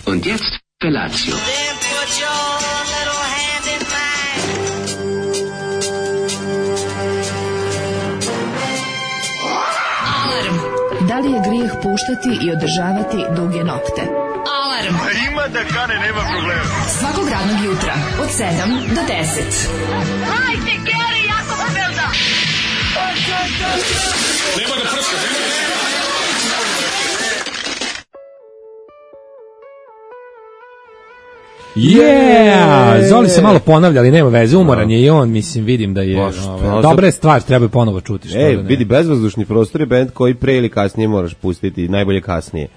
Und jetzt Felatio. Da li je grijeh puštati i održavati duge nokte? Alarm! Ima da kane, nema problema. Svakog radnog jutra, od 7 do 10. Hajde, Geri, jako se velda! Nema da prska, Yeah! Zoli se malo ponavlja, ali nema veze, umoran je i on, mislim, vidim da je dobra je stvar, treba ponovo čuti. Vidi, bezvazdušni prostor je bend koji pre ili kasnije moraš pustiti, najbolje kasnije.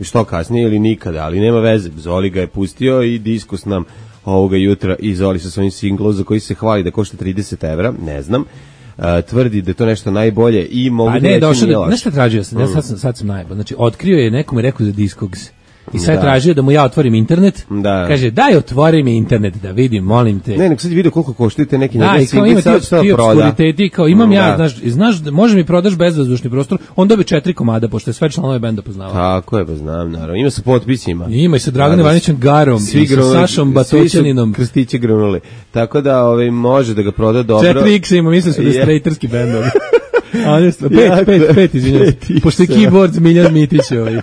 I što kasnije ili nikada, ali nema veze. Zoli ga je pustio i diskus nam ovoga jutra i Zoli sa svojim singlom za koji se hvali da košta 30 evra, ne znam. Tvrdi da je to nešto najbolje i mogu da reći nije laš. Znaš šta tražio sam? Ja sad sam najbolj. Znači, otkrio je, nekome rekao za Discogs. I sad tražio da mu ja otvorim internet. Da. Kaže, daj otvori mi internet da vidim, molim te. Ne, nek sad vidio koliko koštite neki njegov single, sad ti obskuriteti, kao imam ja, znaš, može mi prodaš bezvazdušni prostor, on dobi 4 komada, pošto je sve članove benda poznavao. Tako je, pa znam, naravno. Ima sa potpisima. Ima i sa Draganom Ivanićem Garom, i sa Sašom Batoćaninom. Svi su krstiće grunuli. Tako da može da ga proda dobro. 4X ima, mislim su da je straighterski bendovi. Pet, izvinjam. Pošto je keyboard Miljan Mitić ovaj.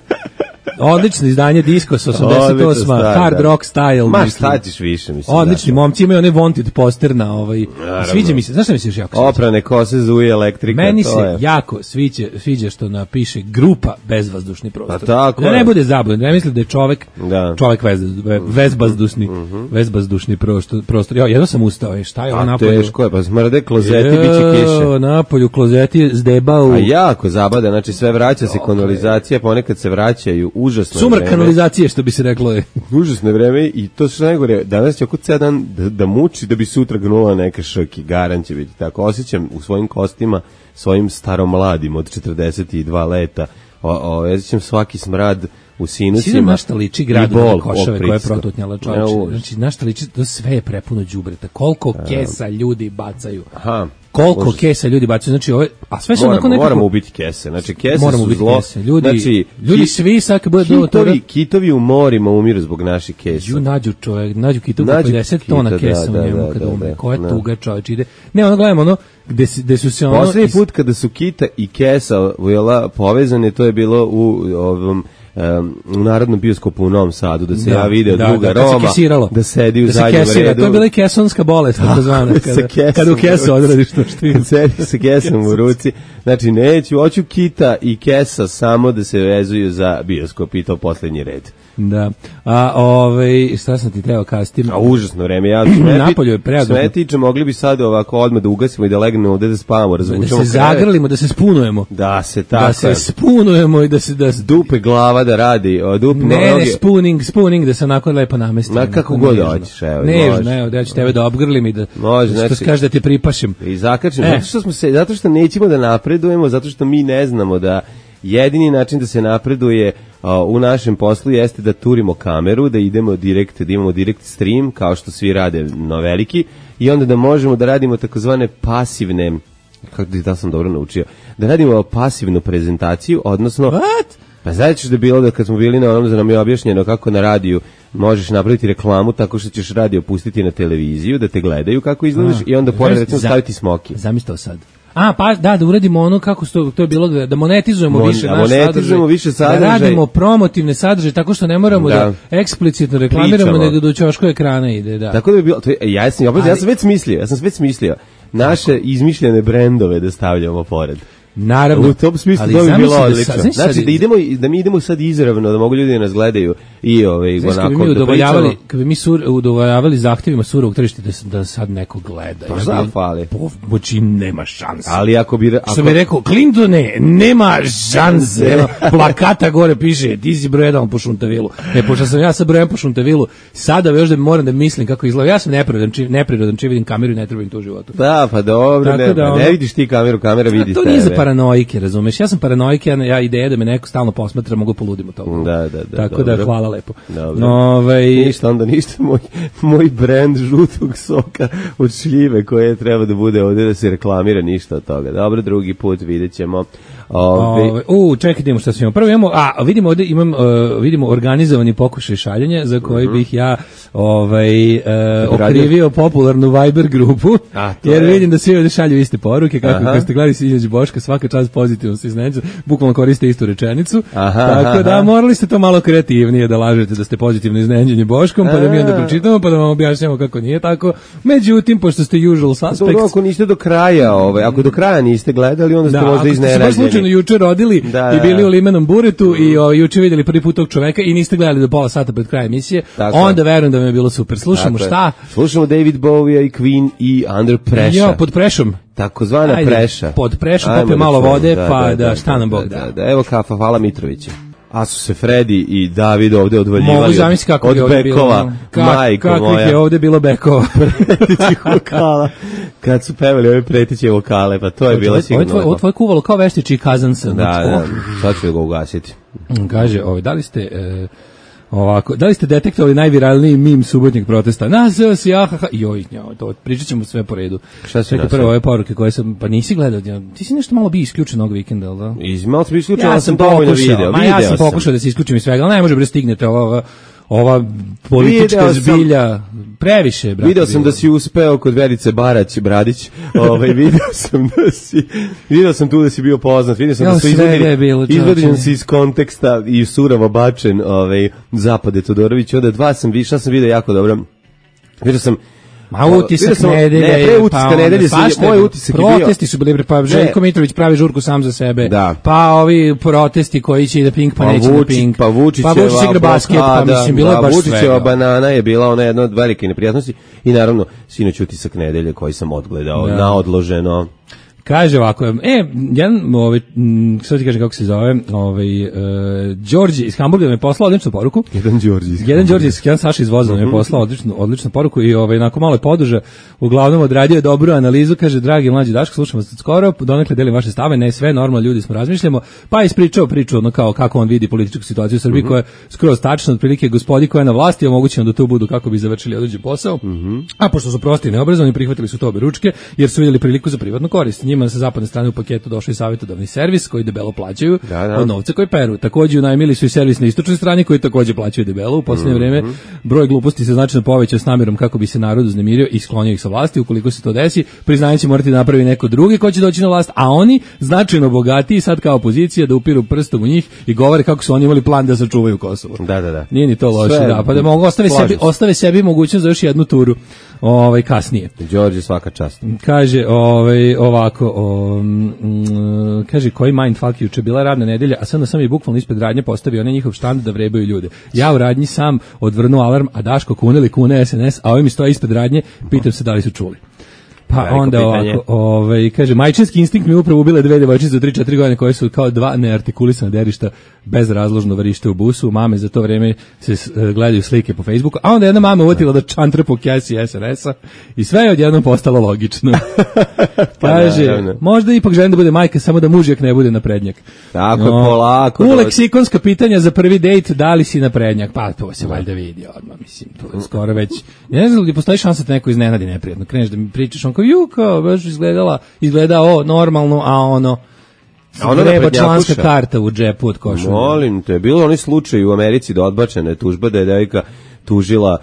Odlično izdanje Discos 88, hard rock style. Ma šta ćeš više, mislim. Odlični momci, imaju one wanted poster na ovaj. Sviđa mi se, znaš šta mi se još jako sviđa? Oprane kose zuje elektrika. Meni se jako sviđa što napiše grupa bezvazdušni prostor. Pa tako da ne bude zabavno, ne mislim da je čovek vezbazdušni prostor. Ja jedno sam ustao, šta je on napolju? Teško je, pa smrde klozeti, biće kiše. Napolju klozeti zdebao. A jako zabada, znači sve vraća se kanalizacija, ponekad se vraćaju. Užasno sumrak vreme. Kanalizacije, što bi se reklo je. Užasno vreme i to što najgore, danas će oko ceo dan da muči da bi sutra gnula neka šrki, garan će biti tako. Osjećam u svojim kostima, svojim staromladim od 42 leta, osjećam svaki smrad u sinusima. Svi našta liči gradu na Košave koje je protutnjala čovječe. Znači, našta liči, to sve je prepuno đubreta. Koliko kesa ljudi bacaju. Aha. Koliko kesa ljudi bacaju, znači ove, a sve su onako nekako... Moramo ubiti kese, znači kese su zlo. Kese. Ljudi svi sak bude kitovi u morima umiru zbog naših kesa. Nađu kitovu 50 tona kesa u njemu kada umre. Koja tuga čovječ ide. Ne, ono gledamo ono, gde su se ono... Poslednji put kada su kita i kesa povezane, to je bilo u ovom... u Narodnom bioskopu u Novom Sadu, da se ja video druga Roma, da sedi u zadnjem redu. To je bila i kesonska bolest, tako zvana, kada u kesu odradiš to što ima. Sedi sa kesom u ruci. Znači, hoću kita i kesa samo da se vezuju za bioskop i to poslednji red. Da. Šta sam ti teo kasti? Užasno vreme. Ja napolju je preadno. Sve tiče, mogli bi sad ovako odmah da ugasimo i da legnemo ovde da spavamo, razvučemo. Da se zagrlimo, da se spunujemo. Da se tako. Da se spunujemo i da dupe glava da radi, ne, spooning da se onako lepo namestimo. Ma kako god hoćeš, evo. Ne, da ću tebe da obgrlim i da što kaže da te pripašim. I zakačim, zato što nećemo da napredujemo, zato što mi ne znamo da jedini način da se napreduje u našem poslu jeste da turimo kameru, da idemo direkt, da imamo direct stream, kao što svi rade na veliki, i onda da možemo da radimo takozvane pasivne, da sam dobro naučio, da radimo pasivnu prezentaciju, odnosno... What? Pa znači da je bilo da kad smo bili na onom, da nam je objašnjeno kako na radiju možeš napraviti reklamu tako što ćeš radio pustiti na televiziju, da te gledaju kako izgledaš i onda pored recimo staviti smoki. Zamislite sad. Pa da uradimo ono kako to je bilo, da monetizujemo više naš sadržaj, da radimo promotivne sadržaje, tako što ne moramo da eksplicitno reklamiramo, nego do ćoško ekrana ide, da. Tako da bi bilo, ja sam već smislio naše izmišljene brendove da stavljamo pored. Naravno. U tom smislu to bi bilo odlično. Znači da mi idemo sad izravno, da mogu ljudi da nas gledaju i onako da pričamo. Kad bi mi udovoljavali zahtjevima surovog tržišta da sad neko gleda. Pa šta fali? Moći nema šanse. Ali ako bi... Što bi rekao, Clintone, nema šanse. Plakata gore piše, ti si broj 1 po Šuntavilu. Pošto sam ja sa brojem po Šuntavilu, sada još da moram da mislim kako izgleda. Ja sam neprirodan, či vidim kameru i ne trebam to u životu. Da, pa dobro, ne vidiš ti kameru, kamera vidi tebe. Paranoike, razumeš? Ja sam paranoik, ja ideja da me neko stalno posmatra, mogu poludim od toga. Da. Tako da, hvala lepo. Ništa, moj brend žutog soka od šljive koje treba da bude ovdje da se reklamira, ništa od toga. Dobro, drugi put vidjet ćemo. Čekaj, idemo šta imamo. Prvo imamo, vidimo ovde vidimo organizovani pokušaj šaljenja za koji bih ja okrivio popularnu Viber grupu, jer vidim da svi ovde šalju iste poruke, kako ste gledali Sinjađe Boška, svaka čast pozitivno se iznenađu, bukvalno koriste istu rečenicu, tako da morali ste to malo kreativnije da lažete da ste pozitivno iznenađeni Boškom, pa da mi onda pročitamo, pa da vam objašnjamo kako nije tako. Međutim, pošto ste usual suspects... Dobro, ako niste do kraja, ako do kraja niste gledali, onda ste možda iznenađeni. Ako ste se baš slučajno juče rodili i bili u limenom buretu i juče vidjeli prvi put tog čoveka i niste gledali do pola sata pred kraja emisije, onda verujem da vam je bilo super. Slušamo šta? Slušamo David Bowie i Queen i Under Pressure. Jo, pod prešom. Takozvana preša. Pod prešu, popije malo vode, pa da šta nam Bog da. Evo kafa, hvala Mitrovića. A su se Fredi i David ovde odvaljivali od bekova. Kako je ovde bilo bekova. Pretećih vokala. Kad su pevali ove preteće vokale, pa to je bilo sigurno. Ovo tvoje kuvalo kao Veštići Kazansa. Da, sad ću ga ugasiti. Kaže, da li ste detektovali najviralniji mim subotnjeg protesta? Nazeo si, to pričat ćemo sve po redu. Šta si nasao? Prvo ove poruke koje sam, pa nisi gledao, ti si nešto malo bi isključen ovog vikenda, ali da? Malo sam isključen, ali sam dovoljno video. Ja sam pokušao da se isključim iz svega, ali ne može bre stignete ova politička zbilja previše, brate. Video sam da si uspeo kod Verice Bradić, video sam tu da si bio poznat, video sam da su izvedeni si iz konteksta i suravo bačen Zapade Todorović, onda dva sam video jako dobro. Vidio sam utisak nedelje. Moj utisak je bio. Protesti su bili, pa Željko Mitrović pravi žurku sam za sebe. Pa ovi protesti koji će i da Pink, pa neće da Pink. Pa Vučić igra basket, pa mislim, bilo je baš svega. Vučićeva banana je bila ona jedna od velike neprijatnosti i sinoć utisak nedelje koji sam odgledao na odloženo. Kaže ovako, sad ti kaže kako se zove, Đorđe iz Hamburga mi je poslao odličnu poruku. Jedan Saša iz Voza mi je poslao odličnu poruku i nakon malo je poduža, uglavnom odradio je dobru analizu, kaže, dragi mlađi Daško, slušamo se skoro, donekle delim vaše stave, ne sve, normalno ljudi smo razmišljamo, pa ispričao priču kao kako on vidi političku situaciju u Srbiji, koja je skroz tačna, otprilike gospodi koja je na vlasti, omogućeno da tu budu kako bi završili određen posao, a pošto su prosti i neobrazovani, prihvatili su to oberučke, jer su vidjeli priliku za privatnu korist. Njima sa zapadne strane u paketu došao i savjetodavni servis koji debelo plaćaju od novca koji peru. Takođe unajmili su i servis na istočnoj strani koji takođe plaćaju debelo. U posljednje vreme broj gluposti se značajno povećao s namjerom kako bi se narod uznemirio i sklonio ih sa vlasti. Ukoliko se to desi, priznanje će morati napraviti neko drugi ko će doći na vlast, a oni značajno bogatiji sad kao opozicija da upiru prstom u njih i govore kako su oni imali plan da sačuvaju Kosovo. Da. Nije ni to loše, pa da mogu ostave sebi mogućnost za još jednu turu kasnije. Đorđe, svaka čast. Kaže ovako, kaže, koji mindfuck, juče bila radna nedelja, a sad onda sam i bukvalno ispred radnje postavio onaj njihov štand da vrebaju ljude. Ja u radnji sam odvrnuo alarm, a Daško kune SNS, a ovi mi stoje ispred radnje, pitam se da li su čuli. Pa onda ovako, kaže, majčinski instinkt mi upravo ubile dve devojčice za 3-4 godine koje su kao dva neartikulisana derišta bezrazložno varište u busu. Mame za to vreme se gledaju slike po Facebooku, a onda jedna mama uvatila da čantre po kesi SRS-a i sve je odjednom postalo logično. Kaže, možda ipak želim da bude majka, samo da mužjak ne bude naprednjak. Tako, polako. U leksikonska pitanja za prvi dejt, da li si naprednjak? Pa to se valjda vidi odmah, mislim, to je skoro već. Ja ne znam da postoji šansa da neko iznenadi neprijatno. Kreneš da mi pričaš, kao baš izgleda normalno, a ono treba članska karta u džepu od košulja. Molim te, bilo oni slučaj u Americi da odbačena je tužba da je devojka tužila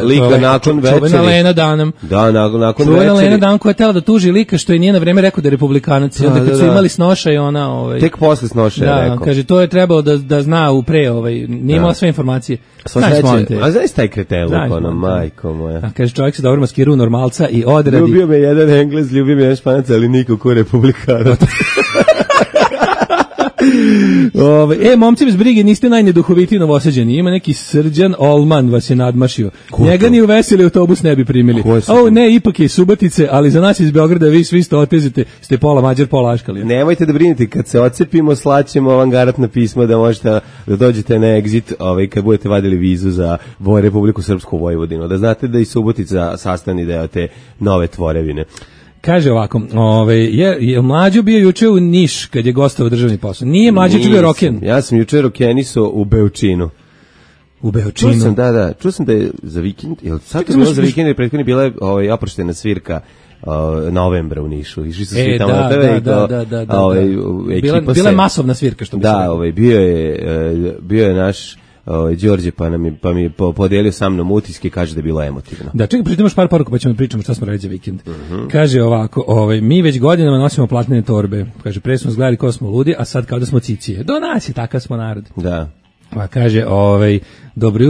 lika nakon večeri. Čuvena Lena Dunham. Da, nakon večeri. Čuvena Lena Dunham koja je tela da tuži lika što je nije na vreme rekao da je republikanac. I onda kad su imali snoša i ona... Tek posle snoša je rekao. Kaže, to je trebalo da zna nije imala sve informacije. A znaš taj kreteluk, ono, majko moja. Kaže, čovjek se dobro maskira u normalca i odradi. Ljubio me jedan Englez, ljubio me jedan Španac, ali niko ko republikanac. Momci bez brige, niste najneduhovitiji novosađeni. Ima neki Srđan Olman vas je nadmašio. Njega ni u veseli autobus ne bi primili. Ne, ipak je iz Subotice, ali za nas iz Beograda vi svi ste otezite, ste pola Mađar, pola Aškalija. Nemojte da brinete, kad se ocepimo, slaćemo avangaratna pisma da možete da dođete na exit, kad budete vadili vizu za Republiku Srpsku Vojvodinu. Da znate da i Subotica sastavni deo te nove tvorevine. Kaže ovako, je Mlađo bio juče u Niš kad je gostovao državni posao. Nije Mlađo juče bio roken. Ja sam juče rokeniso u Beočinu. U Beočinu? Čuo sam da je za vikend, sad to bilo za vikend, jer prethodno bila je oproštena svirka novembra u Nišu. Išli su svi tamo na tebe. Bila je masovna svirka, što bi se rekao. Bio je naš Đorđe, pa mi je podelio sa mnom utiske, kaže da je bilo emotivno. Da, čekaj, pritom još par poruka, pa ćemo da pričamo šta smo radili za vikend. Kaže ovako, mi već godinama nosimo platnene torbe. Kaže, pre smo zgledali ko smo ludi, a sad kao da smo cicije. Do nas je, takav smo narod. Da. Pa kaže, dobro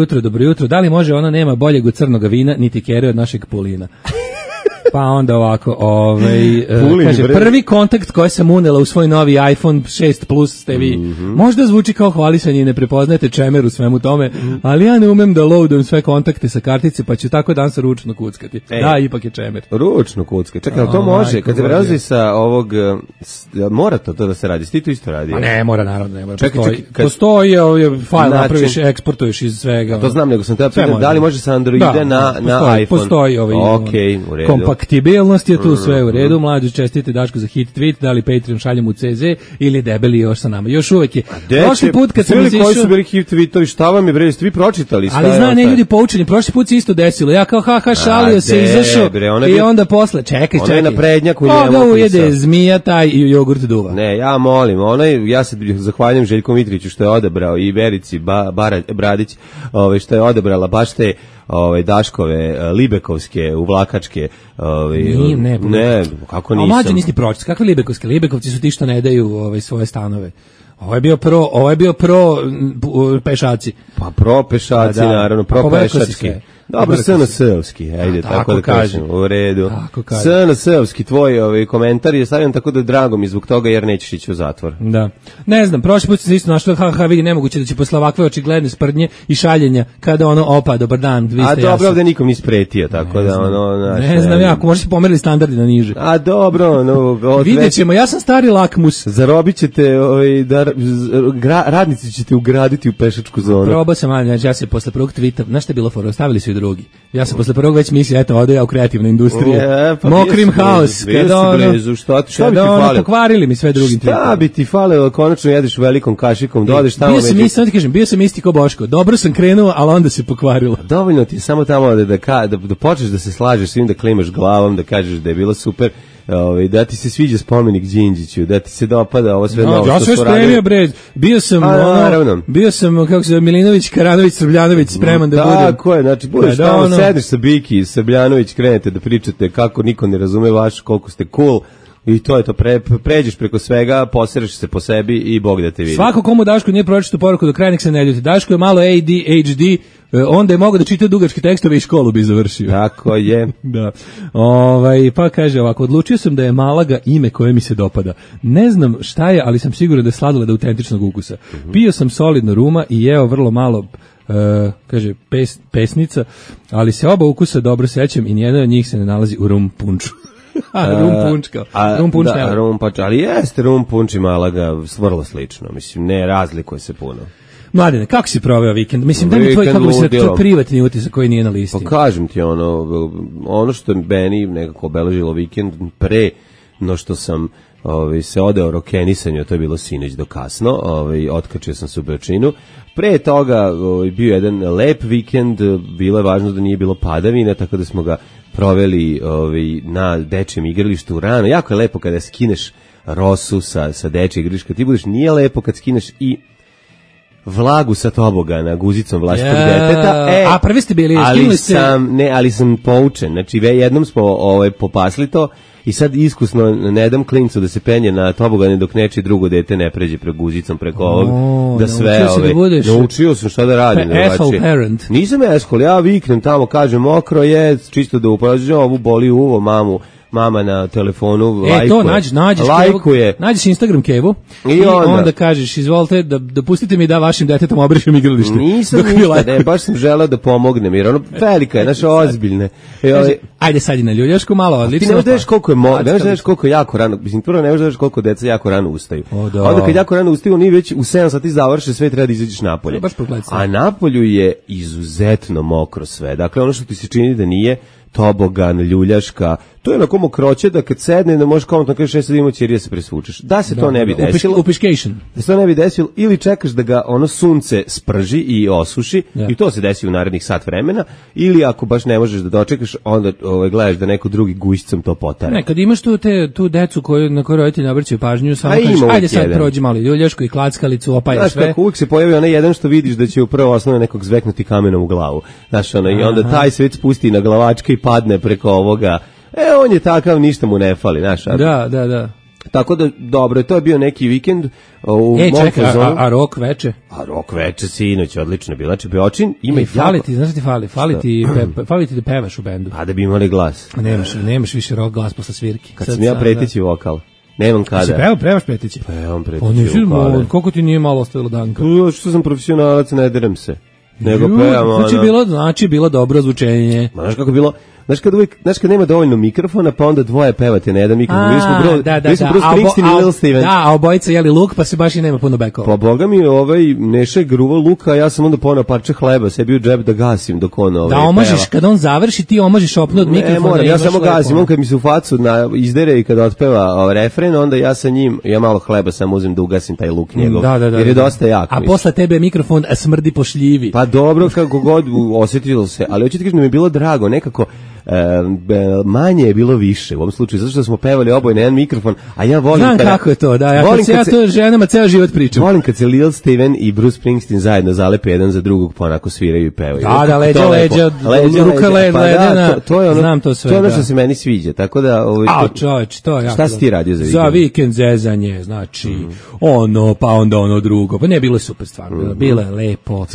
jutro, da li može ona nema boljeg od crnog vina, niti kere od našeg Pulina. Pa onda ovako, kaže, prvi kontakt koji sam unela u svoj novi iPhone 6 Plus ste vi. Možda zvuči kao hvalisanje i ne prepoznajete čemer u svemu tome, ali ja ne umem da loadujem sve kontakte sa kartice, pa ću tako danas ručno kuckati. Da, ipak je čemer. Ručno kuckati. Čekaj, ali to može, kad se prelazi sa ovog, mora to da se radi, ti to isto radi? Ma ne mora, naravno, ne mora. Postoji fajl, napraviš, eksportuješ iz svega. To znam, nego sam te pitan, da li može sa Androida na iPhone? Postoji u redu. Kompatibilnost je tu sve u redu, mlađu čestite Daško za hit tweet, da li Patreon šaljemo u CZ ili debeli još sa nama. Još uvek je. Prošli put kad sam izišao... Koji su bili hit tweetovi, šta vam je bre, ste vi pročitali? Ali zna, ne ljudi poučeni, prošli put se isto desilo. Ja kao šalio se, izašao i onda posle, čekaj. Ona je na prednjaku njemu pisao. Koga ujede zmija, taj i jogurt duva. Ne, ja molim, ja se zahvaljujem Željku Mitriću što je odabrao i Verici Bradić, što je odabrala baš te Daškove, Libekovske, uvlakačke, ne, kako nisam. A mlađe nisi pročitao, kakve Libekovske? Libekovci su ti što ne daju svoje stanove. Ovo je bio pro pešaci. Pa pro pešaci, naravno, pro pešački. Dobro, SNS-ovski, ajde, tako da kažem, u redu. SNS-ovski, tvoj komentar je stavljen tako da drago mi zbog toga jer nećeš ići u zatvor. Da. Ne znam, prošli put se isto našlo, vidi, nemoguće da će posle ovakve očigledne sprdnje i šaljenja kada opa, dobar dan, vi ste jasni. A dobro, ovde nikom nisi pretio, tako da ne znam ja, ako možda se pomerili standardi na niže. A dobro, vidjet ćemo, ja sam stari lakmus. Zarobit ćete, radnici ćete ugraditi u pešačku zonu. Probao sam, ja se posle prvog tweeta, znaš šta je bilo fora, stavili su i drugi. Ja sam posle prvog već mislio, eto, ode ja u kreativnu industriju. Mokrim haos. Šta bi ti falilo? Pokvarili mi sve drugim tweetom. Šta bi ti falilo, konačno jedeš velikom kašikom, dodeš tamo bio sam isti ko Boško. Dobro sam krenuo, ali onda se pokvarilo. Dovoljno ti samo tamo da počneš da se slažeš svim, da klimaš glavom, da kažeš da je bilo super. Da ti se sviđa spomenik Đinđiću, da ti se dopada ovo sve novo što su radili. Ja sve spremio, bio sam, kako se zove, Milinović, Karanović, Srbljanović, spreman da budem. Tako je, znači, budeš tamo, sediš sa Biki, Srbljanović, krenete da pričate kako niko ne razume vaš, koliko ste cool, i to je to, pređeš preko svega, posereš se po sebi i Bog da te vidi. Svako komu Daško nije pročitao poruku do kraja, nek se ne ljuti. Daško je malo ADHD, onda je mogao da čita dugačke tekstove i školu bi završio. Tako je. Da. Pa kaže ovako, odlučio sam da je Malaga ime koje mi se dopada. Ne znam šta je, ali sam siguran da je sladoled autentičnog ukusa. Pio sam solidno ruma i jeo vrlo malo, kaže, pesnica, ali se oba ukusa dobro sećam i nijedan od njih se ne nalazi u rum punču. Rum punč, ali jeste rum punč i Malaga vrlo slično, mislim, ne razlikuje se puno. Mladine, kako si proveo vikend? Mislim, da mi tvoj, kako bi se tvoj privatni utisak koji nije na listi. Pa kažem ti, ono što je meni nekako obeležilo vikend pre no što sam se odeo rokenisanju, to je bilo sinoć do kasno, otkačio sam se u Beočinu. Pre toga bio jedan lep vikend, bilo je važno da nije bilo padavine, tako da smo ga proveli na dečijem igralištu rano. Jako je lepo kada skineš rosu sa dečijeg igrališta, ti budeš, nije lepo kad skineš i vlagu sa tobogana guzicom vlastitog deteta. A prvi ste bili, ali sam poučen, znači jednom smo popasli to i sad iskusno ne dam klincu da se penje na tobogane dok neči drugo dete ne pređe guzicom preko ovog, da sve naučio sam šta da radim. Parent. Nisam eskol, ja viknem tamo, kažem mokro je, čisto da uporađujem, ovu boli uvo, mama na telefonu lajkuje. Nađeš Instagram Kevu i onda kažeš, izvolite da pustite mi da vašim detetom obrišem igralište. Nisam baš sam želeo da pomognem, jer ono velika je, naša ozbiljne. Ajde sad i na ljuljašku malo, odlično. Ti ne znaš koliko je jako rano, mislim, prvo ne znaš koliko deca jako rano ustaju. Onda kad jako rano ustaju, oni već u 7 sati završe, sve treba da izađeš napolje. A napolju je izuzetno mokro sve. Dakle, ono što ti se čini da nije tobogan, ljuljaška, to je onako mokroće da kad sedne da možeš komotno kažeš sad imamo ćerija se presvučeš. Da se to ne bi desilo. Upišcation. Da se to ne bi desilo ili čekaš da ga ono sunce sprži i osuši i to se desi u narednih sat vremena ili ako baš ne možeš da dočekaš onda gledaš da neko drugi gušicom to potare. Ne, kad imaš tu decu na koju roditelji ne obraćaju pažnju, samo kažeš ajde sad prođi malo ljuljašku i klackalicu, opaje sve. Znaš kako uvijek se pojavi onaj jedan što vidiš da će u prvo osnovu nekog zveknuti kamenom u glavu. Znaš i onda taj svet spusti na glavačke i padne preko ovoga. On je takav, ništa mu ne fali, znaš. Da. Tako da, dobro, to je bio neki vikend u mom fazonu. A rok veče? A rok veče, sinoć, odlično je bila. Čebeočin ima i fali ti, znaš ti fali ti da pevaš u bendu. A da bi imali glas. Nemaš više rock glas posle svirki. Kad sam ja preteći vokal. Nemam kada. Se pevaš preteći? Pevam preteći vokale. Koliko ti nije malo ostavilo danka? Što sam profesionalac, ne derem se. Nego pevam, Znači bilo dobro zvučenje. Znaš kako bilo? Znaš kad nema dovoljno mikrofona, pa onda dvoje pevate na jedan mikrofon. Mi smo Bruce Springsteen i Lil Steven. Da, a obojica jeli luk, pa se baš i nema puno bekova. Pa boga mi Neša je gruvao luka, a ja sam onda ponao parče hleba, sebi u džep da gasim dok on da omažiš, kad on završi, ti omažiš opnu od mikrofona. Ne moram, ja samo gasim, on kad mi se u facu izdere i kad otpeva refren, onda ja sa njim, ja malo hleba samo uzem da ugasim taj luk njegov, jer je dosta jak. A posle tebe mikrofon smrdi po šljivi. Pa dobro, kako god osjetilo se, ali hoćete kažem da mi je bilo drago, nekako manje je bilo više u ovom slučaju, zato što smo pevali oboje na jedan mikrofon, a ja volim... Znam kako je to, da, ja to ženama ceo život pričam. Volim kad se Lil Steven i Bruce Springsteen zajedno zalepe jedan za drugog, pa onako sviraju i pevaju. Da, leđa, ruka ledena, znam to sve. To je ono što se meni sviđa, tako da... čoveč, to je jako... Šta si ti radio za vikend? Za vikend zezanje, znači, pa onda ono drugo, pa ne, bilo je super stvarno, bilo je lepo,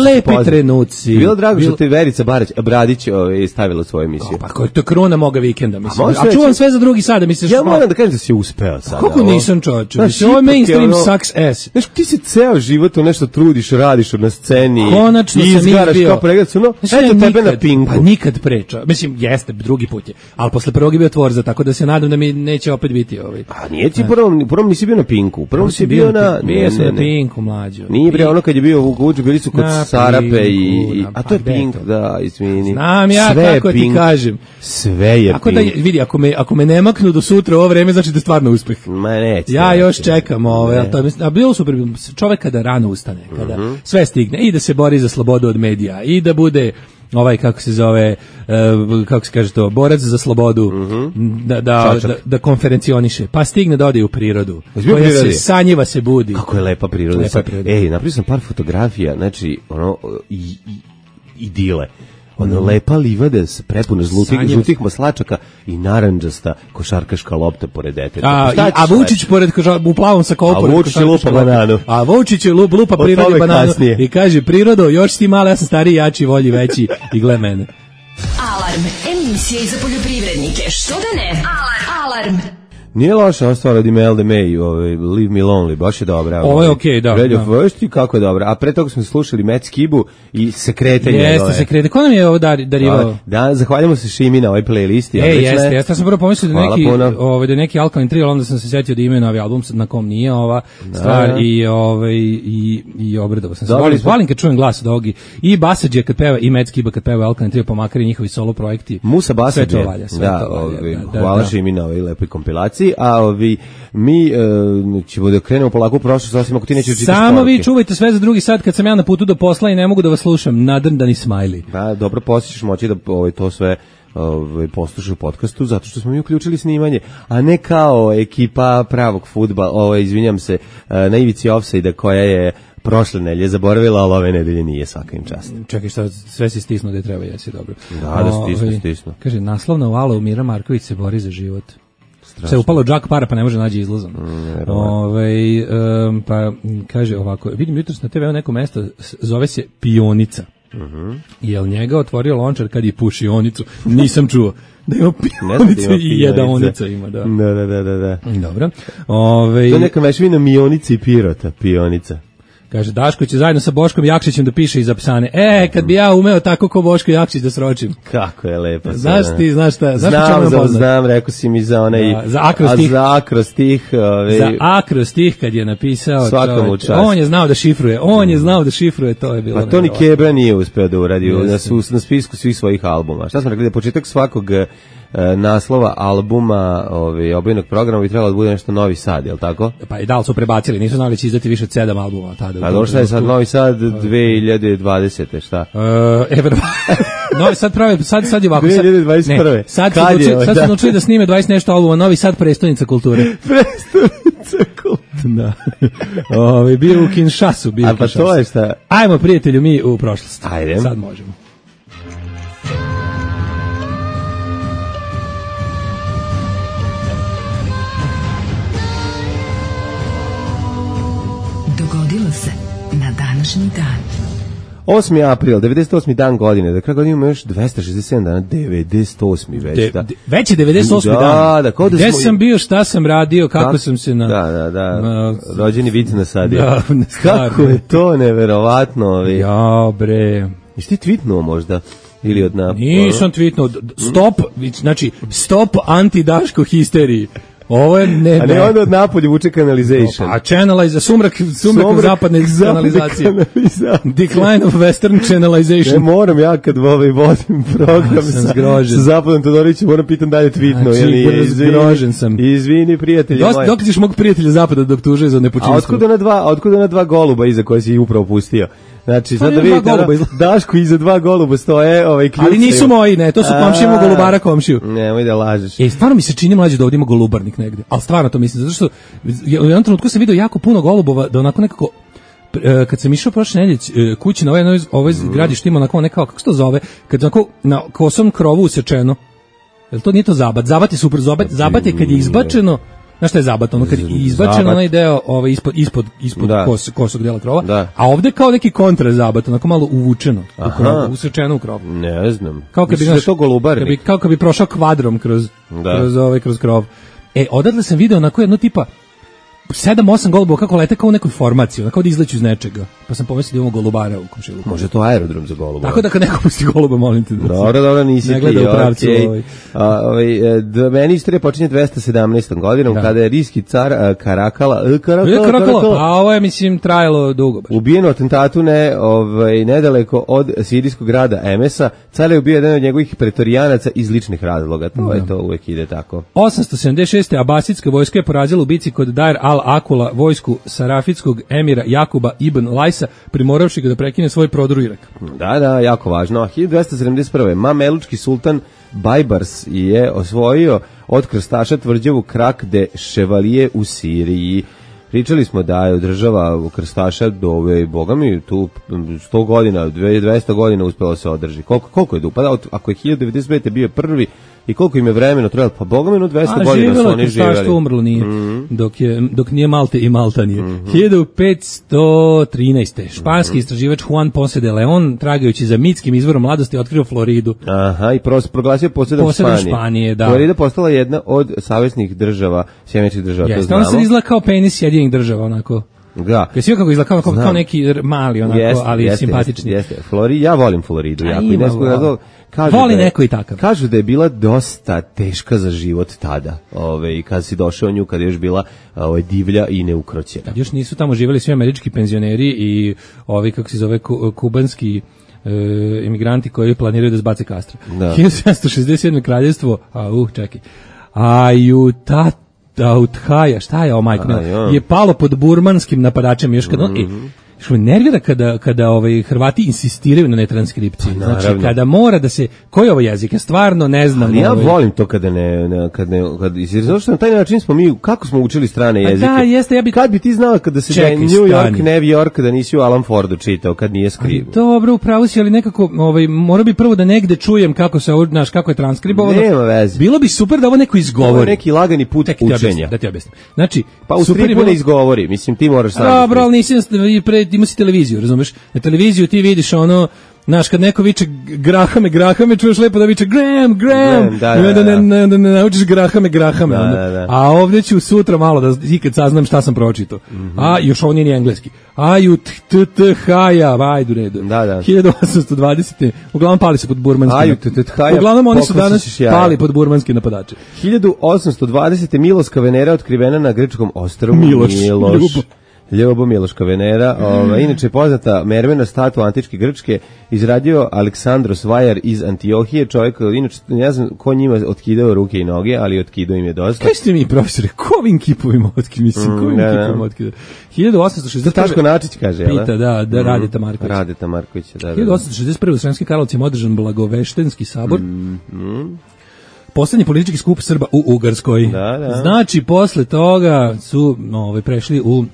lepi trenuci. Bilo drago što te Verica Bradić stavila svoje emisiju. Pa ko je to kruna moga vikenda, mislim. A čuvam sve za drugi sada, misliš... Ja moram da kažem da si uspeo sada. Kako nisam, čovječe? Mislim, ovo je mainstream sucks ass. Znaš, ti se ceo život nešto trudiš, radiš na sceni. Konačno sam izgaraš kao pregled, eto tebe na Pinku. Pa nikad preča. Mislim, jeste, drugi put je. Ali posle prvog je bio Tvorza, tako da se nadam da mi neće opet biti ovaj. A nije ti prvom nisi bio na Pinku. Prvom si bio na... Bio sam na Pinku, mlađo. Nije bre, ono kad je bio u Guđu, bili su kod Sarape i... A to je Pink, da, izvini. Znam ja kako ti kažem. Sve je Pink. Da, vidi, ako me ne maknu do sutra ovo vreme, znači da je stvarno uspeh. Ma neće. Ja još čekam a bilo super, čovek kada rano ustane, kada sve stigne, i da se bori za slobodu od medija, i da bude kako se zove, kako se kaže to, borac za slobodu, da konferencioniše, pa stigne da ode u prirodu, koja se sanjiva, se budi. Kako je lepa priroda. Napravio sam par fotografija, znači, idile. Lepa livada prepuna žlutih maslačaka i narandžasta košarkaška lopta pored deteta. A Vučić u plavom sakovu pored košarkaška lopta. A Vučić lupa prirodi bananu i kaže, prirodo, još si ti mala, ja sam stariji, jači, volji, veći i gle mene. Alarm, emisija za poljoprivrednike, što da ne? Alarm. Nije loša ostala od Imelda May, Leave Me Lonely, baš je dobra. Ovo je okej, da. Red of Worst, kako je dobra. A pre toga smo slušali Matt Skibu i Sekrete njegove. Jeste, Sekrete. Ko nam je ovo darivao? Da, zahvaljamo se Šimi na ovoj playlisti. Jeste. Ja sam prvo pomislio da neki Alkaline Trio, onda sam se sjetio da imaju novi album, na kom nije ova stvar i obradovao sam se. Volim kad čujem glas od ovog i Basadžija kad peva i Matt Skiba kad peva Alkaline Trio, pa makar i njihovi solo projekti. Musa Basadžija. Hvala Šimi na ovoj lepoj kompilaciji. A mi ćemo da krenemo polako u prošlost, osim ako ti nećeš čitati poruke. Samo vi čuvajte sve za drugi sat kad sam ja na putu do posla i ne mogu da vas slušam. Nadrndani smajli. Da, dobro, poslije ćeš moći da to sve poslušaš u podcastu, zato što smo mi uključili snimanje, a ne kao ekipa pravog fudbala, izvinjam se, na ivici ofsajda koja je prošle nedelje zaboravila, ali ove nedelje nije, svaka im čast. Čekaj, šta, sve si stisnuo da je treba, jesi dobro. Da stisnu. Kaže, naslovna vala Mira Marković se bori za život. Strašno. Se upalo džak para pa ne može naći izlazom. Pa kaže ovako, vidim jutros na TV-u neko mesto, zove se Pionica. Jel njega otvorio lončar kad je pušionicu? Nisam čuo. Da ima pionice i jedaonica ima, da. Da. Dobro. To je neka mešavina Mionice i Pirota, Pionica. Kaže, Daško će zajedno sa Boškom Jakšićem da piše iz Apsane. Kad bi ja umeo tako ko Boško Jakšić da sročim. Kako je lepo. Znaš šta? Znam, rekao si mi za onaj... Za akrostih. Za akrostih kad je napisao. Svakom čast. On je znao da šifruje, to je bilo. Pa to ni Kebra nije uspeo da uradi na spisku svih svojih albuma. Šta smo rekli, da početak svakog naslova albuma obojenog programa bi trebalo da bude nešto Novi Sad, je li tako? Pa i da li su prebacili, nisu znali da će izdati više od 7 albuma tada. A došla je sad Novi Sad 2020. Šta? Novi Sad pravi, sad je ovako. 2021. Sad su naučili da snime 20 nešto albuma, Novi Sad prestonica kulture. Prestonica kulture. Da. Bio u Kinshasu. A pa to je šta? Ajmo, prijatelju, mi u prošlost. Ajde. Sad možemo. Dogodilo se na današnji dan. 8. april, 98. dan godine, da kada imamo još 267 dana, 98. već. Već je 98. dan. Da, kao da gde sam bio, šta sam radio, kako sam se rođeni vic nasadio. Da, kako je to neverovatno. Ja, bre. Jesi ti tweetnuo možda? Ili od Nisam tweetnuo. Stop anti-Daško histeriji. Ovo je a ne onda od napolju vuče kanalization. A sumrak zapadne kanalizacije. Decline of western channelization. Ne moram ja kad vodim program sa Zapadom Todorićem, moram pitan da je tweetno. Zgrožen sam. Izvini, prijatelji moji. Dok ćeš mog prijatelja Zapada dok tuže za nepočinstvo? A otkuda na dva goluba iza koje si upravo pustio? Znači, sad da vidite, Daško iza 2 goluba stoje, kljuce. Ali nisu moji, ne, to su komšijemo golubara komšiju. Nemoj da lažeš. Stvarno mi se čini mlađe da ovdje ima golubarnik negde. Ali stvarno to mislim, zato što u jednom trenutku sam vidio jako puno golubova, da onako nekako, kad sam išao prošle nedelje kući na ovoj zgradi što ima onako nekako, kako se to zove, kad onako na kosom krovu usečeno. Jel to nije to zabat? Zabat je super, zabat je kad je izbačeno. Znaš šta je zabat? Ono kad je izbačen onaj deo ispod kosog dela krova, a ovde kao neki kontrazabat, onako malo uvučeno u krovu, usrečeno u krovu. Ne znam. Mislim da je to golubarnik. Kao kad bi prošao kvadrom kroz krov. Odatle sam video onako jedno tipa 7-8 golubova kako lete kao u nekoj formaciji, onako da izleću iz nečega. Pa sam pomislio da imamo golubara u komšiluku. Može to aerodrom za golubova. Tako da kad neko pusti goluba, molim te da dobro, nisi ne gleda u pravcu. Meni istorija počinje 217. godinom, kada je rijski car Karakala. A ovo je, mislim, trajalo dugo. Ubijen u atentatu nedaleko od sirijskog grada Emesa. Car je ubio jedan od njegovih pretorijanaca iz ličnih razloga. To uvek ide tako. 876. Abasitska vojska je porazila u bici kod Dair al-Akula vojsku sarafitskog emira Jakuba ibn Lajsa, primoravši ga da prekine svoj prodor u Irak. Da, jako važno. 1271. Mamelučki sultan Bajbars je osvojio od krstaša tvrđavu Krak de Chevalier u Siriji. Pričali smo da je država krstaša do bogami tu 100 godina, 200 godina uspela se održi. Koliko je dupa? Ako je 1095. bio prvi i koliko im je vremena trebalo? Pa bogami 200 godina su oni živjeli. Krstaštvo umrlo nije, dok nije Malte i Malta nije. 1513. Španski istraživač Juan Ponce de Leon, tragajući za mitskim izvorom mladosti, otkrio Floridu. Aha, i proglasio posjedom Španije. Da. Florida postala jedna od saveznih država, sjemeničkih država, to znamo. Ona se izgleda kao penis Sjedinjenih država, onako. Da. Kaj si kako izgleda kao neki mali, onako, ali simpatični. Jeste. Ja volim Floridu, jako. I voli neko i takav. Kažu da je bila dosta teška za život tada, kad si došao nju, kad je još bila divlja i neukroćena. Kad još nisu tamo živjeli svi američki penzioneri i ovi, kako se zove, kubanski imigranti koji planiraju da zbace Kastra. 1767. kraljevstvo, čekaj, Ayutthaya, šta je ovo, majko, je palo pod burmanskim napadačem još kad što me nervira kada Hrvati insistiraju na netranskripciji. Znači, kada mora da se... Koji je ovo jezik? Ja stvarno ne znam. Ali ja volim to kada zato što na taj način smo mi, kako smo učili strane jezike. Da, jeste, kad bi ti znao kada se da je New York, New York, da nisi u Alan Fordu čitao, kad nije skriv. Dobro, upravo si, ali nekako, mora bi prvo da negde čujem kako se, znaš, kako je transkribovano. Nema veze. Bilo bi super da ovo neko izgovori. Ovo je neki lagani put učenja. Da ti objasnim. Znači, pa u stripu ne izgovori, mislim, ti moraš sam. Dobro, ali nisi ima si televiziju, razumeš? Na televiziju ti vidiš ono, znaš, kad neko viče Grahame, čuješ lepo da viče Graham, da ne naučiš Grahame. A ovdje ću sutra malo da ikad saznam šta sam pročitao. A još ovo nije ni engleski. Ayutthaya, vajdu redu. 1820. Uglavnom pali se pod burmanski. Uglavnom oni su danas pali pod burmanski napadače. 1820. Miloska Venera otkrivena na grčkom ostrvu Miloš. Ljobo Miloška Venera, inače poznata mermena statua antičke Grčke, izradio Aleksandros Vajar iz Antiohije, čovjek, inače ne znam ko njima otkidao ruke i noge, ali otkidao im je dosta. Kaj ste mi, profesore, ko ovim kipovima otkidao? Mislim, ko ovim kipovima otkidao? 1861. Taško Načić kaže, jel? Pita, da, Radeta Marković. Radeta Marković, da. 1861. u Sremskim Karlovcima održan Blagoveštenski sabor. Poslednji politički skup Srba u Ugarskoj. Da. Znači, posle toga su prešli u...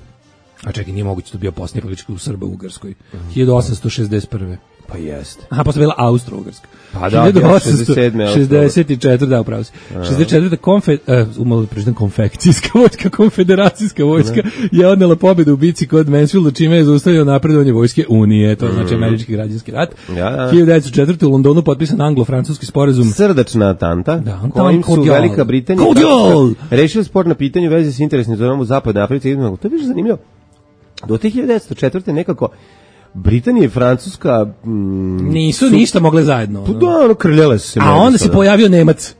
A čekaj, nije moguće to bio posljednji politički skup Srba u Ugarskoj. 1861. Pa jeste. Aha, posle bila Austro-Ugarska. Pa da, 1864. Da, upravo si. 64. konfekcijska vojska, konfederacijska vojska je odnela pobedu u bici kod Mansfielda, čime je zaustavio napredovanje vojske Unije, to znači američki građanski rat. 1904. u Londonu potpisan anglo-francuski sporazum. Srdačna atanta, kojim su Velika Britanija rešili spor na pitanje u vezi s interesnim zonama u zapadnoj Africi. To je više zanimljivo. Do 1904. nekako Britanija i Francuska nisu ništa mogle zajedno. Da, krljale su se. A onda se pojavio Nemac.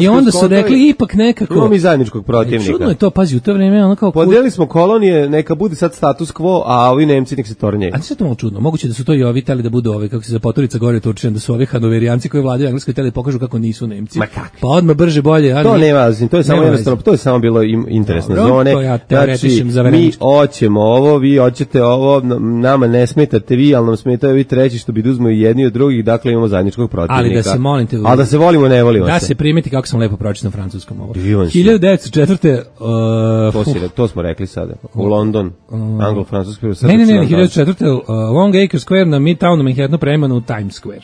I onda su rekli ipak nekako. Imamo mi zajedničkog protivnika. Čudno je to, pazi, u to vreme ono kao podelili smo kolonije, neka bude sad status quo, a ovi Nemci nek se tornjeju. A nije to malo čudno. Moguće da su to i ovi teli da budu ovi, kako se za Poturica gore Turčin, da su ovi Hanoverijanci koji vladaju Engleskoj teli pokažu kako nisu Nemci. Pa odmah brže bolje. To nema, to je samo jednostavno, to je samo bilo interesne zone. Znači, mi hoćemo ovo, vi hoćete ovo, nama ne smetate vi, ali nam smetaju vi treći što bi da uzmu jedni od drugih, dakle imamo zajedničkog protivnika. Ali da se molite, a da se volimo, ne volimo da se primeti kako sam lepo pročitam francuskom ovo. 1904. To smo rekli sada. U London, anglo-francuski. Ne, 1904. Long Acre Square na Midtownu Manhattanu premano u Times Square.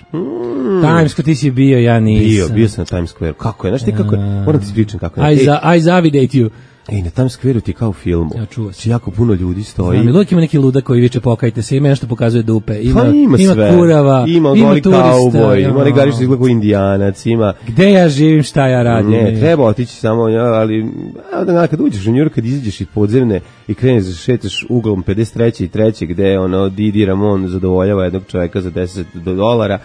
Times Square, ti si bio, ja nisam. Bio sam na Times Square. Kako je? Znaš ti kako je? Moram ti ispričam kako je. I zavidate you. Na Times Square-u ti kao u filmu. Ja čuo sam. Jako puno ljudi stoji. Znam, uvijek ima neki ludak koji viče pokajte se, ima nešto pokazuje dupe. Ima sve. Kurava, ima kauboj, ima negari što izgleda kao Indijanac, ima... Gde ja živim, šta ja radim? Ne, treba otići samo, ali kad uđeš u New York, kad izađeš iz podzemne i kreneš da šetaš uglom 53. i 3. gde Didi Ramon zadovoljava jednog čovjeka za $10.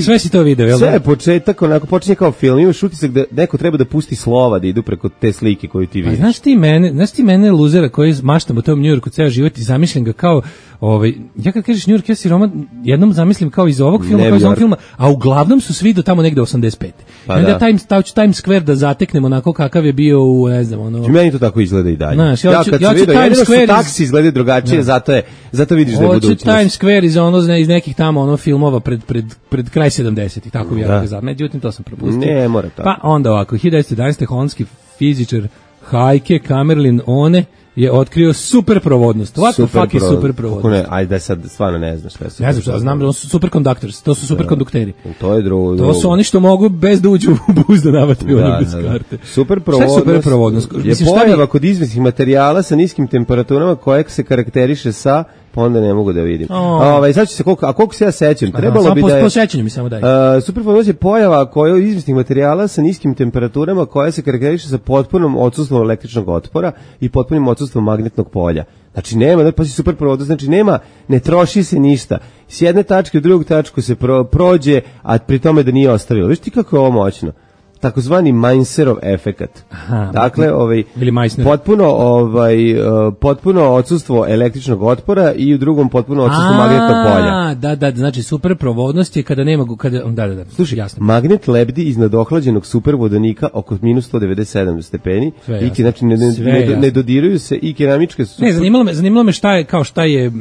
Sve si to video, jel da? Sve je početak, onako počinje kao film, imaš utisak da neko treba da pusti slova da idu preko te slike koju ti vidiš. Znaš ti mene luzera koji maštam u tom New Yorku ceo život i zamišljam ga kao, ja kad kažeš New York, ja si roman jednom zamislim kao iz ovog filma, kao iz ovog filma, a uglavnom su svi do tamo negde 85. Pa onda Times Square da zateknemo onako kakav je bio u, ne znam, Meni to tako izgleda i dalje. Znaš, ja kad sam vidio, jedino što taksi izgleda drugačije, zato vidiš da je budućnost. Hoću Times Square iz nekih tamo filmova pred kraj 70-ih, tako vjerojatno za. Međutim, to sam propustio. Ne, mora tako. Pa onda ovako, 1911. holandski fizičar Heike Kamerlin One je otkrio superprovodnost. What the fuck je superprovodnost? Ajde da sad stvarno ne znaš šta je. Ne znam šta, znam da su superconductors, to su superkondukteri. To je drugo. To su oni što mogu bez da uđu u buz da navataju oni bez karte. Superprovodnost je pojava kod izvesnih materijala sa niskim temperaturama kojeg se karakteriše sa pa onda ne mogu da vidim. Sad će se koliko se ja sećam, trebalo bi da je... Po sećanju mi samo daj. Superprovodnost je pojava koja od izvesnih materijala sa niskim temperaturama koja se karakteriše sa potpunom odsustvom električnog otpora i potpunim odsustvom magnetnog polja. Znači nema, pa si superprovodnost, znači nema, ne troši se ništa. S jedne tačke u drugu tačku se prođe, a pri tome da nije ostavilo. Viš ti kako je ovo moćno? Takozvani Mainzerov efekat. Dakle, potpuno odsustvo električnog otpora i u drugom potpuno odsustvo magnetnog polja. Da, znači superprovodnost je kada nema da. Slušaj, jasno. Magnet lebdi iznad ohlađenog supervodonika oko -197 stepeni. I znači ne dodiruju se i keramičke Ne, zanimalo me šta je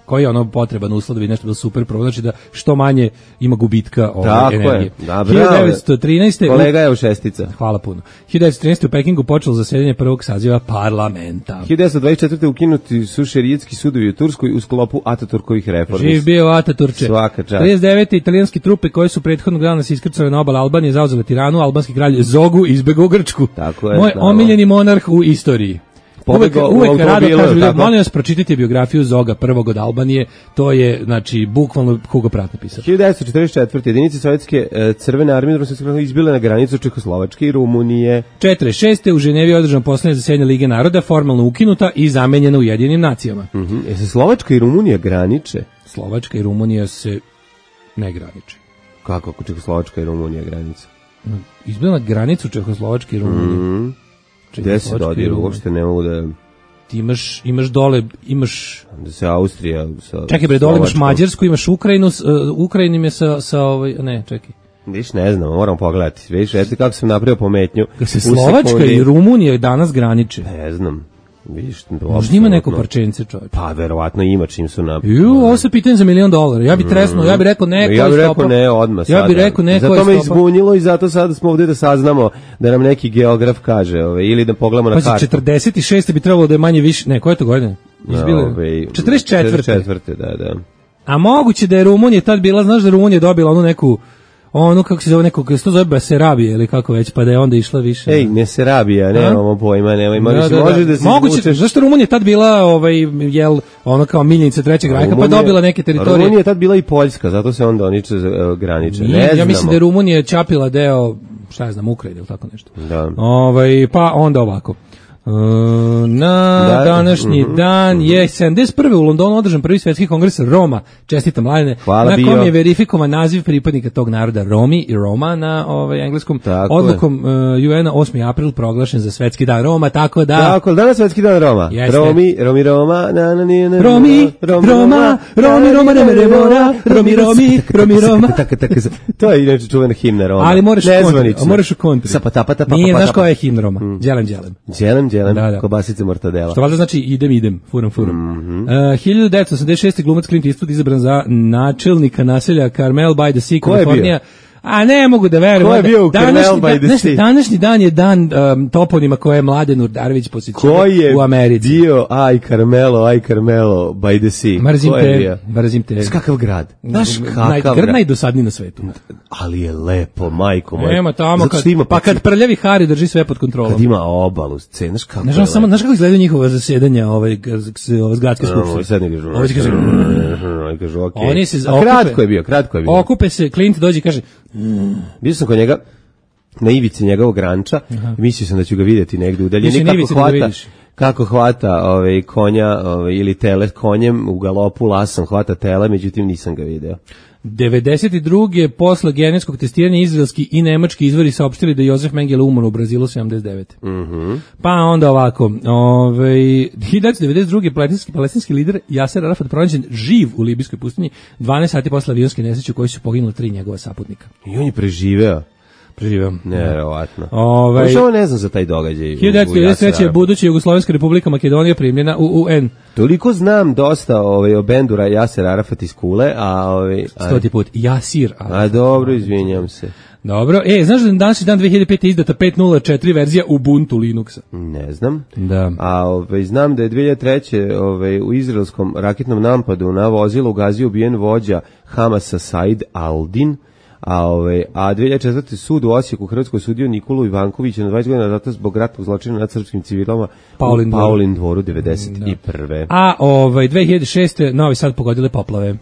koji je potreban uslov da bi nešto bilo super pravo, znači da što manje ima gubitka energije. Tako je, 1913. Kolega je u šestica. Hvala puno. 1913. u Pekingu počelo zasedanje prvog saziva parlamenta. 1924. ukinuti su šerijatski sudovi u Turskoj u sklopu Ataturkovih reformi. Živ bio Ataturče. Svaka čast. 39. italijanski trupe koje su prethodnog dana se iskrcale na obal Albanije zauzele Tiranu, albanski kralj Zogu izbegao Grčku. Tako je. Moj omiljeni monarh u istoriji. Uvek rado kažu, molim vas pročitajte biografiju Zoga prvog od Albanije, to je, znači, bukvalno Hugo Pratt napisao. 1944. jedinice Sovjetske crvene armije izbile na granicu Čehoslovačke i Rumunije. 1946. u Ženevi je održano posljednje zasedanje Lige naroda, formalno ukinuta i zamenjena Ujedinjenim nacijama. Se Slovačka i Rumunija graniče? Slovačka i Rumunija se ne graniče. Kako Čehoslovačka i Rumunija granica? Izbila na granicu Čehoslovačke i Rumunije. Gde se dodiru, uopšte ne mogu da... ti imaš dole, Da se Austrija sa čekaj bre, dole imaš Slovačkom. Mađarsku, imaš Ukrajinu, Ukrajina im je sa ne, čekaj. Viš, ne znam, moram pogledati. Viš, eto kako sam napravio pometnju. Kad se U Slovačka sekundi. i Rumunija danas graniče. Ne znam. Viš, Možda ima neko parčence, čovječ. Pa, verovatno ima čim su na... Ovo se pitanje za $1 milion. Ja bih tresnuo, ja bih rekao ne, Ja ko bih je rekao stopao. ne odmah Ja sada. bih rekao ne, ko Zato me je stopao. izbunilo i zato sada smo ovdje da saznamo da nam neki geograf kaže, ili da pogledamo na Pazi, kartu. 46. bi trebalo da je manje više, ne, koje je to godine? Izbile? 44. 44. Da. A moguće da je Rumunija tad bila, znaš da je Rumunija dobila onu neku, kako se zove, kako se to zove Basarabije ili kako već, pa da je onda išla više. Ej, ne se rabija, nemamo pojma, nemoj, možeš da se moguće, izvučeš. zašto Rumunija tad bila, ono kao miljenica Trećeg rajka, pa dobila neke teritorije. Rumunija je tad bila i Poljska, zato se onda oni graniče. Nije, Ne ja znamo. mislim da je Rumunija čapila deo, šta ja znam, Ukrajine ili tako nešto. Da. Pa onda ovako. Na današnji dan je 71. u Londonu održan prvi svetski kongres Roma. Čestitam, Mladene. Hvala, na kom bio. je verifikovan naziv pripadnika tog naroda Romi i Roma na engleskom. Tako odlukom UN-a 8. april proglašen za svetski dan Roma, tako da... Tako, danas svetski dan Roma. Jeste. Romi, Roma, Romi, Roma. To je inače čuvena himna Roma. Ali moraš Nezvanična. u kontri. Sapatapata, Nije, znaš koja je himna Roma? Đelem. Đelem, Da. kobasice mortadela. Što valjda znači idem, furam. 1986. glumac Clint Eastwood izabran za načelnika naselja Carmel by the Sea, Ko je bio? Kalifornija. A ne mogu da verujem. Ko je bio u Carmel by the Sea? Današnji dan je dan toponima koje je Mladen Urdarević posjećao u Americi. Ko je bio aj Carmelo by the Sea? Mrzim te. Kakav grad? Znaš kakav grad? Najdosadniji na svetu. Ali je lepo, majko moja. Nema tamo, Zato što ima kad prljavi Hari drži sve pod kontrolom. Kad ima obalu, znaš kako je Samo, znaš kako izgledaju njihova zasedanja z gradske skupštine? Sad ne kažu. Ovo će kaže, Oni se kratko je bio. okupe se, Clint dođe i kaže, Bio sam kod njega na ivici njegovog ranča i mislio sam da ću ga vidjeti negdje u daljini Mislim, ivici da ga vidiš. kako hvata konja ili tele konjem u galopu, lasom hvata tele, međutim nisam ga video. 92. posle genetskog testiranja izraelski i nemački izvori saopštili da je Josef Mengele umro u Brazilu 79. Pa onda ovako, 1992. palestinski lider Jaser Arafat pronađen živ u libijskoj pustinji 12 sati posle avionske nesreće u kojoj su poginuli 3 njegova saputnika. I on je preživeo. Nevjerovatno. Ovo ne znam za taj događaj. 1993. buduća Jugoslovenska republika Makedonija primljena u UN. Toliko znam dosta o bendu Jaser Arafat iz Kule, a 100. put Jasir Arafat. A dobro, izvinjam se. Dobro, znaš da danas dan 2005. izdata 5.0.4 verzija Ubuntu Linuxa? Ne znam. Da. A znam da je 2003. U izraelskom raketnom napadu na vozilo ugazio ubijen vođa Hamasa Said Aldin, a 2004. sud u Osijeku Hrvatskoj sudio Nikolu Ivankovića na 20 godina zatvora zbog ratnog zločina nad srpskim civilama u Paulin dvoru 91. A 2006. Novi Sad pogodile poplave.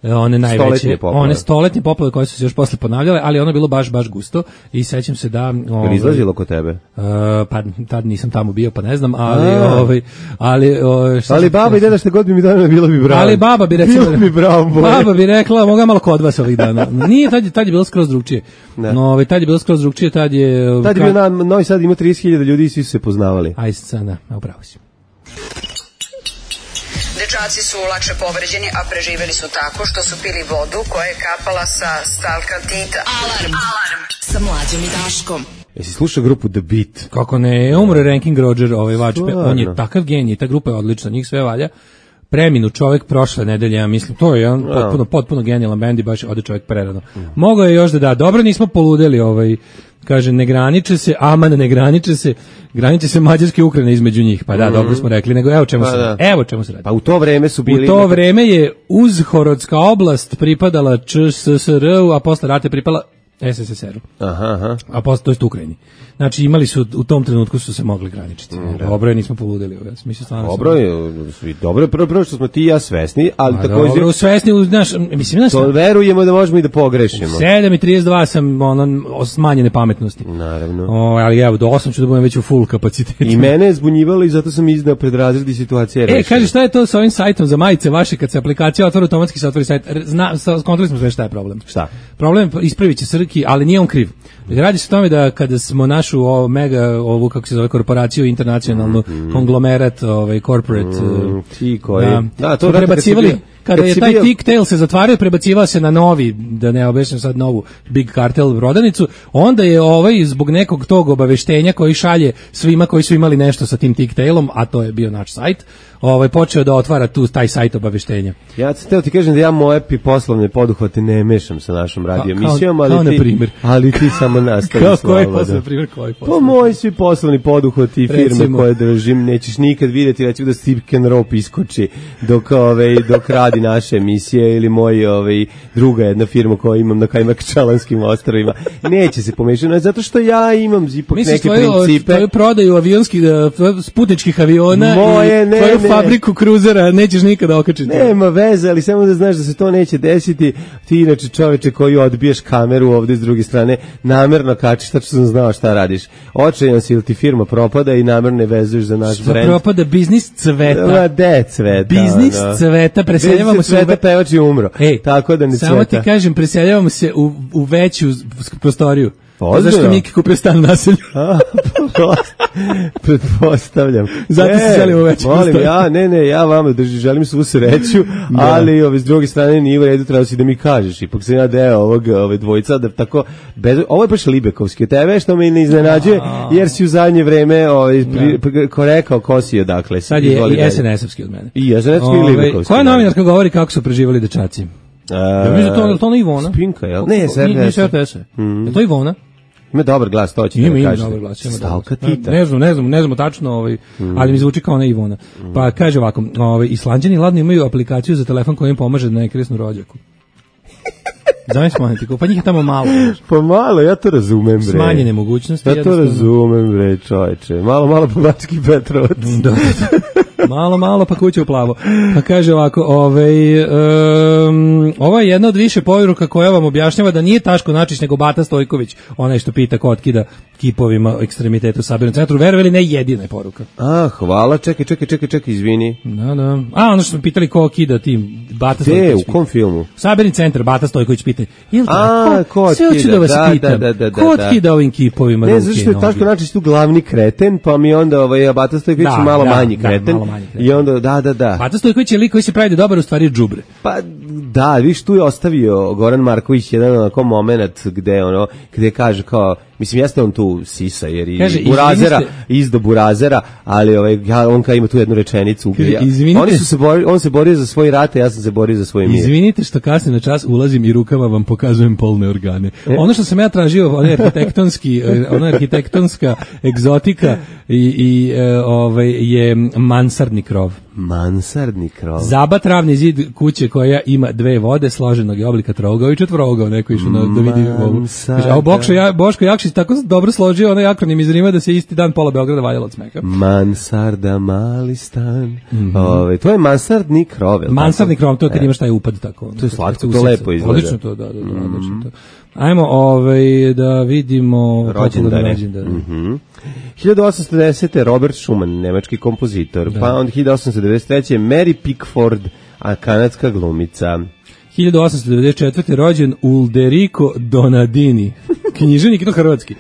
One najveće, one stoletne poplave koje su se još posle ponavljale, ali ono je bilo baš gusto i sećam se da... Je izlazilo kod tebe? Pa tad nisam tamo bio, pa ne znam, ali baba i deda što god bi mi dana bilo bi bravo. Ali baba bi rekla, baba bi rekla, moga malo kod vas ovih dana. Nije, tad je bilo skroz drugčije. Tad je bilo skroz drugčije, tad je bio Novi Sad ima 30.000 ljudi i svi su se poznavali. Aj sada, upravo si. Dečaci su lakše povređeni, a preživeli su tako što su pili vodu koja je kapala sa stalkatita. Alarm sa Mlađom i Daškom. Jesi slušao grupu The Beat? Kako ne, umre Ranking Roger, vačpe, on je takav genij, ta grupa je odlična, njih sve valja. Preminu čovjek prošle nedelje, ja mislim, to je jedan potpuno genijalan bend i baš ode čovjek prerano. Mogao je još da dobro, nismo poludeli, kaže, ne graniče se, graniče se Mađarske i Ukrajine između njih, pa da, dobro smo rekli, nego evo čemu se radi. Pa u to vreme su bili... U to vreme je Uzhorodska oblast pripadala ČSSR-u, a posle rata je pripala SSSR-u. A posle to je Ukrajini. Znači imali su, u tom trenutku su se mogli graničiti. Dobro je, nismo poludeli. Dobro je prvo što smo ti i ja svesni, ali također... Dobro, svesni, znaš, mislim... To verujemo da možemo i da pogrešimo. 7.32 sam smanjene pametnosti. Naravno. Ali evo, do 8 ću da budem već u full kapacitetu. I mene je zbunjivalo i zato sam iznao pred razredi situacije. Kaži, šta je to sa ovim sajtom za majice vaše, kad se aplikacija otvori, automatski se otvori sajt? Skontroli smo sve šta je problem. Šta? Problem, ispravit će otprilike, ali nije on kriv. Radi se o tome da kada smo našu ovu kako se zove korporaciju internacionalnu konglomerat, corporate ti koji to prebacivali kada je taj Tick-Tail se zatvario, prebacivao se na novi, da ne objašnjam sad novu Big Cartel rodanicu, onda je zbog nekog tog obaveštenja koji šalje svima koji su imali nešto sa tim Tick-Tailom, a to je bio naš sajt, počeo da otvara taj sajt obaveštenja. Ja sam ti kažem da ja moje poslovne poduhvate ne mešam sa našom radio emisijom, ali ti samo nastavi. Koji poslovni primjer? Pa moji svi poslovni poduhvati i firme koje držim, nećeš nikad vidjeti, recimo da Steve Rope iskoči dok radi naše emisije, ili druga jedna firma koju imam na Kajmakčalanskim ostrvima. Neće se pomešati, zato što ja imam ipak neke principe. Tvoju prodaju avionskih, putničkih aviona i tvoju fabriku kruzera nećeš nikada okačiti. Nema veze, ali samo da znaš da se to neće desiti. Ti inače čoveče koji odbiješ kameru ovde s druge strane, namerno kačiš, tačno sam znao šta radiš. Očajan si ili ti firma propada i namerno ne vezuješ za naš brend. Propada, biznis cveta. Cveta. Biznis cveta, preseljavamo se cveta, pevač je umro. Tako da ne cveta. Samo ti kažem, preseljavamo se u veću prostoriju. Zašto Miki kupio stan na naselju? Pretpostavljam. Zato se selimo veći prostor. Ja vama želim svu sreću, ali s druge strane nije u redu, treba si da mi kažeš. Ipak sam ja deo ove dvojica, da tako, ovo je baš Libekovski od tebe, što me ne iznenađuje, jer si u zadnje vreme rekao ko si odakle. Sad je i SNS-ovski od mene. I SNS-ovski i Libekovski. Koja novinarka govori kako su preživali dečaci? Je to ona Ivona? Spinka, jel? Ne, RTS. Je to Ivona? Ima dobar glas, to će da kažete. Ima dobar glas. Stalka Tita. Ne znam tačno, ali mi zvuči kao ona Ivona. Pa kaže ovako, Islanđani ladno imaju aplikaciju za telefon koja im pomaže da ne kresnu rođaku. Znaš manetiku, pa njih je tamo malo. Pa malo, ja to razumem, bre. Smanjene mogućnosti. Ja to razumem, bre, čoveče. Malo pa Bački Petrovac. Malo pa kuća u plavo. Pa kaže ovako, ovo je jedna od više poruka koja vam objašnjava da nije Taško Načić nego Bata Stojković, onaj što pita ko otkida kipovima ekstremitetu u Sabirnom centru. Verovali, ne jedina je poruka. Hvala, čekaj, izvini. Da. Ono što smo pitali ko okida tim, Bata Stojković. U kom filmu? Sabirni centar, Bata Stojković pita. Ko otkida? Sve hoću da vas pitam. Ko otkida ovim kipovima? Ne, zašto je Taško Načić tu glavni kreten, pa mi onda Bata Stojković malo manji kreten. I onda, da. Bata Stojković je lik koji se pravi da dobar, u stvari je džubre. Pa da, viš, tu je ostavio Goran Marković jedan onako moment gde kaže kao, mislim, jeste on tu sisa, jer i Burazera, izdo Burazera, ali on kao ima tu jednu rečenicu. On se borio za svoj rat, a ja sam se borio za svoj mir. Izvinite što kasnije na čas ulazim i rukama vam pokazujem polne organe. Ono što sam ja tražio, ona arhitektonska egzotika je mansardni krov. Mansardni krov. Zabat ravni zid kuće koja ima dve vode, složenog je oblika trougao i četvorogao, neko išao da vidi ovu. Boško Jakšić tako dobro složio onaj akronim iz Rima da se isti dan pola Beograda valjalo od smeha. Mansarda, mali stan. To je mansardni krov. Mansardni krov, to je kad imaš taj upad tako. To je slatko, to lepo izgleda. Odlično to, da, odlično to. Ajmo da vidimo rođendane. 1810. Robert Schumann, nemački kompozitor, pa onda 1893. Mary Pickford, a kanadska glumica. 1894. rođen Ulderico Donadini, književnik, no hrvatski.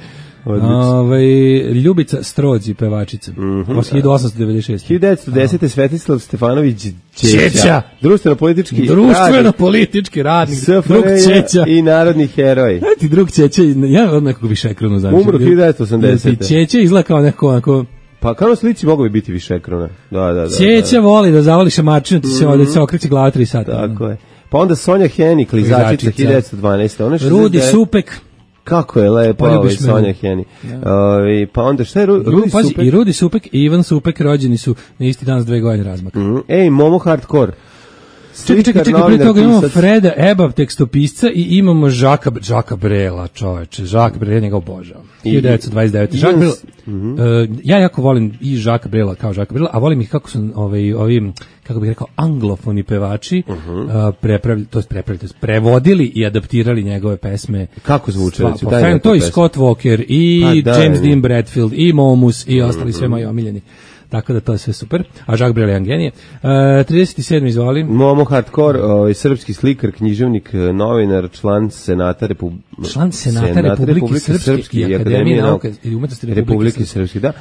Ljubica Strodzi, pevačica. 1896. 1910. Svetislav Stefanović Ćeća. Društveno-politički radnik. Drug Ćeća. I narodni heroj. Ti drug Ćeća, ja od nekog višekronu znam. Umro 1980. Ćeća izgleda kao neko... Pa kao na slici mogu bi biti višekrona. Da. Ćeća voli da zavoli šamarčinu, ti se okreće glava 3 sata. Tako je. Pa onda Sonja Henik, klizačica, 1912. Rudi Supek. Kako je lepo Sonja Heni. Pa onda šta je Rudi Supek? I Rudi Supek i Ivan Supek rođeni su na isti dan s 2 godine razmaka. Momo Hardcore. Čekaj, prije toga imamo Freda Ebav, tekstopisca, i imamo Žaka Brela, čoveče. Žak Brela, njega obožavam. 1929. Žak Brela, ja jako volim i Žaka Brela kao Žaka Brela, a volim ih kako su ovi, kako bih rekao, anglofoni pevači prevodili i adaptirali njegove pesme. Kako zvuče? To i Scott Walker, i James Dean Bradfield, i Momus, i ostali sve moji omiljeni. Tako da to je sve super. A Jacques Brel je genije. 37. izvoli. Momo Hardcore, srpski slikar, književnik, novinar, član Senata Republike Srpske i Akademije nauka i umetnosti Republike Srpske. Da.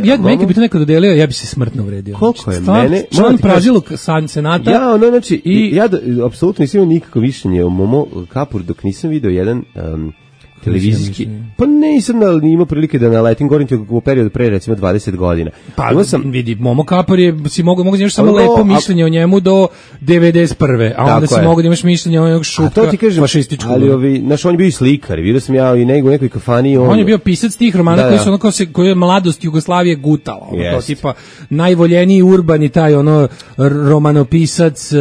Ja meni bi to neko dodelio, ja bi se smrtno uvredio. Koliko je mene? Član Pražilog Senata. Ja, znači, ja apsolutno nisam imao nikakvo mišljenje o Momo Kapur dok nisam video jedan televizijski, pa nisam imao prilike da naletim, govorim ti u periodu pre recimo 20 godina. Pa vidi, Momo Kapor je, si mogu da imaš samo lepo mišljenje o njemu do 91. A onda si mogu da imaš mišljenje o onog šutka fašističkog. Ali znaš, on je bio i slikar, vidio sam ja i nego u nekoj kafani. On je bio pisac tih romana koji su onako koji je mladost Jugoslavije gutala. To tipa najvoljeniji urbani taj romanopisac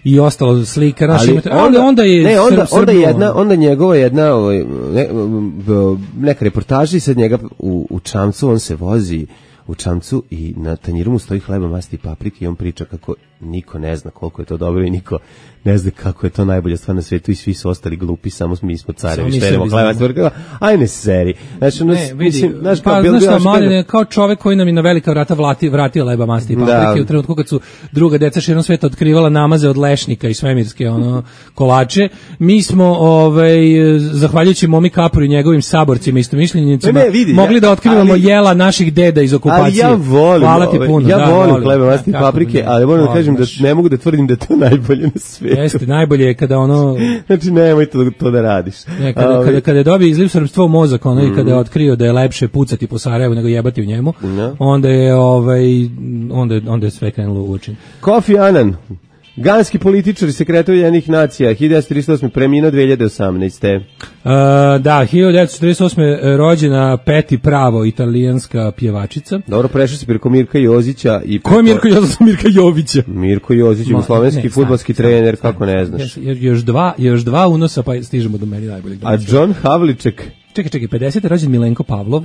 i ostalo slikar. Ali onda je onda njegova jedna neka reportaža i sad njega u čamcu, on se vozi u čamcu i na tanjiru mu stoji hleba, masti i paprike i on priča kako niko ne zna koliko je to dobro i niko ne zna kako je to najbolja stvar na svetu i svi su ostali glupi, samo mi smo carevi, šterimo hleba, ajne seri. Znači, znaš šta, Mladen kao čovek koji nam je na velika vrata vratio leba, masti i paprike u trenutku kad su druga deca širom sveta otkrivala namaze od lešnika i svemirske kolače. Mi smo, zahvaljujući Momi Kaporu i njegovim saborcima istomišljenicima, mogli da otkrivamo jela naših deda iz okupacije. Ali hvala ti puno. Ja volim hleba, masti i paprike, ali moram da kažem da ne mogu da tvrdim da je to najbolje na svijetu. Jeste, najbolje je kada Znači, nemoj to da radiš. Kada je dobio izliv srpstva u mozak, i kada je otkrio da je lepše pucati po Sarajevu nego jebati u njemu, onda je sve krenulo u učin. Kofi Annan, ganski političar i sekretar Ujedinjenih nacija, 1938. preminuo 2018. Da, 1948. rođena Peti Pravo, italijanska pjevačica. Dobro, prešao se preko Mirka Jozića. Ko je Mirko Jozić? Mirka Jovića. Mirko Jozić, jugoslovenski fudbalski trener, kako ne znaš. Još dva unosa, pa stižemo do meni najboljeg. A John Havliček? Čekaj, 50. je rođen Milenko Pavlov.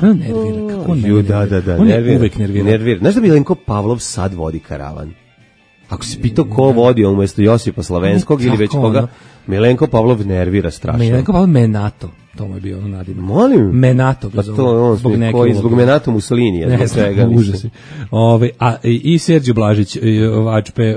Nervira, kako nervira. Da, on je uvek nervira. Znaš da Milenko Pavlov sad vodi karavan? Ako si pitao ko vodi umjesto Josipa Slavenskog ili već koga, Milenko Pavlov nervira strašno. Milenko Pavlov Menato, to mu je bio nadimak. Molim? Menato ga zove. Zbog Menato Mussolini. Ne znam, užasi. I Serđe Blažić, Vačpe,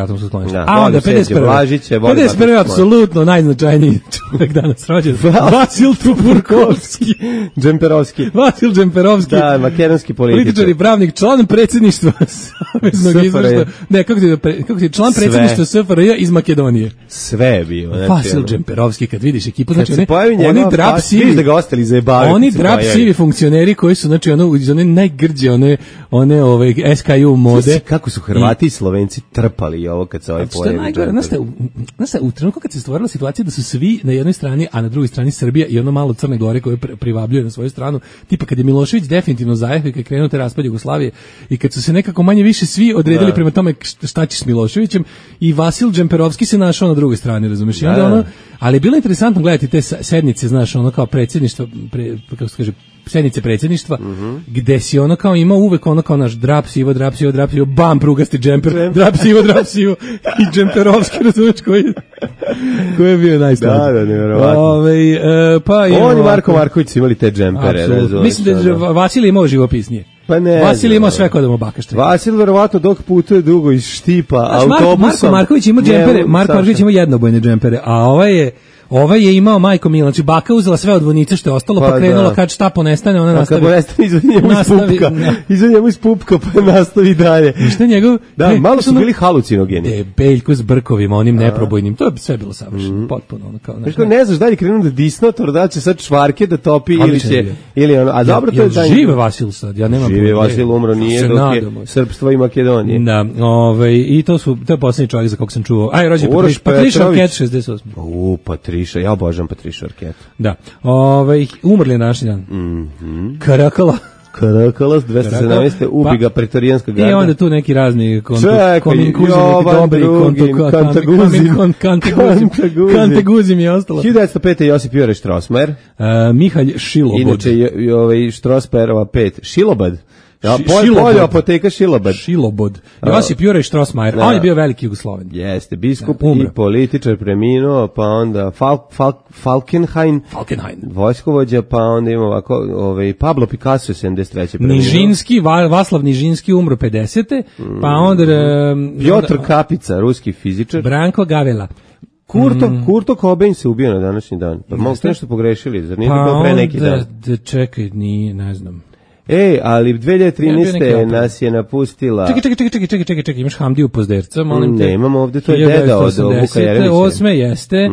atomsko sklonište. A onda 51. apsolutno najznačajniji čovjek danas rođen. Vasil Tupurkovski. Džemperovski. Vasil Džemperovski. Da, makedonski političar i pravnik, član predsjedništva Saveznog izvršnog. Ne, kako ti član predsjedništva SFRJ iz Makedonije. Sve je bio. Vasil Džemperovski, kad vidiš ekipu, znači oni drap sivi, da ga ostali zajebavaju. Oni drap sivi funkcioneri koji su, znači, iz one najgrđe, one SKU mode. Kako su Hrvati i Slovenci trpali ovo kad se ovaj pojavi. Znaš, u trenutku kad se stvorila situacija da su svi na jednoj strani, a na drugoj strani Srbija i ono malo Crne Gore koje privabljuje na svoju stranu, tipa kad je Milošević definitivno zajehao i kad je krenuo te raspad Jugoslavije i kad su se nekako manje više svi odredili prema tome šta će s Miloševićem i Vasil Džemperovski se našao na drugoj strani, razumiješ? Ali je bilo interesantno gledati te sednice, znaš, ono kao predsjedništva, kako se kaže, sednice predsjedništva, gde si ono kao imao uvek ono kao naš drap sivo, bam, prugasti džemper, drap sivo i Džemperovski, razumiješ, koji je bio najstavljeno. Da, nevjerovatno. On i Marko Marković su imali te džempere. Mislim da Vasilij imao živopisnije. Pa ne. Vasilij imao sve kod da mu bakaštre. Vasilij verovatno dok putuje dugo iz Štipa autobusom. Marko Marković ima džempere, Marko Marković ima jednobojne džempere, a ovaj je imao majko Milan, znači baka uzela sve od vojnice što je ostalo, pa krenula kad šta ponestane, ona nastavi. Kad ponestane, izvod njemu iz pupka, pa nastavi dalje. Šta njegov? Da, malo su bili halucinogeni. Beljko s brkovima, onim neprobojnim, to je sve bilo savršeno, potpuno ono kao. Znači, ne znaš da li krenu da disnotor, da će sad čvarke da topi ili ono, a dobro to je taj. Žive Vasil sad, ja nemam. Žive Vasil, umro nije dok je Srpstvo i Makedonije. Da, i to je posljednji čovjek za kog sam čuo. Aj, rođen Patriša Arquette 68. Patriša, ja obožavam Patrišu Arquette. Da. Umrli je današnji dan. Karakala 217. ubi ga pretorijanska garda. I onda tu neki razni Kantaguzim je ostalo. 1905. Josip Jure Štrosmajer. Mihalj Šilobod. Inače, Štrosmajerova 5. Šilobad. Polje apoteka Šilobod. Josip Juraj Štrosmajer, a on je bio veliki Jugosloven. Jeste, biskup i političar preminuo, pa onda Falkenhayn, vojskovođa, pa onda ima ovako, Pablo Picasso je 73. preminuo. Nižinski, Vaslav Nižinski umro 50. Pa onda... Piotr Kapica, ruski fizičar. Branko Gavela. Kurto Cobain se ubio na današnji dan. Pa mogu ste nešto pogrešili, zar nije bilo pre neki dan? Pa čekaj, nije, ne znam. Ali 2013. nas je napustila... Čekaj, imaš Hamdiju Pozderca, molim te. Ne, imamo ovde, to je deda od Vuka Jeremića. 2008. jeste,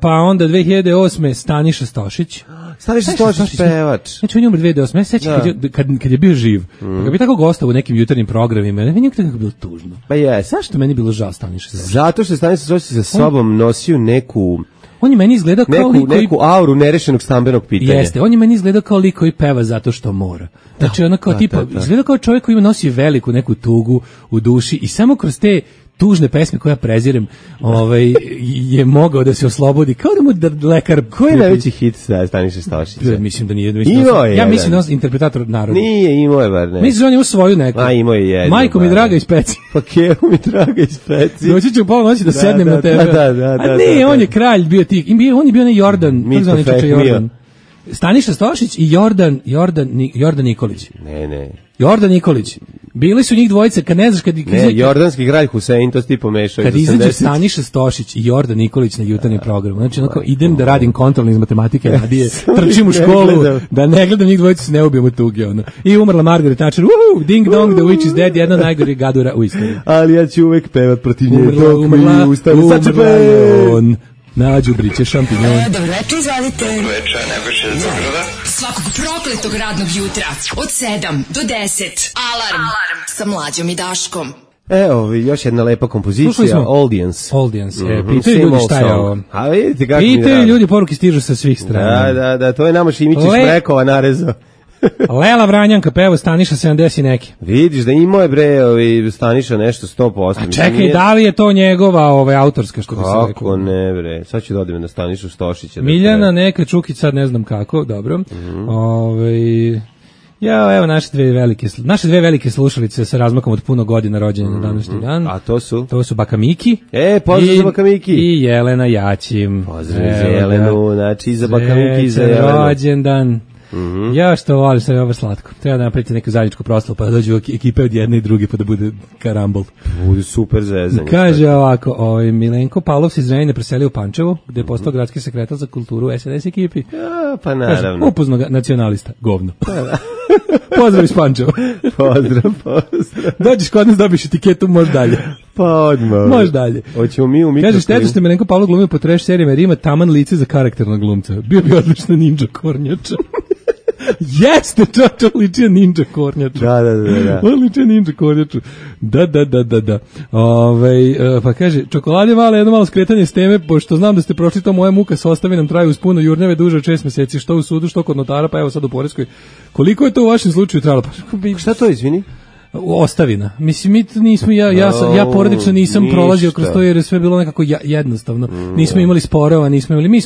pa onda 2008. Staniša Stošić. Staniša Stošić pevač. Znači on je umro 2008. Sećam kad je bio živ. Kad bi tako gostao u nekim jutarnjim programima, meni je nekako bilo tužno. Pa je. Zašto meni bilo žao Staniša Stošić? Zato što Staniša Stošić sa sobom nosio neku... On je meni izgledao kao neku auru nerešenog stambenog pitanja. Jeste, on je meni izgledao kao lik koji peva zato što mora. Znači ono kao izgleda kao čovjek koji nosi veliku neku tugu u duši i samo kroz te tužne pesme koje ja prezirem, je mogao da se oslobodi, kao da mu lekar... Koji je najveći hit Staniša Stošića? Mislim da nije. Ja mislim da je interpretator naroda. Nije, imao je bar ne. Mislim da on je u svoju neku. Imao je jednu. Majko mi draga iz Peci. Pa kevo mi draga iz Peci. Doći ću u pola noći da sednem na tebe. A ne, on je kralj bio tih. On je bio ne Jordan. Mito Fehmio. Staniša Stošić i Jordan Nikolić. Ne. Jordan Nikolić. Bili su njih dvojice, kad ne znaš kad... jordanski kralj Husein, to si ti pomešao. Kad izađe Staniša Stošić i Jordan Nikolić na jutarnji program, znači onako idem da radim kontrolni iz matematike radije, trčim u školu, da ne gledam njih dvojice, se ne ubijem od tuge. I umrla Margaret Thatcher, ding dong, the witch is dead, jedna najgori gadura u istoriji. Ali ja ću uvek pevat protiv nje. Umrla on. Na đubriće šampinjon. Dobro večer, izvalite. Dobro večer, Nebojša iz Beograda. Svakog prokletog radnog jutra od 7 do 10. Alarm sa Mlađom i Daškom. Još jedna lepa kompozicija, Audience. Pitaju ljudi šta je ovo. A vidite kako mi drago. Pitaju ljudi, poruke stižu sa svih strana. Da, to je nama Šimić iz Mrekova narezao. Lela Vranjanka peva Staniša 70 i neki. Vidiš da imao je Staniša nešto 100%. A čekaj, da li je to njegova autorska što bi se rekao? Kako ne bre, sad ću dodim na Stanišu Stošića. Miljana neka Čukić, sad ne znam kako, dobro. Evo naše dve velike slušalice sa razmakom od puno godina rođenja na današnji dan. A to su? To su Baka Miki. Pozdrav za Baka Miki. I Jelena Jačim. Pozdrav za Jelenu, znači i za Baka Miki i za Jelenu. Rođendan. Ja što volim, sad je ovo slatko. Treba da napravite neku zajedničku proslavu pa da dođu ekipe od jedne i druge pa da bude karambol. Bude super zezanje. Kaže ovako, Milenko Pavlov se iz Zrenjanina preselio u Pančevo, gde je postao gradski sekretar za kulturu SNS ekipi. Pa naravno. Upozno nacionalista, govno. Pozdrav iz Pančeva. Pozdrav. Dođeš kod nas, dobiš etiketu, može dalje. Pa odmah. Može dalje. Hoćemo mi u mikrofonu. Kaže, šteta što je Milenko Pavlov glumio po trash serijama jer ima taman lice za karakternog glumca. Bio bi odlična ninja kornjača. Jeste, čača, ličija ninja kornjaču. Da. Ličija ninja kornjaču. Da. Pa kaže, čokolade male, jedno malo skretanje s teme, pošto znam da ste prošli to, moja muka sa ostavinom traju uz puno jurnjave duže od 6 meseci, što u sudu, što kod notara, pa evo sad u poreskoj. Koliko je to u vašem slučaju trajalo? Šta to, izvini? Ostavina. Mislim, mi nismo, ja porodično nisam prolazio kroz to jer je sve bilo nekako jednostavno. Nismo imali sporova, mi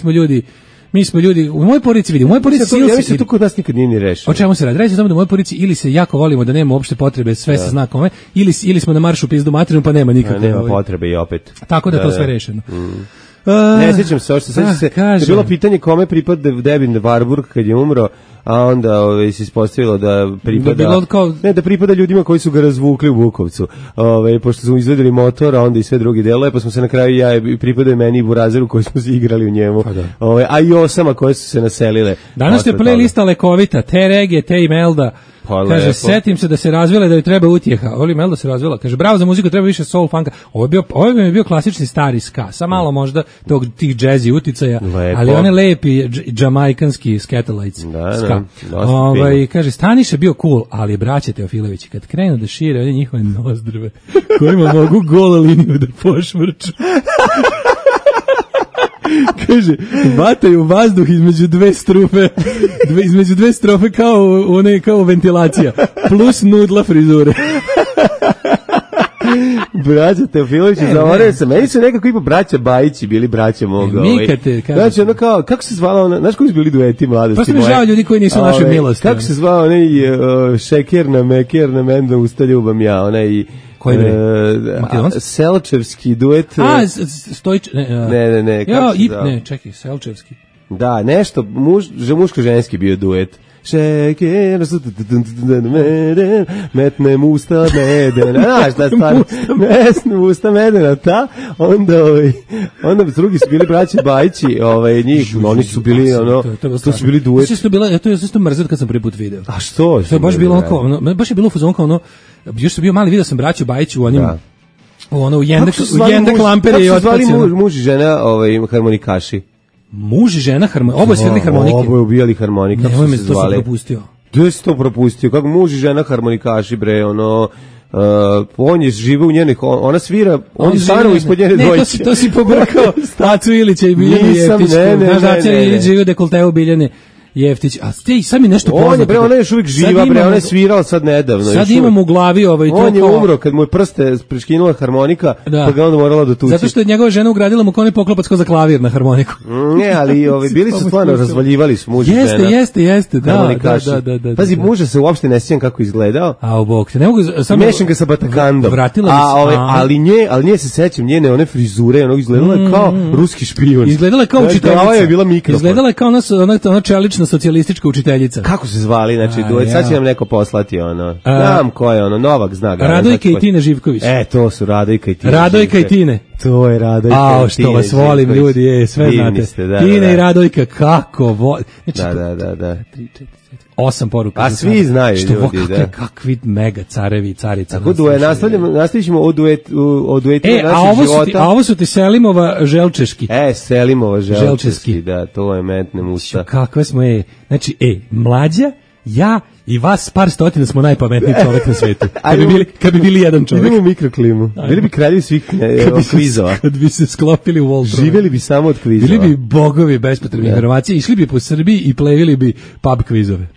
smo ljudi, u mojoj porodici vidi, u mojoj porodici ja to kod nas nikad nije ni rešeno. O čemu se radi? Reći samo da u mojoj porodici ili se jako volimo da nema uopšte potrebe, sve se zna kome, ili smo na maršu pizdu materinu pa nema nikakve. Nema potrebe i opet. Tako da to sve rešeno. Ne sjećam se, je bilo pitanje kome pripada Devin Warburg kad je umro, a onda se ispostavilo da pripada da pripada ljudima koji su ga razvukli u Bukovcu. Pošto su izvedeli motor, a onda i sve drugi delove, pa smo se na kraju pripadaju meni i Burazeru koji smo se igrali u njemu. A i osama koje su se naselile. Danas je playlista lekovita, te regije, te Imelda. Kaže, setim se da se razvile da joj treba utjeha. Oli Melda se razvila. Kaže, bravo za muziku, treba više soul funka. Ovo bi mi bio klasični stari ska. Sa malo možda tih jazzy uticaja, ali one lepi džamajkanski Skatalites ska. Kaže, Staniša bio cool, ali braće Teofilovići, kad krenu da šire one njihove nozdrve, kojima mogu gola liniju da pošvrču. Kaže, vataju vazduh između dve strofe kao ventilacija, plus nudla frizure. Braća Teofilović iz Zavoresa. Meni su nekako ipo braća Bajići bili braća moga. Znači, ono kao, kako se zvala ona, znaš koji su bili dueti mladosti? Pa su mi žao ljudi koji nisu naše milosti. Kako se zvao onaj šeker na meker na menda usta ljubam ja, onaj koji bre? Selčevski duet. Stojić, ne, kako se zove? Ne, čekaj, Selčevski. Da, nešto, muško-ženski bio duet. Šeker, metnem usta medena, znaš šta stvarno, metnem usta medena, ta, onda drugi su bili braći Bajići, njih, oni su bili, to su bili duet. To je isto mrzet kad sam prvi put video. A što? To je baš bilo kao, baš je bilo u fazonu kao još sam bio mali, video sam braću Bajići u onim, u Jendek Lampere i otpaci. Kako su zvali muž i žena harmonikaši? Muž i žena oboje svirali harmonike. Oboje ubijali harmonike. Nemoj me, to sam propustio. Gde si to propustio? Kako muž i žena harmonikaši, bre, on je žive u njenih, ona svira, on je staro ispod njene dvojice. Ne, to si pobrkao Stacu Ilića i Biljanu Jeftićku. Znaš da će Ilić žive u dekolteu Biljane Jeftić, a ti sad mi nešto poznato. Ona je još uvijek živa, bre, ona je svirala sad nedavno. Sad imam u glavi on je umro kad mu je prste preškinula harmonika, pa ga onda morala dotući. Zato što je njegova žena ugradila mu koni poklopac ko za klavir na harmoniku. Ne, ali bili su stvarno, razvaljivali su muž i žena. Jeste, da. Pazi, muža se uopšte ne sjećam kako izgledao. A bog te, ne mogu... Mešam ga sa Batakandom. Ali nje se sećam, njene one frizure, ono izgledala je kao ruski špijun. Izgledala kao učiteljica. Izgledala kao ona čelična socijalistička učiteljica. Kako se zvali, znači, sad će nam neko poslati, znam ko je, Novak zna ga. Radojka i Tine Živković. To su Radojka i Tine. Radojka i Tine. To je Radojka i Tine. Što vas volim, ljudi, sve znate. Tine i Radojka, kako volim. Da. 8 poruka. A svi znaju ljudi, da. Kakvi mega carevi i carica. Tako nastavit ćemo o duetima naših života. A ovo su ti Selimova Želčeški. Selimova Želčeški, da, to je metnem usta. Kakve smo, znači, Mlađa, ja i vas par stotina smo najpametniji čovjek na svetu. Kad bi bili jedan čovjek. Idemo u mikroklimu. Bili bi kraljevi svih kvizova. Kad bi se sklopili u Voltron. Živjeli bi samo od kvizova. Bili bi bogovi bespotrebnih informacija, išli bi po Srbiji i plevili bi pub kvizove.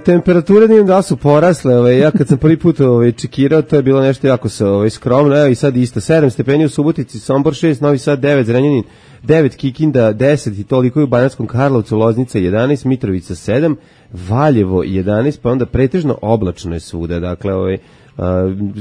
Temperature da su porasle, ja kad sam prvi put čekirao, to je bilo nešto jako skromno, evo i sad isto, 7 stepeni u Subotici, Sombor 6, Novi Sad 9, Zrenjanin 9, Kikinda 10 i toliko je u Banatskom Karlovcu, Loznica 11, Mitrovica 7, Valjevo 11, pa onda pretežno oblačno je svuda, dakle,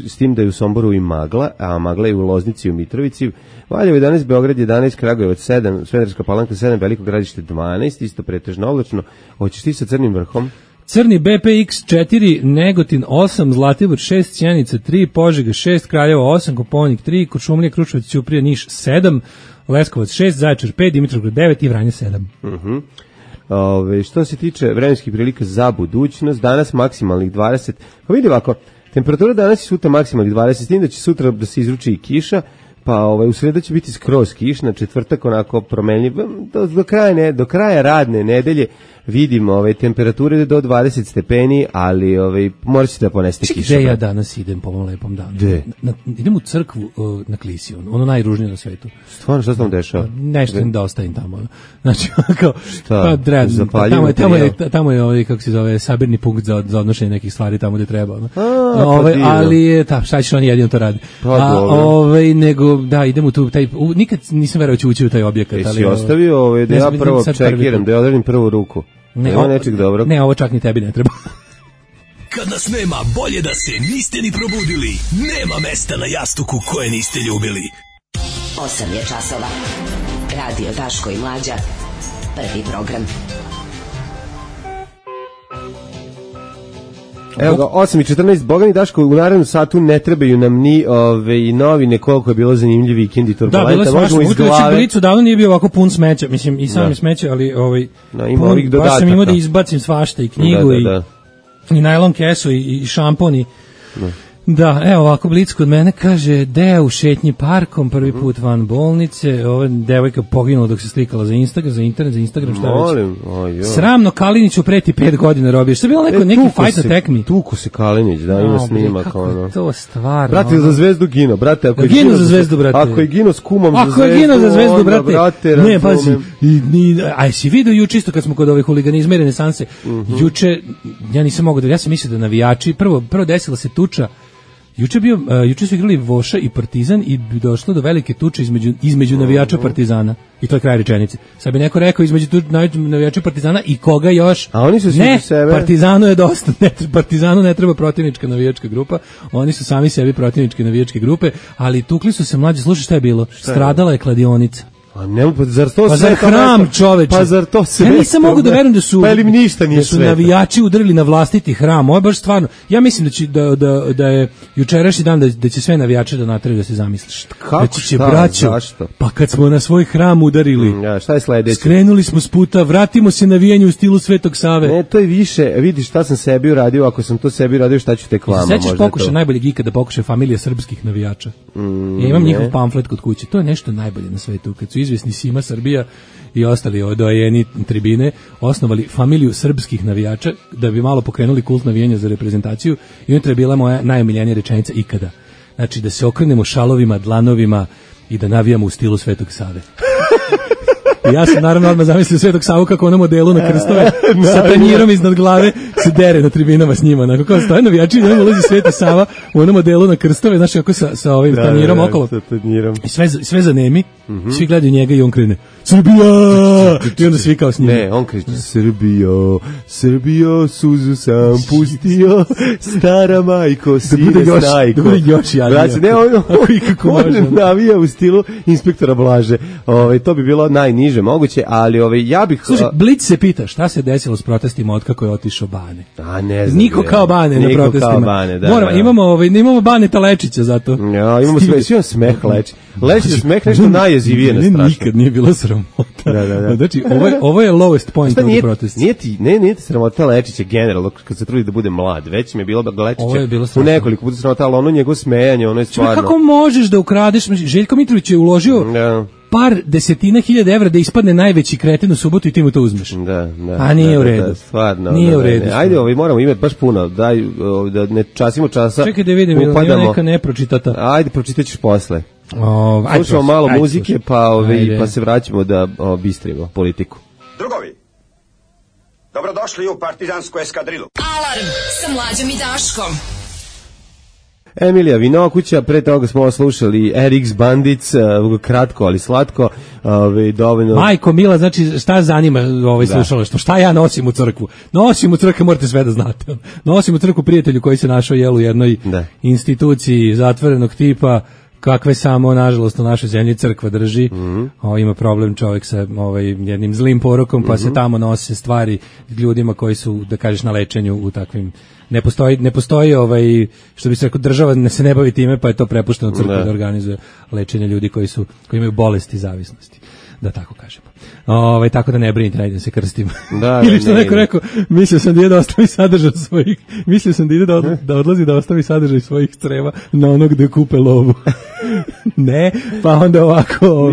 s tim da je u Somboru i magla, a magla je u Loznici i u Mitrovici, Valjevo 11, Beograd 11, Kragujevac 7, Smederevska Palanka 7, Veliko Gradište 12, isto pretežno oblačno. Hoćeš ti sa Crnim vrhom? Crni BPX 4, Negotin 8, Zlatibor 6, Sjenica 3, Požega 6, Kraljevo 8, Koponik 3, Kuršumlija, Kruševac, Ćuprija, Niš 7, Leskovac 6, Zaječar 5, Dimitrovgrad 9 i Vranje 7. Što se tiče vremenskih prilika za budućnost, danas maksimalnih 20, pa vidi ovako, temperatura danas i sutra maksimalnih 20, s tim da će sutra da se izruči i kiša, pa u sredu će biti skroz kišna, četvrtak onako promenljiv, do kraja radne nedelje vidimo temperature do 20 stepeni, ali morat ćete da poneste kiša. Gde ja danas idem po ovom lepom danu? Idem u crkvu na Klisi, ono najružnije na svetu. Stvarno, šta se tam dešava? Nešto da ostavim tamo. Znači, kao, šta? Tamo je, kako se zove, sabirni punkt za odnošenje nekih stvari tamo gde treba. Ali, šta ćeš, oni jedino to radi. Nego, da, idem u tu, nikad nisam verovao će ući u taj objekat. Si ostavio da ja prvo čekiram, da ja odredim prvu ruku. Ne, ovo čak ni tebi ne treba. Kad nas nema, bolje da se niste ni probudili. Nema mesta na jastuku koje niste ljubili. 8 je časova. Radio Daško i Mlađa. Prvi program. Evo ga, 8:14, Bogani Daško, u narednom satu ne trebaju nam ni novine, koliko je bilo zanimljiv vikend i turbulenta. Da, bilo je svašta, u Blicu davno nije bio ovako pun smeća, mislim, i sam je smeće, ali baš sam imao da izbacim svašta, i knjigu, i najlon kesu, i šampon, Da, evo ovako Blic kod mene kaže Deo u šetnji parkom, prvi put van bolnice, ova devojka poginula dok se slikala za Instagram, šta već. Sramno Kaliniću preti 5 godina robije. Što je bilo neki fight na tekmi? Tuku se Kalinić, da, ima snimak. Kako je to stvarno? Brate, za Zvezdu gino, brate. Ako je gino s kumom za Zvezdu, ako je gino za Zvezdu, brate. Ne, pazi, aj si vidio juče isto kad smo kod ove huliganizma i renesanse, juče, ja nisam mogao da, ja sam mislio da navijači, prvo desila se tuča. Juče su igrali Voša i Partizan i došlo do velike tuče između navijača Partizana. I to je kraj rečenice. Sad bi neko rekao između navijača Partizana i koga još? A oni su svi sebe. Partizanu je dosta. Partizanu ne treba protivnička navijačka grupa. Oni su sami sebi protivničke navijačke grupe, ali tukli su se mlađi. Slušaj šta je bilo? Stradala je kladionica. A ne, zar to pa sve zar hram, čoveče? Pa zar to sve? Ja nisam mogu da verujem da su sve navijači udarili na vlastiti hram. Ovo je baš stvarno. Ja mislim da je jučerašnji dan da će sve navijače da nateraju da se zamisliš. Kako? Zašto? Pa kad smo na svoj hram udarili. Ja, šta je sledeće? Skrenuli smo s puta, vratimo se navijanju u stilu Svetog Save. Ne, to je više. Vidiš šta sam sebi uradio, ako sam to sebi uradio, šta ću tek vama. Sećaš pokušaj najboljeg ikada pokušaj familije srpskih navijača. Ja imam njihov pamflet kod kuće. To je nešto najbolje na svetu. Kad su izvesni Sima Srbija i ostali odojeni tribine osnovali familiju srpskih navijača da bi malo pokrenuli kult navijanja za reprezentaciju i unutra je bila moja najomiljenija rečenica ikada. Znači da se okrenemo šalovima, dlanovima i da navijamo u stilu Svetog Save. Ja sam naravno odmah zamislio Svetog Savu kako ono modelu na krstove sa tanjirom iznad glave se dere na tribinama s njima. Onako kao stoje navijači i ulazi Sveti Sava u onom modelu na krstove, znaš kako sa ovim tanjirom okolo. I sve zanemi, svi gledaju njega i on krene Srbija! I onda svi kao s njima. Ne, on kriče Srbijo, suzu sam pustio, stara majko, sine snajko. Da bude još jadnije. Ne, on navija u stilu inspektora Blaže. To bi bilo najniže moguće, ali ja bih... Slušaj, Blic se pita šta se desilo s protestima od kako je otišao Bane. A ne znam. Niko kao Bane na protestima. Bane, da. Imamo Baneta Lečića zato. Ja, imamo smeh Lečić. Lečić smeh nešto najjezivije na strašno. Nikad nije bilo sramota. Da. Znači, ovo je lowest point of the protest. Nije ti sramota Lečića generalno kad se trudi da bude mlad. Već mi je bilo Lečića u nekoliko puta sramota, ali ono njegovo smejanje, ono je stvarno... Kako možeš da ukradeš? Željko Mitrović je uložio par desetina hiljada evra da ispadne najveći kreten u subotu i ti mu to uzmeš. Da. A nije u redu. Stvarno. Nije u redu. Ajde, moramo imati baš puno. Daj, da ne časimo časa. Čekaj da vidim, ima neka nepročitata. Ajde, pročitaćeš posle. Slušamo malo muzike, pa se vraćamo da bistrimo politiku. Drugovi, dobrodošli u partizansku eskadrilu. Alarm sa Mlađom i Daškom. Emilija Vinokuća, pre toga smo slušali RX Bandic, kratko ali slatko, dovoljno... Majko Mila, znači šta zanima slušalaštvo, šta ja nosim u crkvu? Nosim u crkvu, morate sve da znate. Nosim u crkvu prijatelju koji se našao u jednoj instituciji zatvorenog tipa, kakve samo, nažalost, u našoj zemlji crkva drži. Ima problem čovjek sa jednim zlim porokom, pa se tamo nose stvari ljudima koji su, da kažeš, na lečenju u takvim... Ne postoji što bi se rekao, država se ne bavi time, pa je to prepušteno crkvi da organizuje lečenje ljudi koji imaju bolesti i zavisnosti, da tako kažemo. Tako da ne brinite, najde se krstimo. Ili što neko rekao, mislio sam da ide da ostavi sadržaj svojih, da odlazi da ostavi sadržaj svojih creva na onog gde kupe lovu. Ne, pa onda ovako,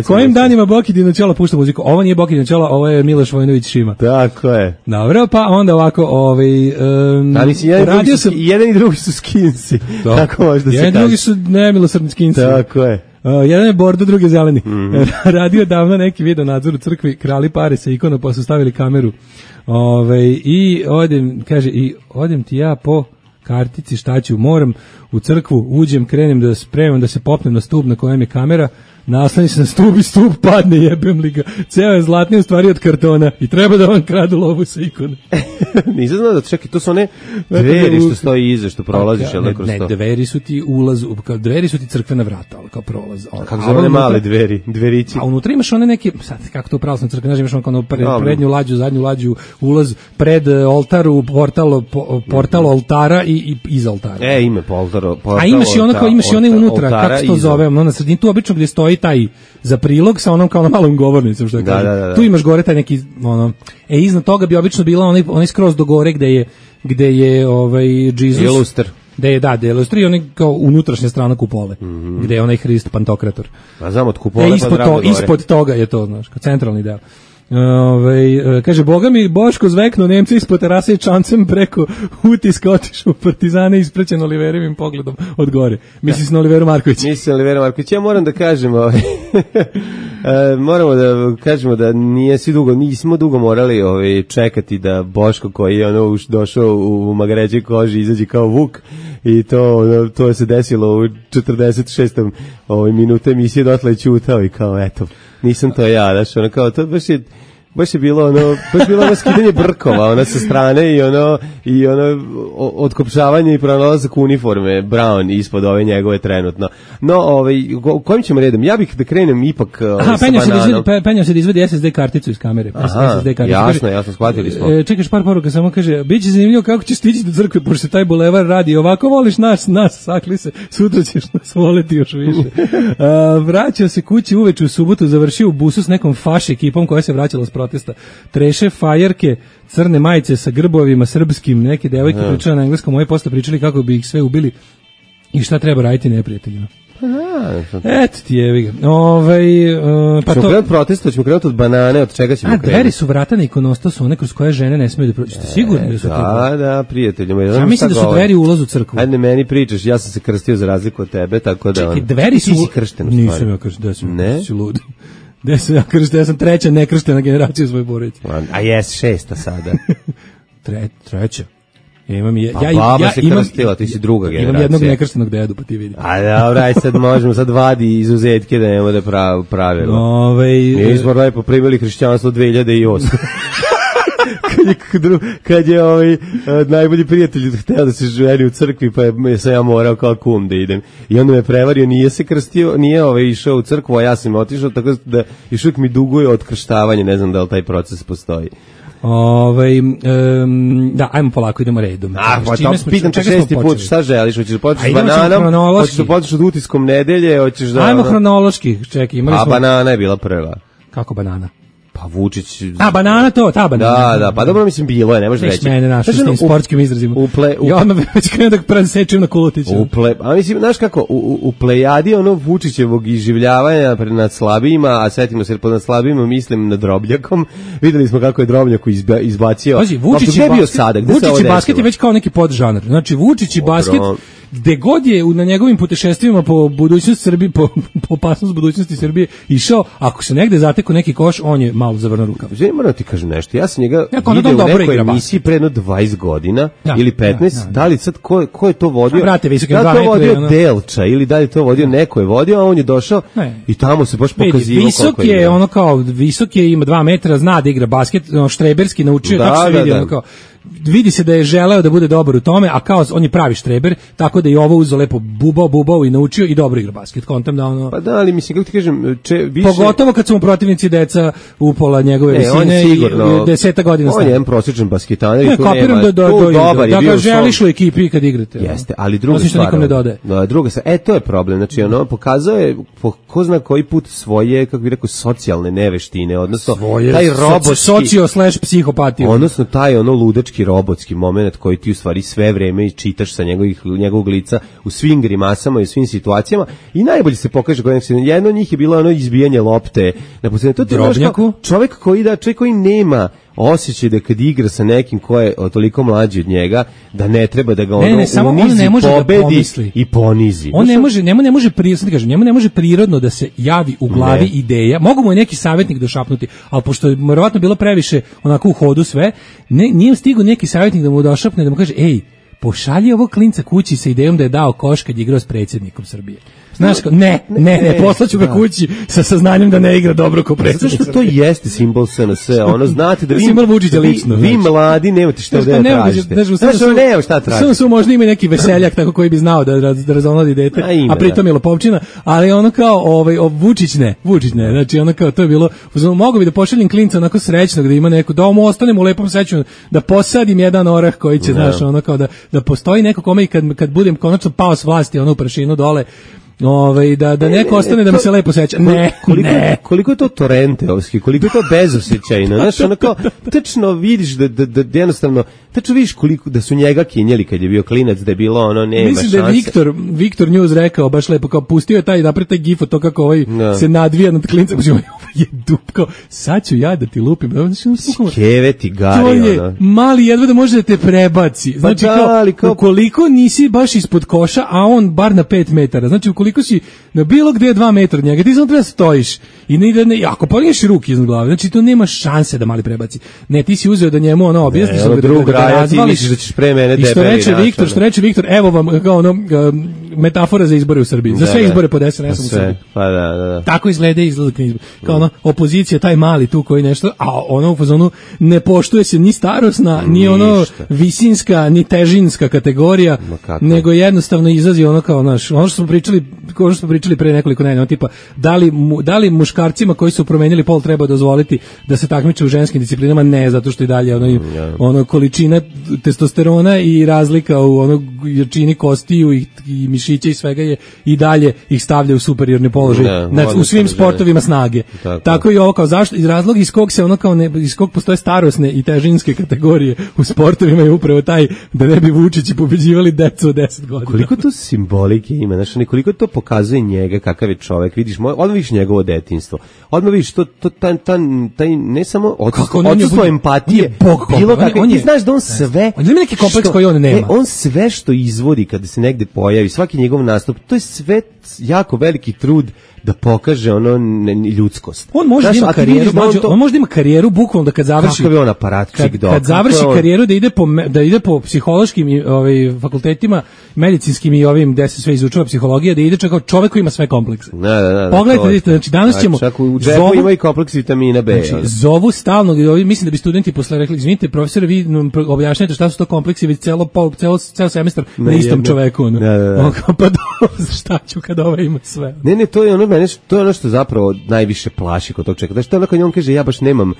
kojim danima Boki Dinoćola pušta muziku? Ovo nije Boki Dinoćola, ovo je Miloš Vojinović Šima. Tako je. Dobro, pa onda ovako, ali jedan i drugi su skinsi. Tako možda se kaže. Jedan i drugi su nemilosrdni skinsi. Tako je. Jedan je bordo, drugi je zeleni. Radio davno neki video nadzor u crkvi, krali pare sa ikona, pa su stavili kameru. I odem ti ja po kartici, šta ću, moram u crkvu, uđem, krenem da spremam, da se popnem na stup na kojem je kamera, naslani se na stup i stup padne, jebem li ga. Ceo je zlatni u stvari od kartona i treba da vam kradu lovu sa ikone. Nisam znao da čekaj, to su one dveri što stoji iza, što prolaziš. Ne, dveri su ti ulaz, dveri su ti crkvena vrata, ali kao prolaz. Kako zove one male dverići? A unutra imaš one neke, sad kako to u pravoslavnoj crkvi, znaš, imaš ono prednju lađu, zadnju lađu, ulaz pred oltaru, portal oltara i iza oltara. Ime portal. A imaš i one unutra, kako se to zove, na sredini, tu obično gdje stoji taj za prilog sa onom kao na malom govornicom, što kaže. Tu imaš gore taj neki iznad toga bi obično bila onaj skroz do gore gde je Jesus. Je luster. Da je Ilustri i onaj kao unutrašnja strana kupole, gde je onaj Hrist Pantokrator. Pa znam od kupole ispod toga je to, znaš, kao centralni deo. Kaže, Boga mi Boško zveknu Nemci ispod terase i čancem preko utiska otišu u Partizane isprećen Oliverevim pogledom od gore. Misli se na Oliveru Marković. Ja moram da kažem moramo da kažemo da nismo dugo morali čekati da Boško koji je došao u magaređoj koži izađe kao Vuk i to se desilo u 46. minuta emisije, dotle je ćutao i kao eto, nisam to ja, znaš, ono kao to baš je bilo ono skidanje brkova, sa strane i otkopšavanje i pronalazak uniforme Brown ispod ove njegove trenutno. No, kojim ćemo redom? Ja bih da krenem ipak sa Bananom. Penjao se da izvedi SSD karticu iz kamere. Jasno, shvatili smo. Čekaš par poruka, samo kaže, biće zanimljivo kako ćeš stići do crkve, pošto se taj bulevar radi. Ovako voliš nas, sakli se, sutra ćeš nas voleti još više. Vraćao se kući uveče u subotu, završio u busu s nekom faš ekipom koja se vraćala s protesta. Treše fajerke, crne majice sa grbovima srpskim, neke devojke pričale na engleskom, moje posle pričali kako bi ih sve ubili i šta treba raditi neprijateljima. Eto ti jevi ga. Pa ćemo krenuti protesta, ćemo krenuti od Banane, od čega ćemo krenuti? Dveri su vrata na ikonostasu, one kroz koje žene ne smiju da prođu. Ste sigurni da su to? Da, prijateljima. Ja mislim da su dveri ulaz u crkvu. Ajde, meni pričaš, ja sam se krstio za razliku od tebe, tako da... Čekaj, dveri su... Ti si kršten u stvari. Nisam ja kršten, da si lud. Ja sam treća nekrštena generacija u svojoj porodici. A jes, šesta sada. Treća. Imam baba se krstila, ti si druga generacija. Imam jednog nekrštenog dedu, pa ti vidi. A dobro, aj sad možemo, sad vadi izuzetke da nemamo da pravilo. Mi smo lepo primili hrišćanstvo 2008. kad je najbolji prijatelj hteo da se ženi u crkvi, pa sam ja morao kao kum da idem. I onda me prevario, nije se krstio, nije išao u crkvu, a ja sam otišao, tako da još uvijek mi duguje otkrštavanje, ne znam da li taj proces postoji. Da, ajmo polako, idemo redom. Pitam te 6. put, šta želiš? Hoćeš da počneš s Bananom? Hoćeš da počneš od utiskom nedelje? Ajmo hronološki, čekaj. A Banana je bila prva. Kako Banana? Pa Vučić... Banana ta Banana. Da, pa dobro, mislim, bilo je, ne možeš reći. Neš mene našao s tim sportskim izrazima. Ja odmah već krenem da presečem na Kulutića. A mislim, znaš kako, u plejadi Vučićevog iživljavanja nad slabijima, a setimo se pod slabijima, mislim na Drobnjakom, videli smo kako je Drobnjaku izbacio... Pazi, Vučić i basket je već kao neki podžanar. Znači, Vučić i basket... Gde god je na njegovim putešestvima po budućnosti Srbije, po opasnost budućnosti Srbije išao, ako se negde zateko neki koš, on je malo zavrnuo rukav. Moram ti kažem nešto, ja sam njega vidio u nekoj emisiji pre jedno 20 godina ili 15, da li sad ko je to vodio? Da li to vodio Delča ili da li to vodio neko je vodio, a on je došao i tamo se baš pokazivao koliko je. Visok je, ima 2 metra, zna da igra basket, štreberski naučio, tako se vidi, kao vidi se da je želeo da bude dobar u tome, a kao on je pravi štreber, tako da i ovo uzeo lepo bubao i naučio i dobro igra basket. Kontam da Pa da, ali mislim, kako ti kažem, više... Pogotovo kad su mu protivnici deca upola njegove visine i 10 godina stane. On je jedan prosječan basketaner i tu nema... Da ga želiš u ekipi kad igrate. Jeste, ali druga stvar... Nikom ne dodaje. Druga stvar, to je problem. Znači, pokazao je ko zna koji put svoje, kako bih rekao, socijalne neveštine, odnosno taj robotski... Socio/psihopatiju. Odnosno taj ludački robotski moment koji ti u stvari sve vreme čitaš sa njegovog lica u svim grimasama i u svim situacijama i najbolje se pokaže kod jedno od njih je bilo izbijanje lopte na posljednje. Drobnjaku? Čovjek koji nema osjećaj da kad igra sa nekim ko je toliko mlađi od njega, da ne treba da ga unizi, pobedi i ponizi. On njemu ne može prirodno da se javi u glavi ideja. Mogu mu je neki savjetnik došapnuti, ali pošto je verovatno bilo previše onako u hodu sve, nije stigao neki savjetnik da mu došapne, da mu kaže, ej, pošalji ovog klinca kući sa idejom da je dao koš kad je igrao s predsjednikom Srbije. Znaš, ne, poslaću ga kući sa saznanjem da ne igra dobro ko predsjednik. Zato što to jeste simbol SNS, znate da vi mladi nemate šta da tražite. Samo su možda ima neki veseljak tako koji bi znao da razonodi dete, a pritom je lopovčina, ali ono kao Vučić ne, znači ono kao to je bilo, mogu bi da pošaljem klinca onako srećnog da ima neko, da mu ostanem u lepom sećanju, da posadim jedan orah koji će, znaš, ono kao da postoji neko kome i kad budem konačno pao s vlasti, ono u prašinu dole, Da neko ostane da mi se lepo seća. Koliko je to torenteovski, koliko je to bezosećajno. Znaš, ono kao, tačno vidiš da jednostavno, tačno vidiš koliko, da su njega kinjeli kad je bio klinac, da je bilo ono, nema šanse. Mislim da je Viktor News rekao, baš lepo, kao pustio je taj gif od to kako se nadvija nad klincem, ovo je dupko, sad ću ja da ti lupim. Keve ti gari, to je mali jedva da može da te prebaci. Znači, kao, ukoliko nisi baš ispod koša, a on bar na 5 metara, znači ukoliko si na bilo gde 2 metra od njega, ti samo treba stojiš i ako podigneš ruke iznad glave, znači to nema šanse da mali prebaci. Ne, ti si uzeo da njemu objasniš da razvališ, da ćeš pre mene i što reče Viktor, evo vam kao metafora za izbore u Srbiji. Za sve izbore pod SNS-om u Srbiji. Pa da. Tako izgleda kao opozicija, taj mali tu koji nešto, a u fazonu ne poštuje se ni starosna, ni visinska, ni težinska kategorija, nego jednostavno izlazi kao ono što smo pričali pre nekoliko nedelja, tipa da li muškarcima koji su promenili pol treba dozvoliti da se takmiče u ženskim disciplinama? Ne, zato što i dalje količina testosterona i razlika u jačini kostiju i mišića i svega je i dalje ih stavlja u superiorni položaj u svim sportovima snage. Tako i ovo, kao zašto, iz razloga iz kog se iz kog postoje starosne i težinske kategorije u sportovima je upravo taj da ne bi Vučići pobeđivali decu od 10 godina. Koliko to simbolike ima, znači koliko to pokazuje njega kakav je čovek, vidiš, odmah vidiš njegovo detinjstvo, odmah vidiš taj ne samo odsustvo empatije, bilo kako, ti znaš da on sve, on ima neki kompleks koji on nema. On sve što izvodi kada se negde pojavi, svaki njegov nastup, to je sve jako veliki trud da pokaže ljudskost. On može da ima karijeru, on može da ima karijeru bukvalno da kad završi. Kakav je on aparatčik dok. Kad završi karijeru da ide po psihološkim fakultetima, medicinskim i ovim gde se sve izučava psihologija, da ide kao čovek koji ima sve komplekse. Pogledajte, znači danas ćemo u džepu ima i kompleks vitamina B. Znači, zovu stalno, mislim da bi studenti posle rekli, izvinite profesore, vi objašnjajte šta su to kompleksi, već ceo semestar na istom čoveku. Pa šta ću kad ima sve. Ne, to je ono što zapravo najviše plaši kod tog čeka. Znači, to je ono kad on kaže, ja baš nemam,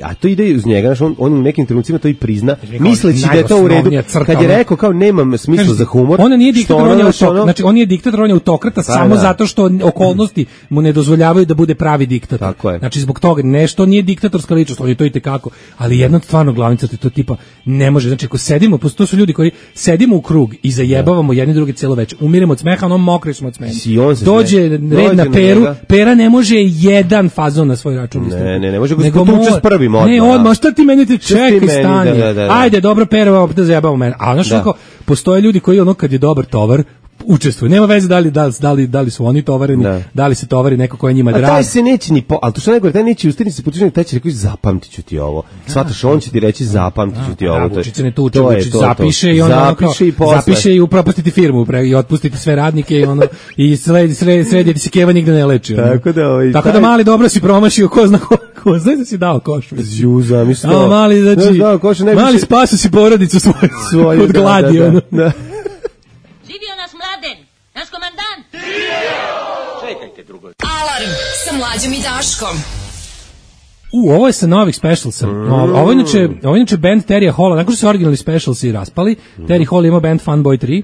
a to ide uz njega, znači, on u nekim trenucima to i prizna, misleći da je to u redu. Kad je rekao, kao, nemam smisla za humor. On nije diktator, znači, on je diktator, on je autokrata samo zato što okolnosti mu ne dozvoljavaju da bude pravi diktator. Tako je. Znači, zbog toga, nešto nije diktatorska ličnost, on je to i tekako, ali jedna stvarno glavnica to tipa ne može. Znači, ako sedimo, to su ljudi koji sedimo u krug i zajebavamo jedni drugi celo večer, umiremo od smeha, mokri smo od smeha. Dođe red na Peru, Pera ne može jedan fazon na svoj račun. Ne može ga tuče s prvim odmah. Ne, odmah, šta ti meni čekaj, stani. Ajde, dobro, Pera, opet da zajebamo mene. A znaš kako, postoje ljudi koji kad je dobar tovar, učestvuju. Nema veze da li su oni tovareni, da li se tovari neko ko je njima drag. A taj se neće ni ali to što najgore, taj neće ustirni se potični, taj će reći zapamtit ću ti ovo. Svataš, on će ti reći zapamtit ću ti ovo. Vučić se ne tuče, Vučić zapiše i ono zapiše i upropastiti firmu i otpustiti sve radnike i srediti se Keva nigde ne leči. Tako da mali dobro si promašio, ko zna ko, znaš da si dao koš. Zamislo. Mali spasu si porodicu svoju od gladi. Živio naš Mladen, naš komandant! Čekajte drugo. Alarm sa Mlađom i Daškom. Ovo je sa novih specialsa. Ovo je inače band Terija Halla, nakon što su originalni specialsi raspali, Terry Hall ima band Funboy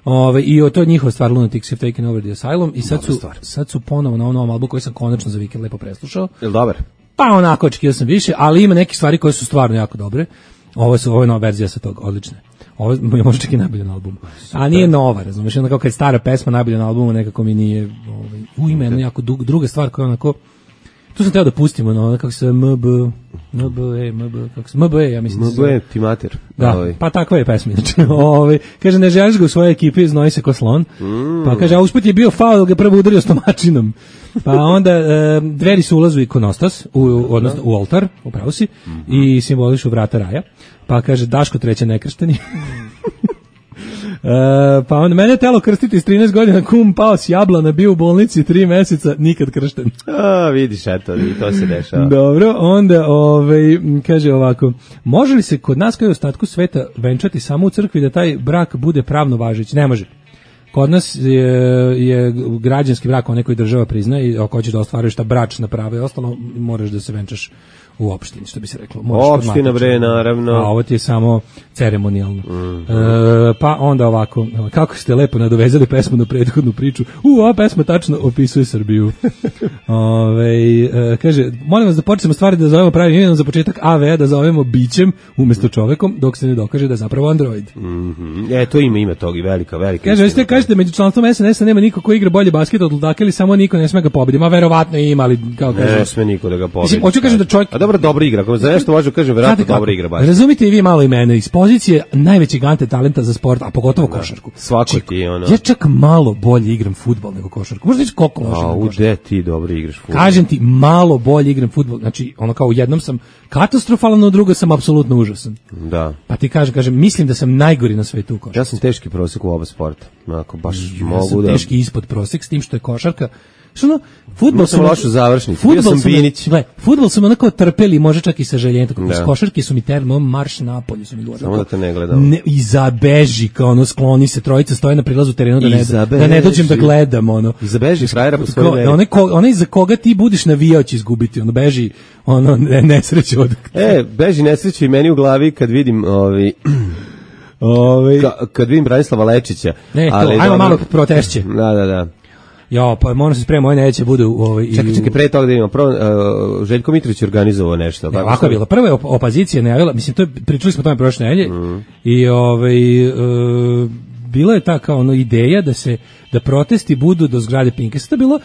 3, i to je njihova stvar, Lunatics Have Taken Over the Asylum, i sad su ponovo na ovom albumu koji sam konačno za vikend lepo preslušao. Je li dobar? Pa onako, očekivao sam više, ali ima neke stvari koje su stvarno jako dobre. Ovo je nova verzija sa tog, odlične. Ovo je možda čak i najbolje na albumu. A nije nova, razumiješ, onda kao kad je stara pesma najbolje na albumu, nekako mi nije ima jedna jako druga stvar koja je onako, tu sam teo da pustimo, kako se MBE, ja mislim. MBE, ti mater. Da, pa takva je pesma. Kaže, ne želiš ga u svojoj ekipi, znoji se ko slon. Pa kaže, a usput je bio faul, ga prvo udario stomačinom. Pa onda dveri su ulazu ikonostas, odnosno u oltar, upravo si, i simbolišu vrata raja. Pa kaže, Daško treće nekršteni. Pa onda mene je telo krstiti s 13 godina, kum pao s jablana, bio u bolnici 3 meseca, nikad kršten. Vidiš, eto, i to se dešava. Dobro, onda kaže ovako, može li se kod nas kao i u ostatku sveta venčati samo u crkvi da taj brak bude pravno važeći? Ne može. Kod nas je građanski brak onaj koji država prizna i ako hoćeš da ostvaruješ ta bračna prava i ostalo, moraš da se venčaš u opštini, što bi se reklo. Opština bre, naravno. A ovo ti je samo ceremonijalno. Pa onda ovako, kako ste lepo nadovezali pesmu na prethodnu priču. Ova pesma tačno opisuje Srbiju. Kaže, molim vas da počnemo stvari da zovemo pravim imenom, za početak AV da zovemo bićem umesto čovekom, dok se ne dokaže da je zapravo android. To ima tog i velika. Kaže, kažete među članstvom SNS-a nema niko ko igra bolje basket od Ludaka ili samo niko ne sme ga pobedi. Ma verovatno ima, ali kao kaže. Ne sme niko da ga pobedi. Mislim, hoću kažem da čovjek... A dobro igra, ako za nešto možemo kažem, verovatno dobro igra basket. Razumite i vi malo i mene, iz pozicije najvećeg talenta za sport, a pogotovo košarku. Svako ti ono. Ja čak malo bolje igram fudbal nego košarku. Možda reći koliko loše igram košarku. Gde ti dobro igraš fudbal? Kažem ti, malo bolje igram fudbal. Znači, ono kao u jednom sam katastrofalan, u drugom sam apsolutno užasan. Da. Pa ti kažem, mislim da sam najgori na svetu u košarku. Ja sam teški prosek u oba sporta. Onako, baš ja sam teški ispod prosek, s tim što je košarka. Što fudbal sam lošu završnicu. Bio sam Binić. Fudbal sam onako trpeli, može čak i sa željenjem, tako da košarke su mi termo marš napolju su mi govorili. Samo da te ne gledam. I zabeži, kao ono, skloni se, trojica stoje na prilazu terenu da ne dođem da gledam, ono. I zabeži frajera po svojoj meri. Onaj za koga ti budiš navijao će izgubiti, ono, beži, ono, nesreće od... Beži nesreće i meni u glavi kad vidim kad vidim Branislava Lečića. Ajmo malo protešće. Da. Ja, pa moram se spremati, moje neće bude Čekaj, pre toga da imamo. Prvo, Željko Mitrović je organizovao nešto. Ovako je bilo. Prvo je opozicija najavila, mislim, pričali smo o tome prošle nedelje, i bila je ta kao ideja da protesti budu do zgrade Pinka. Sad je bilo,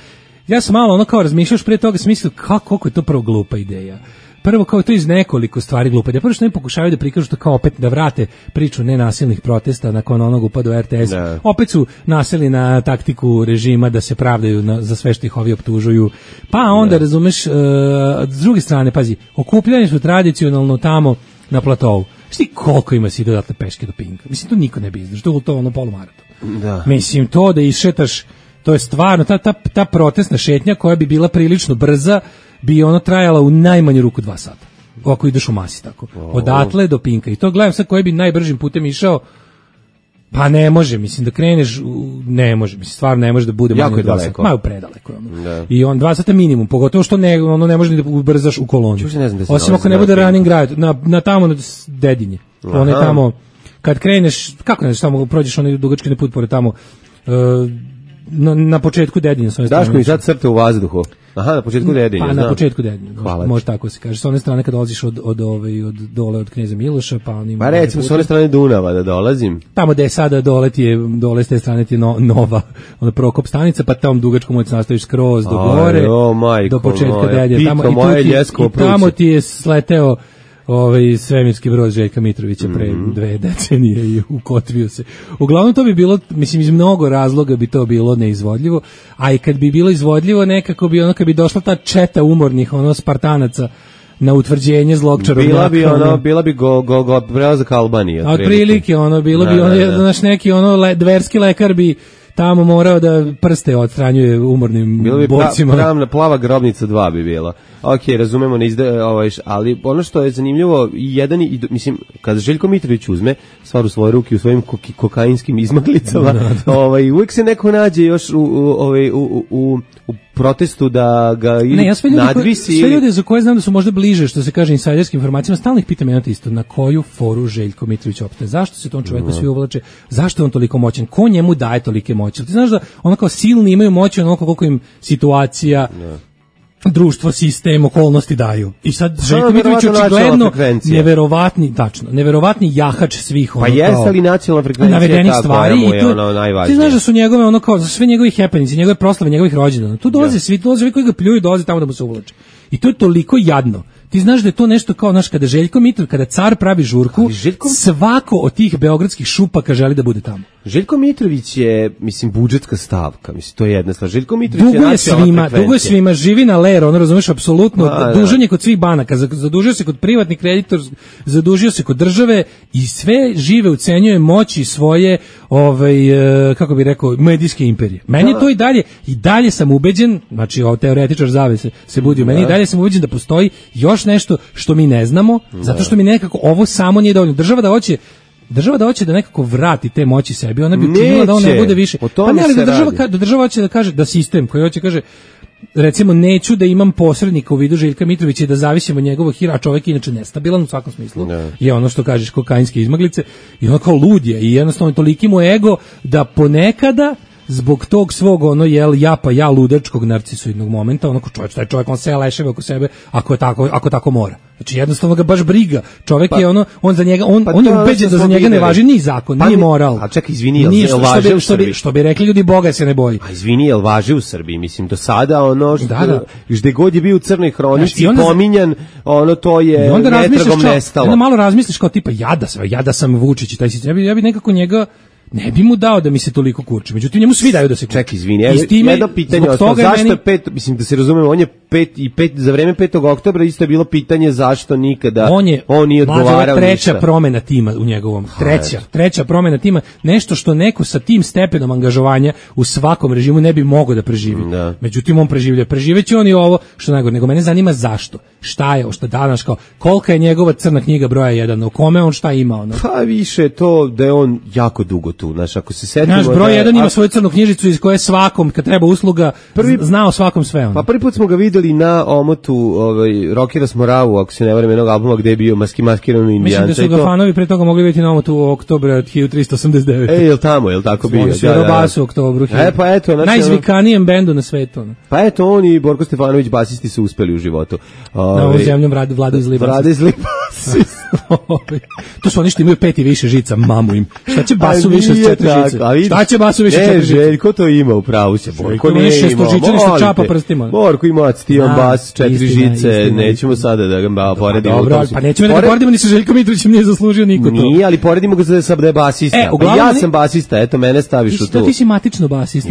ja sam malo kao razmišljaš pre toga, sam mislio koliko je to prvo glupa ideja. Prvo kao to iz nekoliko stvari glupa. Prvo što ne pokušavaju da prikažu to kao opet da vrate priču nenasilnih protesta nakon onog upada u RTS. Da. Opet su naseli na taktiku režima da se pravdaju za sve što ih ovi optužuju. Pa onda, razumeš, s druge strane, pazi, okupljani su tradicionalno tamo na platovu. Šti koliko ima si dodatne peške do Pinka? Mislim, to niko ne bi izdržao, to je ono polumaraton. Da. Mislim, to da išetaš, to je stvarno, ta protestna šetnja koja bi bila prilično brza, bi ono trajala u najmanju ruku 2 sata. Ako ideš u masi tako. Odatle do Pinka. I to gledam sad koji bi najbržim putem išao. Pa ne može, mislim da kreneš, ne može, mislim stvarno ne može da bude jako manje od 2 sata. Malo predaleko. I on 2 sata minimum, pogotovo što ne može ni da ubrzaš u kolonu. Osim ako ne bude running grad, na tamo na Dedinje. On je tamo, kad kreneš, kako ne znaš, tamo prođeš onaj dugački put pored tamo, na početku Dedinja. Daško mi sad crte u vazduhu. Aha, na početku Dedinja. Pa na početku Dedinja. Može tako se kaže. S one strane kad dolaziš od dole od Kneza Miloša, pa on ima. Pa recimo s one strane Dunava da dolazim. Tamo gde je sada dole s te strane ti nova ona Prokop stanica, pa tamo dugačko možeš nastaviš skroz do gore. Do početka Dedinja. Tamo ti je sleteo svemirski brod Željka Mitrovića pre 2 decenije i ukotvio se. Uglavnom to bi bilo, mislim, iz mnogo razloga bi to bilo neizvodljivo, a i kad bi bilo izvodljivo nekako bi kad bi došla ta četa umornih Spartanaca na utvrđenje zlog čarobnjaka. Bila bi prelazak Albanije. Otprilike, bilo bi naš neki dverski lekar bi tamo morao da prste odstranjuje umornim borcima. Bilo bi plava grobnica 2 bi bila. Ok, razumemo, ali ono što je zanimljivo, mislim, kada Željko Mitrović uzme stvar u svoje ruke u svojim kokainskim izmaglicama, uvijek se neko nađe još u protestu da ga nadvisi. Sve ljude za koje znam da su možda bliže, što se kaže, insajderskim informacijama, stalno ih pitam jedno isto, na koju foru Željko Mitrović opstaje? Zašto se tom čoveku svi uvlače? Zašto je on toliko moćan? Ko njemu daje tolike moći? Ti znaš da ono kao silni imaju moći onoliko koliko im situacija, društvo, sistem, okolnosti daju. I sad Željko Mitrović očigledno neverovatni jahač svih pa jeste li nacionalna frekvencija navedenih stvari i to najvažnije. Ti znaš da su njegove kao za sve njegovih happenings, njegove proslave, njegovih rođendana. Tu dolaze svi koji ga pljuju, dolaze tamo da mu se uvlače. I to je toliko jadno. Ti znaš da je to nešto kao, kada Željko Mitrović, kada car pravi žurku, svako od tih beogradskih šupaka želi da bude tamo. Željko Mitrović je, mislim, budžetska stavka, mislim, to je jedna stvar. Željko Mitrović je nacionalna frekvencija. Dugo je svima, živi na lero, razumeš, apsolutno, dužan je kod svih banaka, zadužio se kod privatnih kreditora, zadužio se kod države i sve žive ucenjuje moći svoje, kako bi rekao, medijske imperije. Meni je to i dalje sam ubeđen, znači, teoretičar zavese se budi u meni, i dalje sam ubeđen da postoji još nešto što mi ne znamo, zato što mi nekako ovo samo nije dovoljno. Država da hoće da nekako vrati te moći sebi, ona bi učinila da on ne bude više. Pa ne, ali da država hoće da kaže, da sistem koji hoće kaže, recimo neću da imam posrednika u vidu Željka Mitrovića i da zavisim od njegovog hira, a čovjek inače nestabilan u svakom smislu. Je ono što kažeš kokainske izmaglice i ono kao lud je i jednostavno toliki mu ego da ponekada zbog tog svog ja ludačkog narcisoidnog momenta, onako taj čovjek on se leševe oko sebe ako tako mora. Znači jednostavno ga baš briga. Čovjek je on za njega on je ubeđen da za njega ne važi ni zakon, ni moral. A čekaj, izvini, jel važi u Srbiji? Što bi rekli ljudi, Boga se ne boji. A izvini, jel važi u Srbiji? Mislim, do sada gde god je bio u crnoj hronici pominjan, to je netragom nestalo. Onda malo razmisliš kao tipa, ja da sam Vučić i taj sistem, ja bi nekako njega ne bi mu dao da mi se toliko kurči. Međutim, njemu svi daju da se kurči. Čekaj, izvini, jedno pitanje, zašto je mislim da se razumemo, on je za vreme 5. oktobra isto je bilo pitanje zašto nikada on nije odgovarao ništa. Treća promena tima u njegovom, treća promena tima, nešto što neko sa tim stepenom angažovanja u svakom režimu ne bi mogao da preživi. Međutim, on preživeće on i ovo, što najgore, nego mene zanima zašto. Šta je, danas kao, kolika je njegova crna knjiga broja 1, o kome on šta ima? Pa više to da je on jako dugo tu, znaš, ako se setimo... Naš broj 1 ima svoju crnu knjižicu iz koje svakom, kad treba usluga, zna o svakom sve. Pa prvi put smo ga videli na omotu Rockera Smoravu, ako se ne varam, jednog albuma gde je bio maskirano indijanca. Mislim da su ga fanovi pre toga mogli vidjeti na omotu Oktobra 1389. Jel tamo, jel tako bio? Svirao bas u Oktobru. Pa eto, znači, najzvikanijem bendu na svetu. Pa eto, on i Borko Stefanović, basisti, su uspeli u životu. Na ovom zemljom Vlada iz Libansa. To su oni što imaju 5 i više žica, mamu im. Šta će basu više od 4 žice? Šta će basu više od 4 žice? Željko to ima, u pravu se. Borko nije imao. Što čapa prstima. Borko ima activan bas, 4 žice, nećemo sada da ga poredimo. Dobro, pa nećemo da ga poredimo ni sa Željkom Mitrovićem, nije zaslužio niko to. Nije, ali poredimo ga sa da je basista. Ja sam basista, eto, mene staviš u to. Ti si matično basista.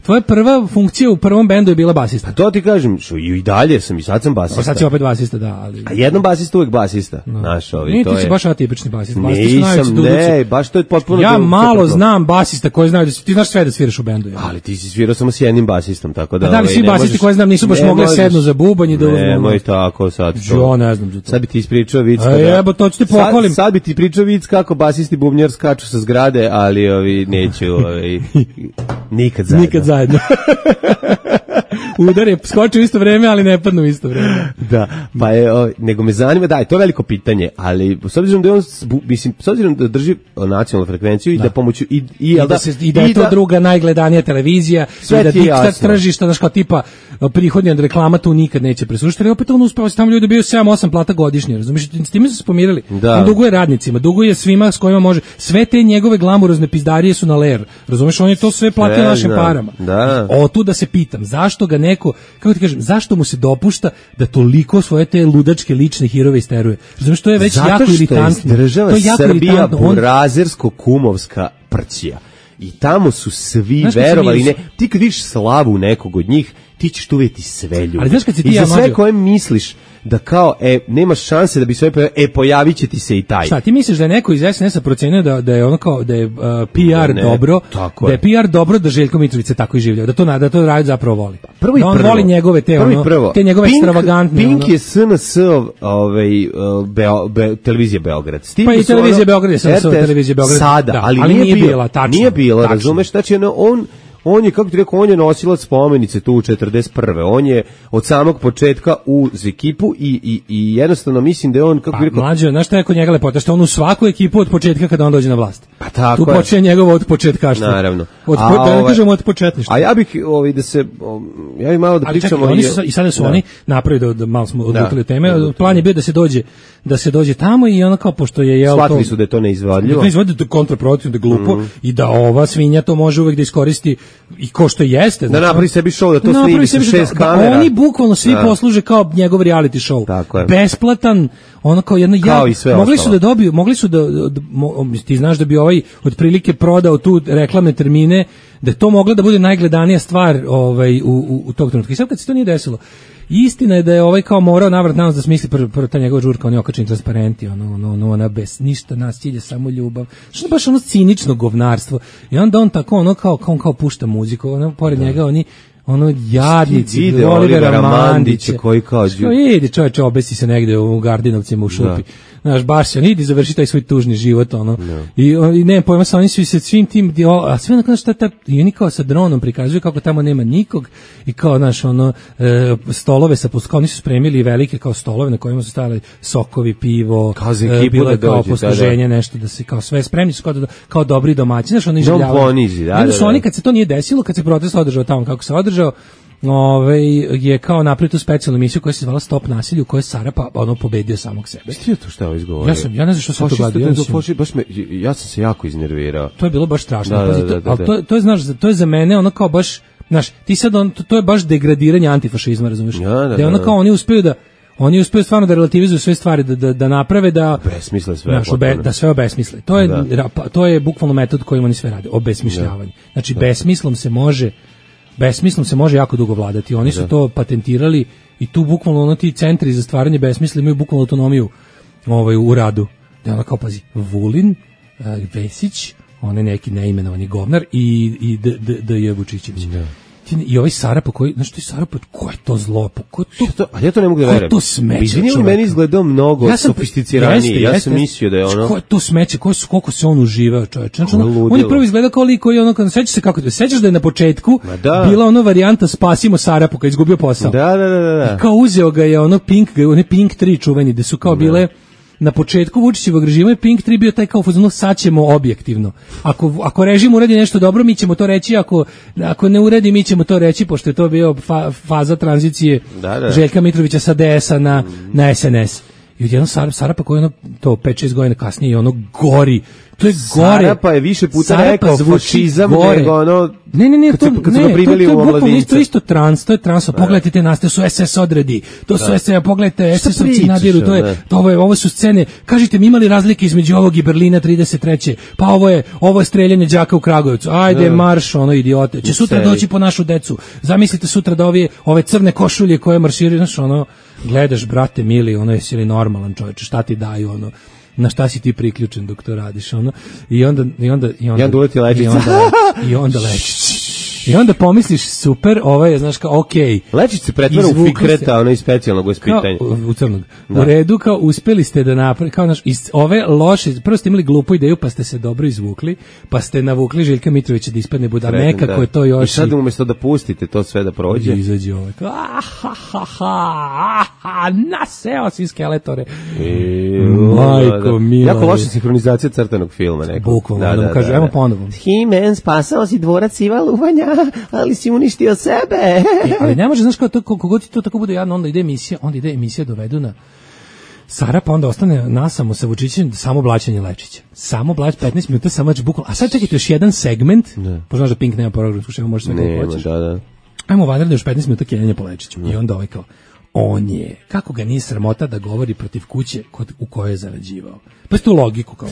Tvoja prva funkcija u prvom bendu je bila basista. Pa to ti kažem, i dalje sam, i sad sam basista. Sad si opet basista, da. A jednom basista uvek basista. Naš ovi, to je. Ti si baš atipični basista. Nisam, ne, baš to je potpuno... Ja malo znam basista koji znaju da ti znaš sve da sviraš u bendu. Ali ti si svirao samo s jednim basistom, tako da... A da li svi basisti koji znam nisu baš mogli sednu za bubanj i da uzmu... Nemoj tako sad. Jo, ne znam za to. Sad bi ti ispričao vic... Evo, to ću ti pohvalim. Sad bi ti pričao vic kako basisti bubnjar skaču sa zgrade, ali neću... Nikad zajedno. Nikad zajedno. Udar je skočio u isto vreme, ali ne padnu u isto vreme. Da, pa nego me zanima, da, je to veliko pitanje, ali s obzirom da on, mislim, s obzirom da drži nacionalnu frekvenciju i da pomoću i da je to druga najgledanija televizija, i da diktat tržišta, znaš, kao tipa prihodnja od reklama tu nikad neće presušiti, ali opet on uspeva se tamo ljudi dobiju 7-8 plata godišnje, razumiješ, s time su se pomirili. On duguje radnicima, duguje svima s kojima može, sve te njegove glamurozne pizdarije su na ler, razumiješ, on je to sve platio našim parama. Tu da se pitam, zašto ga neko, kako ti kažem, zašto mu se dopušta da toliko svoje te ludačke lične hirove isteruje? Razumiješ, to je već jako iritantno. Država Srbija burazersko-kumovska prćija. I tamo su svi verovali, ne, ti kad vidiš slavu nekog od njih, ti ćeš tu vidjeti sve ljudi. I za sve koje misliš da kao, nemaš šanse da bi sve pojavit će ti se i taj. Šta, ti misliš da je neko iz SNS-a procenio da je ono kao, da je PR dobro, da je PR dobro da Željko Mitrović tako i življava, da to radi zapravo voli. Da on voli njegove te njegove ekstravagantne. Pink je SNS televizija Beograd. Pa i televizija Beograd je SNS televizija Beograd. Sada, ali nije bila, tačno. Nije bila, razumeš, znači on je, kako ti rekao, on je nosilac spomenice tu u 41. On je od samog početka uz ekipu i jednostavno mislim da je on, kako ti rekao... Mlađe, znaš šta je kod njega lepota? Što on u svaku ekipu od početka kada on dođe na vlast. Pa tako tu počne njegovo od početkaštva. Naravno. Da ne kažemo od početništva. A ja bih ja bih malo da pričamo... Ali čekaj, i sada su oni napravili da malo smo odlutili teme. Plan je bio da se dođe tamo i ono kao, pošto je... Shvatili su da je to neizvodljivo. Da je kontraproduktivno, da je glupo i da ova svinja to može uvek da iskoristi i ko što jeste. Da napravi sebi show, da to snimi sa 6 kamera. Oni bukvalno svi posluže kao njegov reality show. Besplatan, ono kao jedno... Mogli su da ti znaš da bi ovaj otprilike prodao tu reklamne termine, da je to mogla da bude najgledanija stvar u tog trenutka. I sad kad se to nije desilo, istina je da je ovaj kao morao navrat nas da smisli prvo ta njegova žurka, on je okačen transparenti, ona bez ništa, nas cilje samo ljubav. Što je baš ono cinično govnarstvo. I onda on tako on kao pušta muziku, pored njega oni jadnici, Olivera Mandića koji kao... Idi čovječe, obesi se negde u Gardinovcima u šupi. znaš, baš se, idi završi taj svoj tužni život, ono. I ne, pojma sa, oni su se svim tim, a sve onako, i oni kao sa dronom prikazuju kako tamo nema nikog, i kao, znaš, ono, stolove sa kao oni su spremili velike kao stolove na kojima su stavili sokovi, pivo, bilo je kao posluženje, nešto da se kao sve spremni su kao dobri domaći, znaš, oni željavaju. Onda su oni, kad se to nije desilo, kad se protest održao tamo kako se održao, je kao napravio tu specijalnu emisiju koja se zvala Stop nasilju, u kojoj je Sarapa ono pobedio samog sebe. Ti je to šta ovo izgovorio? Ja ne znam što sam to gledao. Ja sam se jako iznervirao. To je bilo baš strašno. Ali to je, znaš, to je za mene ono kao baš, znaš, ti sad to je baš degradiranje antifašizma, razumiješ? Da ono kao oni uspeju stvarno da relativizuju sve stvari, da naprave da besmisle sve, da sve obesmisle. To je bukvalno metod kojim oni sve rade, obesmišljavanje. Znači besmislom se može jako dugo vladati. Oni su to patentirali i tu bukvalno ono ti centri za stvaranje besmisla imaju bukvalno autonomiju u radu. Da ona kao pazi, Vulin, Vesić, on je neki neimenovani govnar i D.J. Vučićević. I ovaj Sarapa koji, znaš ti Sarapa, ko je to zlo? Ali ja to ne mogu da verujem. Ko je to smeće? Izvini, on meni izgledao mnogo sofisticiraniji. Ja sam mislio da je ono... Ko je to smeće? Koliko se on uživao, čoveče? Znači, on je prvo izgledao kao liko i ono, sećaš da je na početku bila ono varijanta spasimo Sarapu kad izgubio posao. Da. I kao uzeo ga je ono Pink 3 čuveni, gde su kao bile... Na početku Vučićevog režima je Pink 3 bio taj kao fazon, sad ćemo objektivno. Ako režim uradi nešto dobro, mi ćemo to reći, ako ne uradi, mi ćemo to reći, pošto je to bio faza tranzicije Željka Mitrovića sa DS-a na SNS. I odjedno Sarapa koji ono, to 5-6 godina kasnije, ono gori. To je gore. Sarapa je više puta rekao fašizam nego ono... Ne, to je isto trans, pogledajte te nastave, su SS odredi, to su SS, pogledajte, SS-ovci nadiru, ovo su scene, kažite mi imali razlike između ovog i Berlina 33. Pa ovo je streljanje đaka u Kragujevcu, ajde marš, ono idiote, će sutra doći po našu decu, zamislite sutra da ove crne košulje koje marširaju, znaš, ono, gledaš, brate mili, ono, jesi li normalan čovječe, šta ti daju, ono, na šta si ti priključen dok to radiš, ono, i onda uleti lečica. I onda lečić. I onda pomisliš, super, znaš kao, okej. Lečić se pretvara u Fikreta, ono iz specijalnog vaspitanja. U crnog. U redu, kao, uspeli ste da napravite, kao, naš, iz ove loše, prvo ste imali glupu ideju, pa ste se dobro izvukli, pa ste navukli Željka Mitrovića da ispadne buda, nekako je to još... I sad umjesto da pustite to sve da prođe. Izađe kao, naseo si skeletore. Majko, mila. Jako loša sinhronizacija crtanog filma, neko. Bukvalno, da mu kaže, evo ponovo. He-Man, spasao si dvorac Iva Luvanja, ali si uništio sebe. Ali ne može, znaš, kogod ti to tako bude jadno, onda ide emisija dovedu na Sarapa, onda ostane nasamo sa Vučićem, samo blaćenje Lečića. Samo 15 minuta, samo bukvalno. A sad čekajte još jedan segment, poznaš da Pink nema programsku šemu, može sve kako hoćeš. Ajmo vanredno još 15 minuta kenjanja po Lečiću. I onda kao, on je, kako ga nije sramota da govori protiv kuće u kojoj je zarađivao. Pa je tu logiku, kao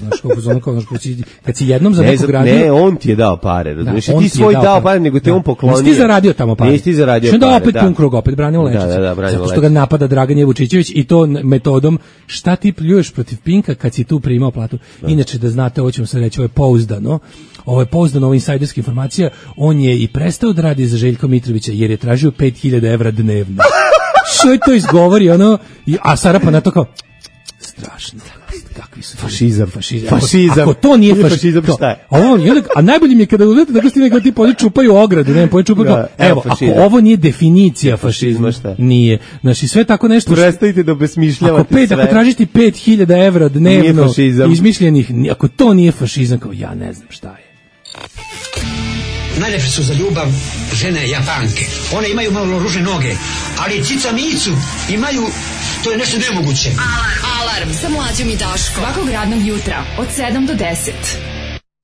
kad si jednom za nekog radio... Ne, on ti je dao pare, razumiješ, ti svoj dao pare, nego te on poklonio. Nisi ti zaradio tamo pare. Nisi ti zaradio pare, da. Što opet pun krug, opet branimo Lečića. Zato što ga napada Dragan Vučićević i to metodom, šta ti pljuješ protiv Pinka kad si tu primao platu. Inače, da znate, ovo ćemo sad reći, ovo je pouzdano, insajderska informacija, on je i prestao da radi za Željka Mitrovića jer je tražio 5.000 evra dnevno. Što je to izgovori, ono, a Sarapa na to kao, strašno, kakvi su fašizam. Ako to nije fašizam, šta je? A najbolje mi je kada uzete tako stine kao ti poli čupaju ogradu, evo, ako ovo nije definicija fašizma, nije. Znači, sve tako nešto... Prestanite da obesmišljavate sve. Ako tražiš ti 5.000 evra dnevno izmišljenih, ako to nije fašizam, kao ja ne znam šta je. Najlepše su za ljubav žene Japanke. One imaju malo ružne noge, ali cica micu imaju, to je nešto nemoguće. Alarm sa Mlađom i Daškom. Svakog radnog jutra od 7 do 10.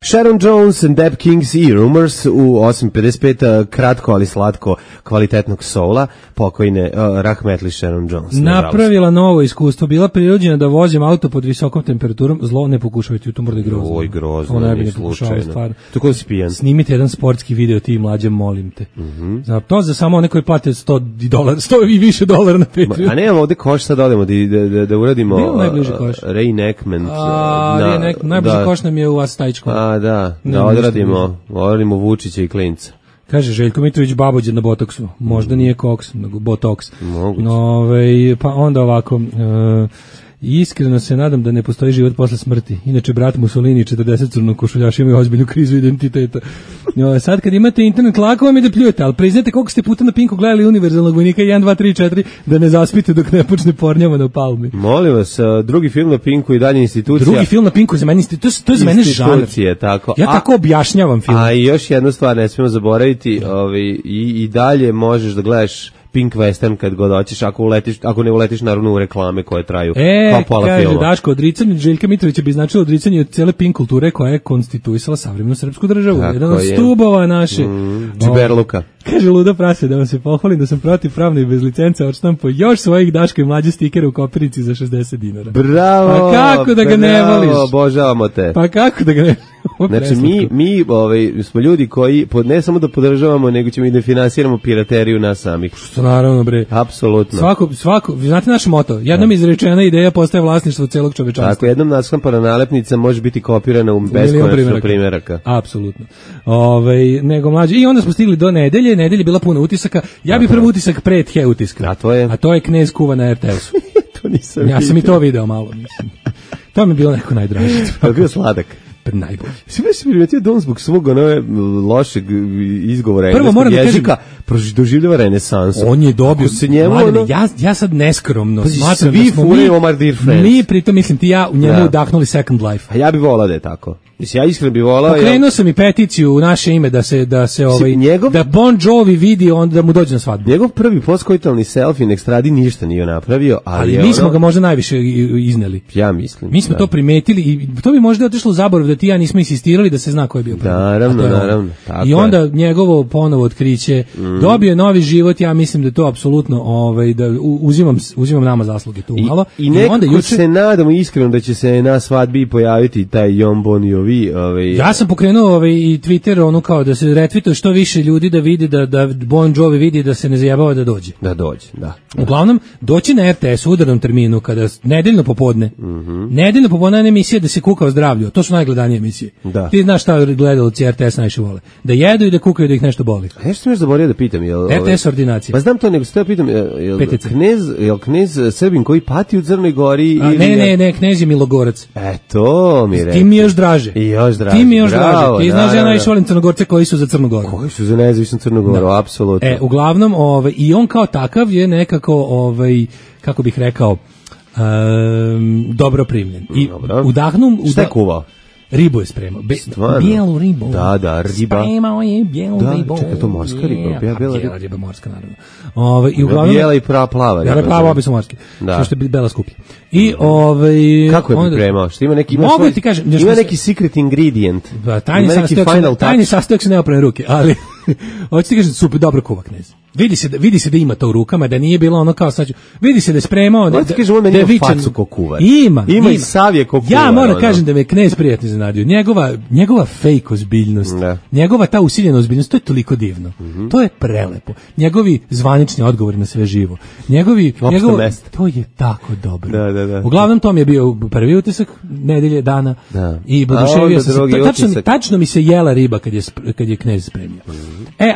Sharon Jones and Dap Kings i Rumors u 8.55, kratko ali slatko kvalitetnog soula, pokojne rahmetli Sharon Jones. Napravila novo iskustvo, bila prirođena da vozim auto pod visokom temperaturom, zlo ne pokušavajte, tu mora da je grozno. Oj, grozno, ovo ne slučajno. Tako da si pijan. Snimite jedan sportski video, ti Mlađe, molim te. To za samo one koji plate $100 i više dolara na Patreon. A nemamo ovde koš, sad odemo da uradimo reenactment. Najbliži koš nam je u Astajičkom. Da odradimo Vučića i Klinca. Kaže Željko Mitrović babođe na botoksu. Možda nije koks, nego botoks. Pa onda ovako, Iskreno se nadam da ne postoji život posle smrti. Inače, brat Mussolini i 40 crnokošuljaša imaju ozbiljnu krizu identiteta. Sad kad imate internet, lako vam je da pljujete, ali priznajte koliko ste puta na Pinku gledali Univerzalnog vojnika 1, 2, 3, 4, da ne zaspite dok ne počne pornjava na Palmi. Molim vas, drugi film na Pinku i dalje institucija. Drugi film na Pinku za mene, to je za mene žanr. Tako. Ja tako objašnjavam film. A i još jednu stvar ne smijemo zaboraviti, i dalje možeš da gledaš Pink Western kad god hoćeš, ako ne uletiš naravno u reklame koje traju kao pola kaže filma. Daško, odricanje Željka Mitrovića bi značilo odricanje od cele Pink kulture koja je konstituisala savremenu srpsku državu. Tako jedan od je. stubova naše. Džiberluka. Kaže Luda Prase, da vam se pohvalim da sam protivpravno i bez licence odštampo još svojih Daško i mlađe stikera u kopirici za 60 dinara. Bravo! Pa kako da ga ne voliš? Obožavamo te. Pa kako da ga ne Znači, mi smo ljudi koji ne samo da podržavamo, nego ćemo i da finansiramo pirateriju nas samih. Što naravno, bre. Apsolutno. Svako, vi znate naš moto, jednom izrečena ideja postaje vlasništvo celog čovečanstva. Tako, jednom naskampana nalepnica može biti kopirana u beskonačno primjeraka. Apsolutno. Nego mlađe. I onda smo stigli do nedelje je bila puno utisaka. Ja bih prvi utisak pre the utiska. A to je Knez kuva na RTS-u. To nisam ja sam i to video malo, mislim. To mi je bilo neko najdraže. To je bio sladak. Najbolji. Svi već primetio da on zbog svog lošeg izgovora engleskog jezika doživljava renesansu. On je dobio se njemu, ja sad neskromno smatram da smo mi pritom mislim ti ja u njemu udahnuli Second Life. A ja bih volao da je tako. Ja iskreno bih volao. Pokrenuo sam i peticiju u naše ime da Bon Jovi vidi onda da mu dođe na svadbu. Njegov prvi postkoitalni selfie na ekstradi ništa nije napravio, ali mi smo ga možda najviše izneli. Ja mislim. Mi smo to primetili i to bi možda otišlo u zaborav da ti ja nismo insistirali da se zna ko je bio prvi. Naravno. I onda njegovo ponovo otkriće dobio novi život, ja mislim da to apsolutno da uzimam nama zasluge tu malo. I nekako se nadamo iskreno da će se na svadbi pojaviti taj Jon Bon Jovi. Ja sam pokrenuo i Twitter kao da se retvituje što više ljudi da vidi da Bon Jovi vidi da se ne zajebava da dođe. Da. Uglavnom, doći na RTS u udarnom terminu kada nedeljno popodne. Nedeljno popodne je emisija da se kuka o zdravlju. To su najgledanije emisije. Da. Ti znaš šta gledalci RTS najviše vole. Da jedu i da kukaju da ih nešto boli. A nešto sam još zaboravio da pitam. RTS ordinacija. Pa znam to, nego se te pitam, jel knez Srbin koji pati u Crnoj Gori? Ne, knez je Milogorac. To mi reći. Ti mi još draže. Ti mi još draže. Ti znaš, ja najviše volim Crnogorce koji su za Crnu Goru. Koji su za nezavisnu Crnu Goru, apsolutno. Uglavnom, i on kao takav je nekako, kako bih rekao, dobro primljen. I udahnu... Šta je kuvao? Ribu je spremao. Bijelu ribu. Da, riba. Spremao je bijelu ribu. Čekaj, to morska riba. Bijela riba morska, naravno. I uglavnom, bijela i plava. Bijela i plava, obi su morski. Što što je bela skuplja. I kako je pripremao? Što ima neki... Mogu ti kažem... Ima neki secret ingredient. Tajni sastojak se ne oprane ruke, ali... Hoću ti kažem, super, dobro kuva knez. Vidi se da ima to u rukama, da nije bilo ono kao sad. Vidi se da je spremao, da je facu ko kuvar. Ima i savje ko kuvar. Ja moram kažem da me knez prijatno iznenadio. Njegova fake ozbiljnost, njegova ta usiljena ozbiljnost, to je toliko divno. To je prelepo. Njegovi zvanični odgovori na sve živo. To je tako dobro. Da. Uglavnom to mi je bio prvi utisak nedelje dana i oduševio sam se. Tačno mi se jela riba kad je knez spremio.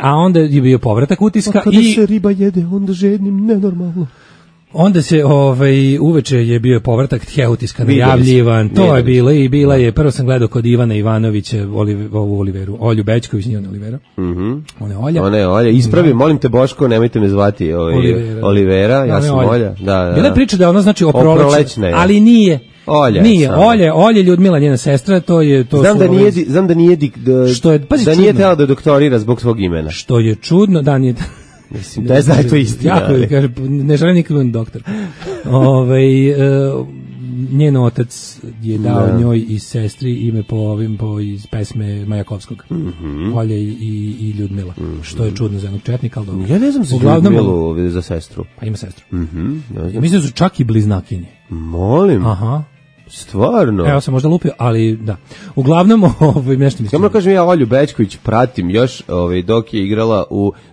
A onda je bio povratak utiska. Kada se riba jede, onda žednim nenormalno. Onda se uveče je bio povratak the utiska najavljivan. To je bilo i bila je. Prvo sam gledao kod Ivana Ivanovića ovu Oliveru, Olju Bećković, nije ona Olivera. Ona je Olja. Ispravi, molim te Boško, nemojte me zvati Olivera, ja sam Olja. Bila je priča da ona znači oprolećna, ali nije. Olja Ljudmila, njena sestra, to je to. Znam da nije tela da doktorira zbog svog imena. Što je čudno, da nije. Mislim da je to istina. Jako kaže, ne želim nikad doktor. Njen otac je dao njoj i sestri ime po iz pesme Majakovskog. Olja i Ljudmila. Što je čudno za jednog četnika, ali dobro. Ja ne znam za Ljudmilu za sestru. Pa ima sestru. Ja mislim da su čak i bliznakinje. Molim. Aha. Stvarno? Evo sam možda lupio, ali da. Uglavnom, nešto mislim. Samo kažem, ja Olju Bećković pratim još dok je igrala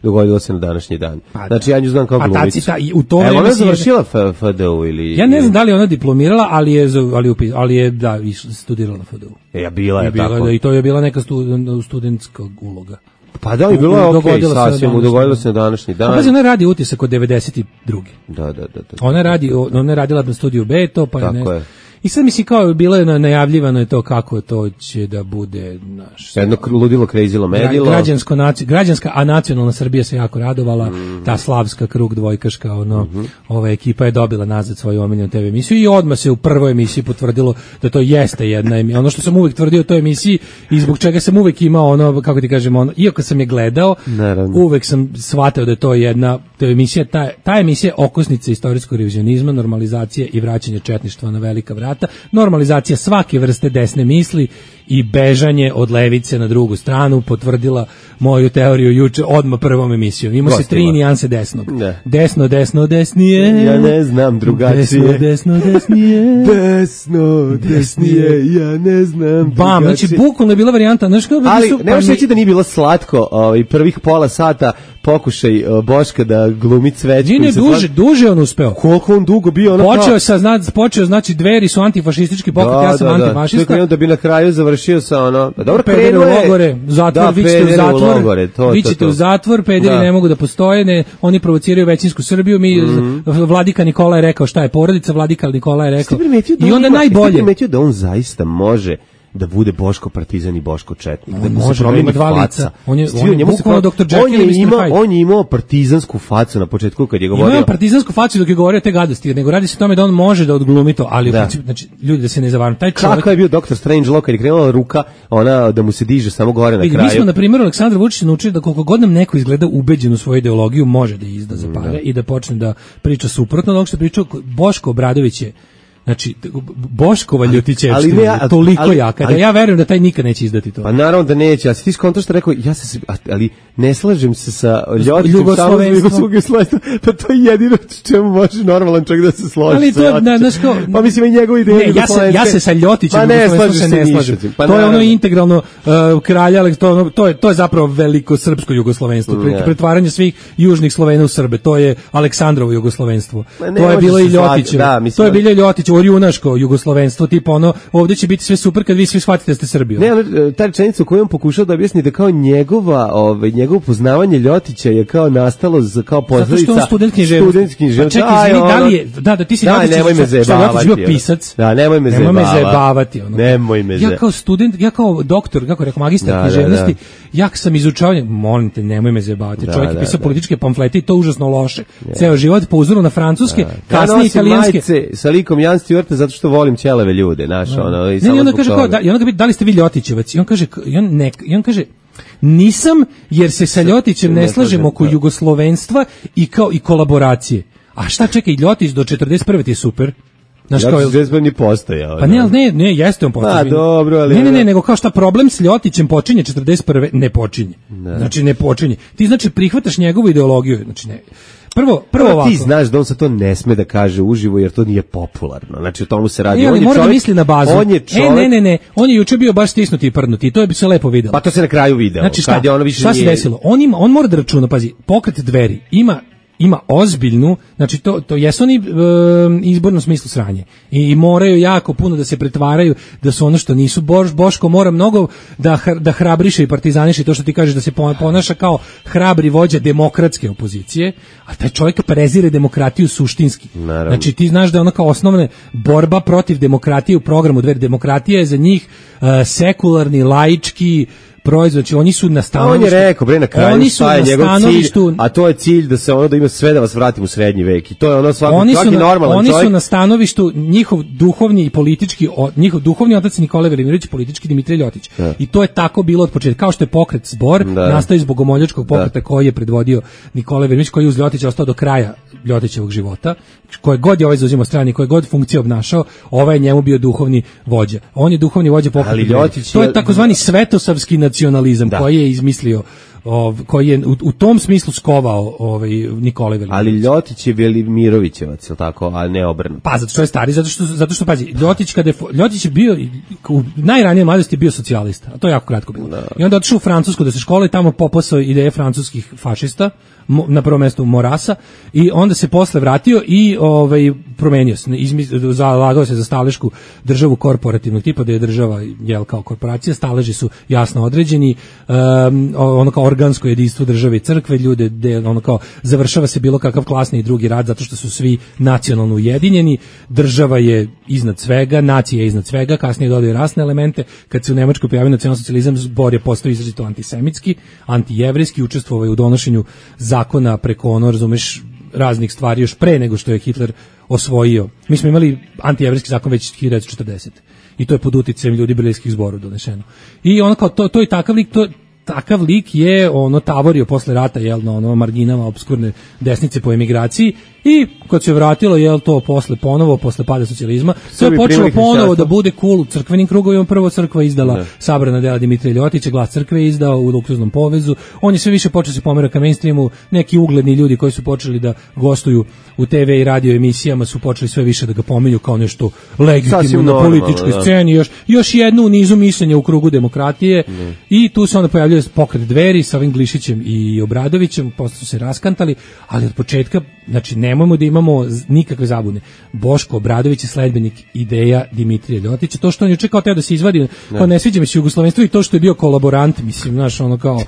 dogodilo se na današnji dan. Znači ja nju znam kao glumicu. Evo ona je završila FDU ili... Ja ne znam da li ona diplomirala, ali je studirala na FDU. Bila je tako. I to je bila neka studentska uloga. Pa da, i bilo je okej, sasvim, dogodilo se na današnji dan. Pa ona radi Utisak od 92. Da. Ona je radila na studiju B, to pa je tako je. I sad mislim kao bilo je najavljivano je to kako to će da bude jedno ludilo krejzilo medilo. Građanska, a nacionalna Srbija se jako radovala, ta slavska krug dvojkaška, ova ekipa je dobila nazad svoju omiljenu TV emisiju i odmah se u prvoj emisiji potvrdilo da to jeste jedna emisija. Ono što sam uvek tvrdio o toj emisiji i zbog čega sam uvek imao kako ti kažem, iako sam je gledao, uvek sam shvatio da je to jedna emisija, ta emisija okosnica istorijskog revizionizma, normalizacije i vraćanje četništva na velika vrata, normalizacija svake vrste desne misli i bežanje od levice na drugu stranu, potvrdila moju teoriju juče odmah prvom emisijom. Imao se 3 nijanse desnog. Ne. Desno, desnije. Ja ne znam drugačije. Desno, desnije. Desno, desnije. Ja ne znam drugačije. Bam, znači bukvalno je bila varijanta. Ali ne možeš reći da nije bilo slatko prvih pola sata pokušaj Boška da glumi Cvećku. Nije duže on uspeo. Koliko on dugo bio? Počeo znači Dveri su antifašistički pokret, ja sam antifašista. Da bi na kraju završio sa dobro pederi u logore, zatvor, vi ćete u zatvor, pederi ne mogu da postoje, oni provociraju većinsku Srbiju, Vladika Nikola je rekao šta je porodica, Vladika Nikola je rekao. I onda najbolje. Ste primetio da on zaista može da bude Boško Partizan i Boško Četnik, da može promeni dva lica. On je bukvalno Dr. Jekyll i Mr. Hyde. On je imao partizansku facu na početku kad je govorio. Imao partizansku facu dok je govorio te gadosti, nego radi se o tome da on može da odglumi to, ali znači ljudi da se ne zavaram, taj čovjek. Kako je bio Dr. Strangelove kad je krenula ruka, ona da mu se diže samo gore na kraju. Mi smo na primjer Aleksandra Vučića naučili da koliko god nam neko izgleda ubeđen u svoju ideologiju, može da izda za pare i da počne da priča suprotno od onog što pričao Boško Obradović je. Znači, Boškova ljutićevština je toliko jaka, da ja verujem da taj nikad neće izdati to. Pa naravno da neće, a si ti skonto što rekao, ali ne slažem se sa Ljotićem Jugoslovenstvom, pa to je jedino čemu može normalan čovjek da se složi. Ali to, pa mislim i njegove ideje Jugoslovenske. Ja se sa Ljotićem Jugoslovenstvom se ne slažem. To je ono integralno kralja, to je zapravo veliko srpsko jugoslovenstvo, pretvaranje svih južnih Slovena u Srbe, to je Aleksandrovo jugoslovenstvo. To je bilo i Ljotićevo. To je bilo i Ljotićevo orjunaško jugoslovenstvo, tipa ovdje će biti sve super kad vi svi shvatite da ste Srbijom. Ne, ta rečenica u kojoj on pokušao da objasni da kao njegovo poznavanje Ljotića je kao nastalo kao posljedica zato što on student književnosti. Pa čekaj, izvini, da li je, da ti si Ljotić, nemoj me zajebavati. Bio pisac. Da, nemoj me zajebavati. Nemoj me zajebavati. Ja kao student, ja kao doktor, kako rekao, magistar književnosti, ja sam izučavao, molim te, nemoj me zajebavati. Čovjek je pisao političke pamflete i to užasno loše. Ceo život po uzoru na francuske, kasnije italijanske. Sa likom Jan Stewart zato što volim ćeleve ljude, i samo onda kaže kao, i onda da li ste vi Ljotićevac? I on kaže nisam, jer se sa Ljotićem ne slažem oko jugoslovenstva i kolaboracije. A šta čekaj, Ljotić do 41. ti je super. Ljotić ni postojao. Pa ne, jeste on postojao. Pa dobro, ali ne, nego kao šta problem s Ljotićem počinje 41. ne počinje. Znači ne počinje. Ti znači prihvataš njegovu ideologiju, znači ne. Prvo ovako. Ti znaš da on sa to ne sme da kaže uživo jer to nije popularno. Znači o tomu se radi. On mora da misli na bazu. On je čovjek. Ne. On je juče bio baš stisnuti i prdnuti. To je bi se lepo videlo. Pa to se na kraju video. Znači šta se desilo? On mora da računa, pazi, pokret Dveri ima ozbiljnu, znači to jesu oni izbornom smislu sranje i moraju jako puno da se pretvaraju da su ono što nisu. Boško mora mnogo da hrabriše i partizaniše, to što ti kažeš da se ponaša kao hrabri vođa demokratske opozicije, a taj čovjek prezire demokratiju suštinski. Naravno. Znači ti znaš da je ono kao osnovna borba protiv demokratije u programu Dveri. Demokratija je za njih sekularni, laički proizvod, znači oni su na stanovištu. On je rekao, na kraju šta je njegov cilj, a to je cilj da se da ima sve da vas vratim u srednji vek. I to je ono svaki normalan čovjek. Oni su na stanovištu, njihov duhovni i politički, njihov duhovni otac Nikola Velimirović, politički Dimitrij Ljotić. Ja. I to je tako bilo od početka. Kao što je pokret Zbor, nastao iz bogomoljačkog pokreta koji je predvodio Nikola Velimirović, koji je uz Ljotića ostao do kraja Ljotićevog života. Koje god je ovaj zauzimao strani, koje god funkcije obnašao, ovaj je njemu bio duhovni vođa. On je duhovni vođa pokreta. To je takozvani svetosavski nacionalizam koji je izmislio, koji je u tom smislu skovao Nikola Velimirović. Ali Ljotić je Velimirovićevac, je tako, a ne obrnuto. Pa zato što je stari, zato što pazi, Ljotić je bio u najranijoj mladosti bio socijalista, a to je jako kratko bilo. I onda otišao u Francusku da se školuje, tamo popasao ideje francuskih fašista, na prvom mjestu Morasa, i onda se posle vratio i promenio se, zalagao se za stalešku državu korporativnog tipa, da je država kao korporacija, staleži su jasno određeni, ono kao organsko jedinstvo države i crkve, ljude gde ono kao završava se bilo kakav klasni i drugi rat zato što su svi nacionalno ujedinjeni, država je iznad svega, nacija je iznad svega, kasnije dodaju rasne elemente, kad se u Nemačkoj pojavio nacionalsocijalizam, zbor je postao izrazito antisemitski, antijevrijski, učestvovao je u donošenju zakona preko ono, razumeš, raznih stvari još pre nego što je Hitler osvojio. Mi smo imali antijevrijski zakon već 1940. I to je pod uticajem ljudi berlinskih zborova donešeno. I ono kao to je takav lik je ono tavorio posle rata jel na ono marginama opskurne desnice po emigraciji i kad se vratilo jel to posle pada socijalizma sve je počelo ponovo da bude cool u crkvenim krugovima. Prvo crkva izdala sabrana dela Dimitrija Ljotića, Glas crkve je izdao u luksuznom povezu, on je sve više počeo se pomera ka mainstreamu, neki ugledni ljudi koji su počeli da gostuju u TV i radio emisijama su počeli sve više da ga pominju kao nešto legitimno na političkoj sceni, još jednu u nizu mišljenja u krugu demokratije i tu se onda pojavljuje pokret Dveri sa ovim Glišićem i Obradovićem, posle su se raskantali, ali od početka, znači nemojmo da imamo nikakve zabune. Boško Obradović je sledbenik ideja Dimitrija Ljotića, to što on je čekao da se izvadi, kao ne sviđa mi se jugoslovenstvo i to što je bio kolaborant, mislim, znaš, ono kao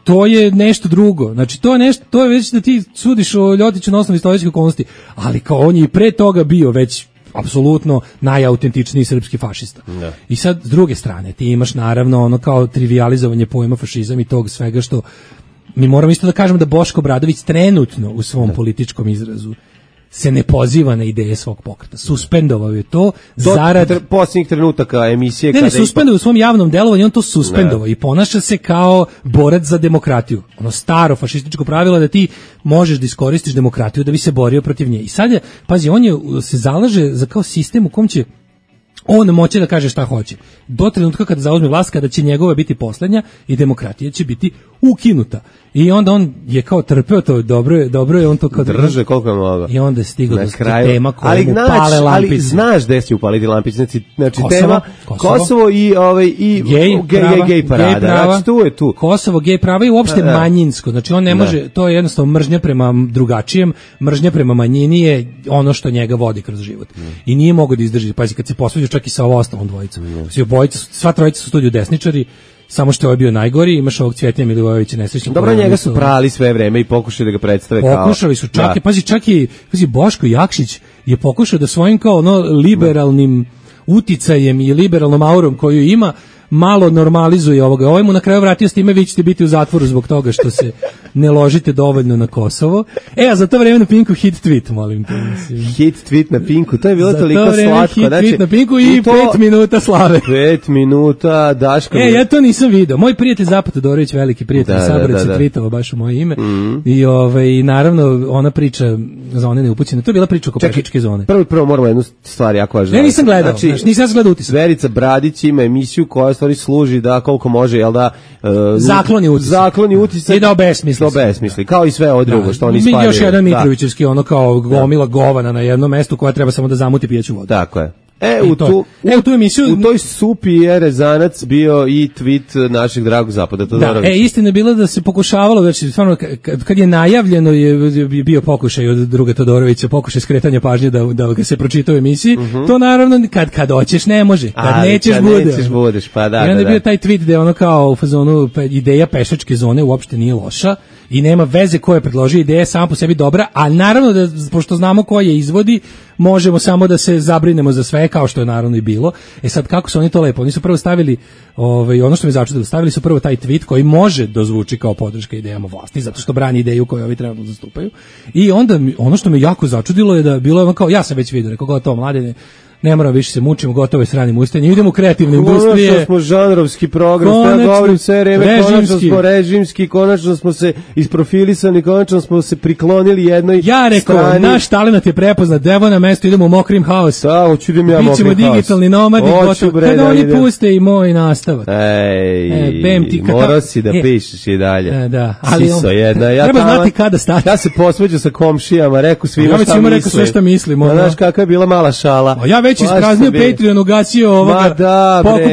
to je nešto drugo. Znači to je već da ti sudiš o Ljotiću na osnovu istorijskih okolnosti, ali kao on je i pre toga bio već apsolutno najautentičniji srpski fašista. Da. I sad s druge strane ti imaš naravno ono kao trivijalizovanje pojma fašizam i tog svega što mi moramo isto da kažemo da Boško Obradović trenutno u svom političkom izrazu se ne poziva na ideje svog pokreta. Suspendovao je to zarad posljednjih trenutaka emisije. Ne, suspendovao u svom javnom delovanju, on to suspendovao i ponaša se kao borac za demokratiju. Ono staro fašističko pravilo da ti možeš da iskoristiš demokratiju da bi se borio protiv nje. I sad je, pazi, se zalaže za kao sistem u kom će on moće da kaže šta hoće. Do trenutka kada zauzme vlast, kada će njegova biti poslednja i demokratija će biti ukinuta. I onda on je kao trpeo to, dobro je on to kao drže koliko je mogao. I onda je stigao do tema koja mu pale lampice. Ali znaš gde će upaliti lampice, znači tema Kosovo i gej parada. Znači tu je tu. Kosovo, gej prava i uopšte manjinsko. Znači on ne može, to je jednostavno mržnja prema drugačijem, mržnja prema manjini je ono što njega vodi kroz život. I nije mogao da izdrži. Pazi, kad se posvađa čak i sa ostalom dvojicom. Sva trojica su studiju desničari. Samo što je bio najgori, imaš ovog Cvjetnja Milivojevića nesrećnog. Dobro, njega su prali sve vreme i pokušali da ga predstave kao... Pokušali su, čak i Boško Jakšić je pokušao da svojim kao liberalnim uticajem i liberalnom aurom koju ima, malo normalizuje ovoga. Ovaj mu na kraju vratio s time, vi ćete biti u zatvoru zbog toga što se ne ložite dovoljno na Kosovo. A za to vreme na Pinku hit tweet, molim te. Hit tweet na Pinku, to je bilo toliko slatko. Hit tweet na Pinku i 5 minuta slave. 5 minuta, Daško. Ja to nisam video. Moj prijatelj Zapad Todorović, veliki prijatelj Saborac, se tweetovao baš u moje ime. I naravno, ona priča za one neupućene. To je bila priča oko Pešičke zone. Prvo moramo jednu stvar jako važno. Ne, nisam gledao. Nisam gledao Utisak. Verica Bradić ima emisiju koja stvari služi da koliko može, jel da zakloni utisak i da obesmisli. Kao i sve ovo drugo što oni spaljuju. Još jedan Mitrovićevski ono kao gomila govana na jednom mestu koja treba samo da zamuti pijeću vodu. Tako je. U tu emisiju, u toj supi je rezanac bio i tweet našeg dragog Zapada Todorovića. Istina je bila da se pokušavalo, znači stvarno kad je najavljeno je bio pokušaj od druga Todorovića, pokušaj skretanja pažnje da ga se pročita u emisiji. To naravno kad hoćeš ne može, kad nećeš budeš, pa da. I onda je bio taj tweet da je ono kao u fazonu ideja pešačke zone uopšte nije loša i nema veze ko je predložio, ideja sama po sebi dobra, a naravno da pošto znamo ko je izvodi, možemo samo da se zabrinemo za sve, kao što je naravno i bilo. Sad kako su oni to lepo, oni su prvo stavili ono što me začudilo, stavili su prvo taj tweet koji može dozvuči kao podrška idejama vlasti, zato što brani ideju koju ovi trenutno zastupaju. I onda ono što me jako začudilo je da bilo je kao, ja sam već vidio, rekao gotovo Mladene, ne moramo više se mučimo, gotovo je s ranim ustanjem, idemo u kreativne industrije. Konačno smo žanrovski program, ja govorim sve vreme, konačno smo režimski, konačno smo se isprofilisani, konačno smo se priklonili jednoj strani. Ja rekao, naš talenat je prepoznat, evo na mesto, idemo u Mokrim House. Da, hoću idem ja Mokrim House. Bićemo digitalni nomadi, kada oni puste i moj nastavak. Morao si da pišeš i dalje. Da, ali treba znati kada stati. Ja se posveđu sa komšijama, rekao svima šta mislim. Ja već svima rekao sve šta mislim. Znaš kakva je bila mala šala. već ispraznio Patreon, ugasio ovoga,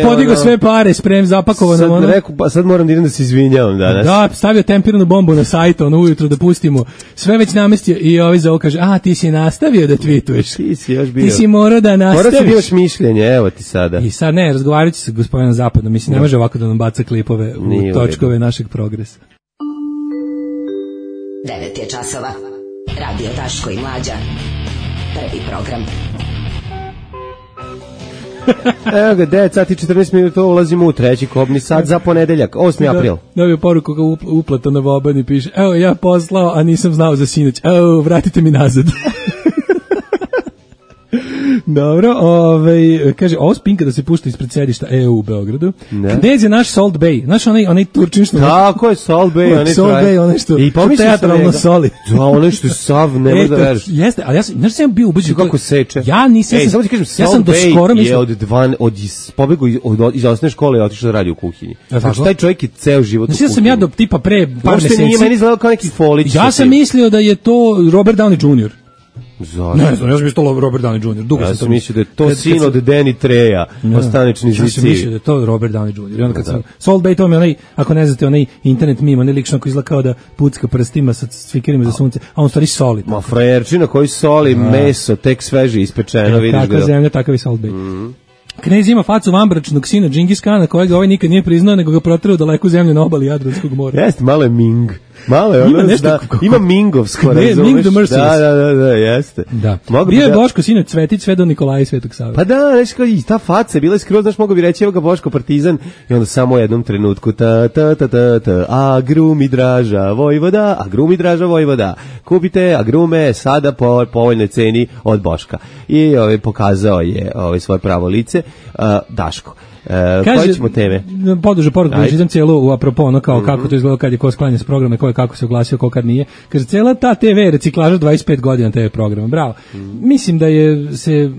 podigao sve pare, sprem zapakovano. Sad rekao, sad moram da idem da se izvinjavam danas. Da, stavio tempiranu bombu na sajt, ujutro da pustimo. Sve već namestio i ovi za ovo kaže, ti si nastavio da tweetuješ. Ti si još bio. Ti si morao da nastaviš. Morao si još mišljenje, evo ti sada. I sad ne, razgovarat ću sa gospodinom Zapadom, mislim, ne može ovako da nam baca klipove u točkove našeg progresa. 9 je časova. Radio Daško i Mlađa. Prvi program. Evo ga, 9 sati 14 minuta, ulazimo u treći kobni sat za ponedeljak, 8. april. Dobio poruku kao uplata na Vobani, piše, evo ja poslao, a nisam znao za sinoć, evo vratite mi nazad. Dobro, kaže, ovo spinka da se pušta ispred sedišta EU u Beogradu. Gde je naš Salt Bay? Znaš onaj Turčin što... Tako je, Salt Bay. Salt Bay, onaj što teatralno soli. Da, onaj što je sav, ne može da veriš. Jeste, ali ja sam bio ubeđen... Kako seče? Ja nisam... Samo ti kažem, Salt Bay je pobegao iz osnovne škole i otišao da radi u kuhinji. Znači, taj čovjek je ceo život u kuhinji. Ja sam ja do tipa pre par meseci... Nije meni izgledao kao neki folić. Ja sam mislio da je to Robert Downey Jr. Zašto? Ne znam, ja sam mislio Robert Downey Jr. Dugo ja sam mislio da je to sin od Danny Treja, ostanični zvici. Ja sam mislio da je to Robert Downey Jr. I onda kad sam... Salt Bay, to mi onaj, ako ne znate, onaj internet meme, onaj lično koji izgleda kao da pucka prstima sa cvikerima za sunce, a on stvari soli. Ma frajerčina koji soli meso, tek sveže ispečeno, vidiš ga. Takva zemlja, takav i Salt Bay. Knez ima facu vambračnog sina Džingis Kana, kojega ovaj nikad nije priznao, nego ga proterao daleku zemlju na obali Jadranskog mora. Jeste, malo je Ming. Malo je ono, ima Mingovsko, razumeš? Ming the Merciless. Da, jeste. Da. Bio je Boško sinoć Cvetić sve do Nikolaja i Svetog Save. Pa da, nešto kao i ta faca, bila je skroz, znaš, mogo bi reći, evo ga Boško Partizan, i onda samo u jednom trenutku, a grumi draža Vojvoda, kupite agrume sada po povoljnoj ceni od Boška. I pokazao je svoje pravo lice, Daško. Koje ćemo teme? Poduže poruku, da čitam cijelu u apropo, ono kao kako to izgleda kad je ko sklanja s programa, ko je kako se oglasio, ko kad nije. Kaže, cijela ta TV reciklaža 25 godina TV programa, bravo. Mislim da je se,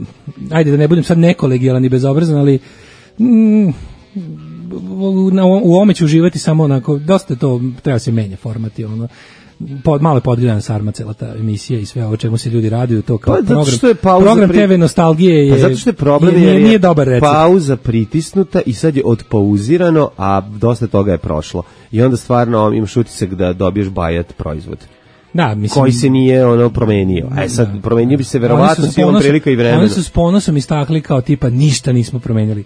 ajde da ne budem sad nekolegijalan i bezobrazan, ali u ovome ću uživati samo onako, dosta to treba se menja formati, ono. Malo je podgledana sarma cela ta emisija i sve ovo čemu se ljudi raduju, to kao program TV nostalgije je, zato što je problem nije dobar recept. Pauza pritisnuta i sad je odpouzirano, a dosta toga je prošlo. I onda stvarno imaš utisak da dobiješ bajat proizvod. Da, mislim, koji se nije promenio. Sad promenio bi se verovatno s ovom prilika i vremena. Oni su s ponosom istakli kao tipa ništa nismo promenili.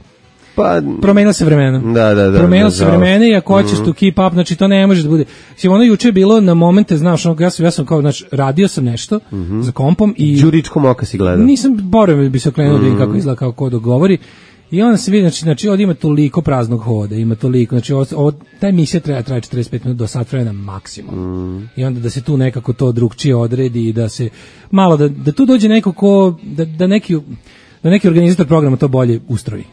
Pa promenilo se vremena. Da. Promenilo se vremena i ako hoćeš to keep up, znači to ne može da bude. Ono juče je bilo na momente, znaš, ja sam kao, znači, radio sam nešto za kompom i Đuričkom oka si gledao. Nisam borio bi se okrenuo da kako izgleda, kao ko dogovori. I onda se vidi, znači ovdje ima toliko praznog hoda, ima toliko, znači ta emisija traje 45 minuta do sat vremena maksimum. I onda da se tu nekako to drugčije odredi i da se malo, da tu dođe neko ko, da neki organizator programa to bolje ustroji.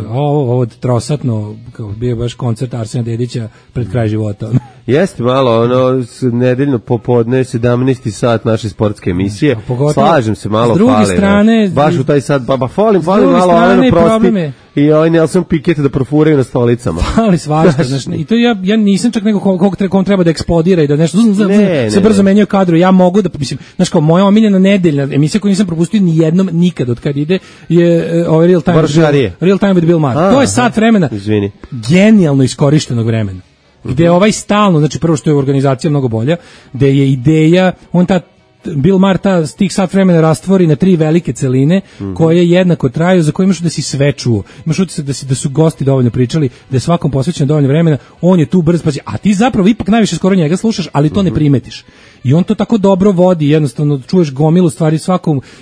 Ovo trosatno, kao bio baš koncert Arsena Dedića pred kraj života. Jeste malo, nedeljno popodne, 17. sat naše sportske emisije. Slažem se, malo fali. Baš u taj sat, falim malo Alenu Prosti i Nelson Piquet da profuraju na stolicama. Fali svašta, znači, i to ja nisam čak neko kom treba da eksplodira i da nešto se brzo menjaju kadru. Ja mogu da, mislim, znači kao moja omiljena nedeljna emisija koju nisam propustio ni jednom nikad od kad ide je Real Time with Bill Maher. To je sat vremena genijalno iskorištenog vremena. Gde je stalno, znači prvo što je organizacija mnogo bolja, gde je ideja, Bill Maher tih sat vremena rastvori na 3 velike celine koje jednako traju, za koje imaš da si sve čuo. Imaš utisak da su gosti dovoljno pričali, da je svakom posvećeno dovoljno vremena, on je tu brz, a ti zapravo ipak najviše skoro njega slušaš, ali to ne primetiš. I on to tako dobro vodi, jednostavno čuješ gomilu stvari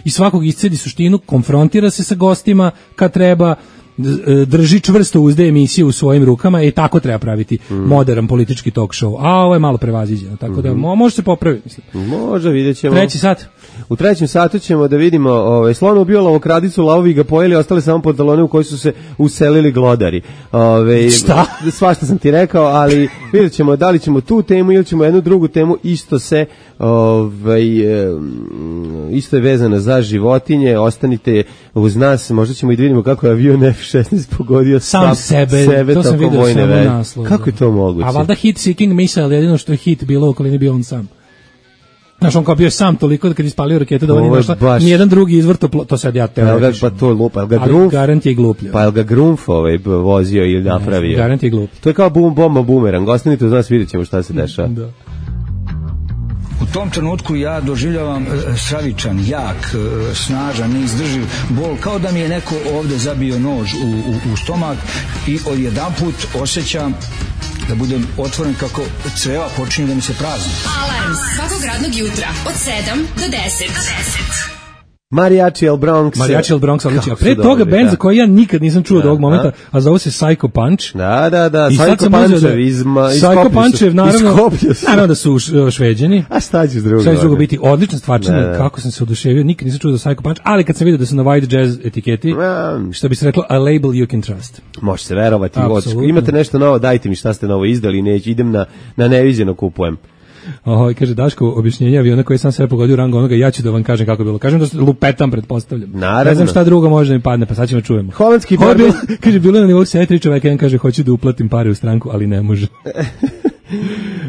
svakog iscedi suštinu, konfrontira se sa gostima kad treba, drži čvrsto uzde emisiju u svojim rukama i tako treba praviti modern politički talk show. A ovo je malo prevaziđeno, tako da može se popraviti, mislim. Može, vidjet ćemo. Treći sat. U trećem satu ćemo da vidimo slon ubio lovokradicu, lavovi ga pojeli, ostali samo pantalone u koji su se uselili glodari. Šta? Svašta sam ti rekao, ali vidjet ćemo da li ćemo tu temu ili ćemo jednu drugu temu, isto isto je vezana za životinje, ostanite uz nas, možda ćemo i da vidimo kako je avion F-16 pogodio sam sebe to sam vidio samo naslov. Kako je to moguće? A valjda hit seeking missile, jedino što je hit bilo u okolini bio on sam. Znaš, on kao bio sam toliko da kad ispalio raketu da on nije našla nijedan drugi izvor to sad ja te pa to lupa, ga ali garant je gluplja. Pa ga Grumf vozio ili napravio. Garant je glup. To je kao bomba bumerang, ostanite uz nas, vidjet ćemo šta se dešava. Da. U tom trenutku ja doživljavam stravičan, jak, snažan, neizdrživ bol, kao da mi je neko ovde zabio nož u stomak i odjedanput osjećam da budem otvoren kako creva počinju da mi se prazni. Alarm svakog radnog jutra od 7 do 10. Mariachi El Bronx. Mariachi El Bronx, odlično. Pre toga bend za koji ja nikad nisam čuo do ovog momenta, a zove se Psycho Punch. Da. Psycho Punchev, naravno da su Šveđani. A šta će drugo? Šta će drugo biti? Odlična stvarčina, kako sam se oduševio, nikad nisam čuo za Psycho Punch, ali kad sam vidio da su na White Jazz etiketi, što bi se reklo, a label you can trust. Može se verovati. Imate nešto novo, dajte mi šta ste novo izdali, neću, idem na neviđeno kupujem. Kaže Daško, objašnjenje aviona koji sam sve pogodio u rangu onoga, ja ću da vam kažem kako je bilo. Kažem da lupetam, pretpostavljam. Naravno. Ne znam šta drugo može da mi padne, pa sad ćemo čujemo. Holandski borben. Kaže, bilo je na nivou 7 čoveka, jedan kaže, hoću da uplatim pare u stranku, ali ne može.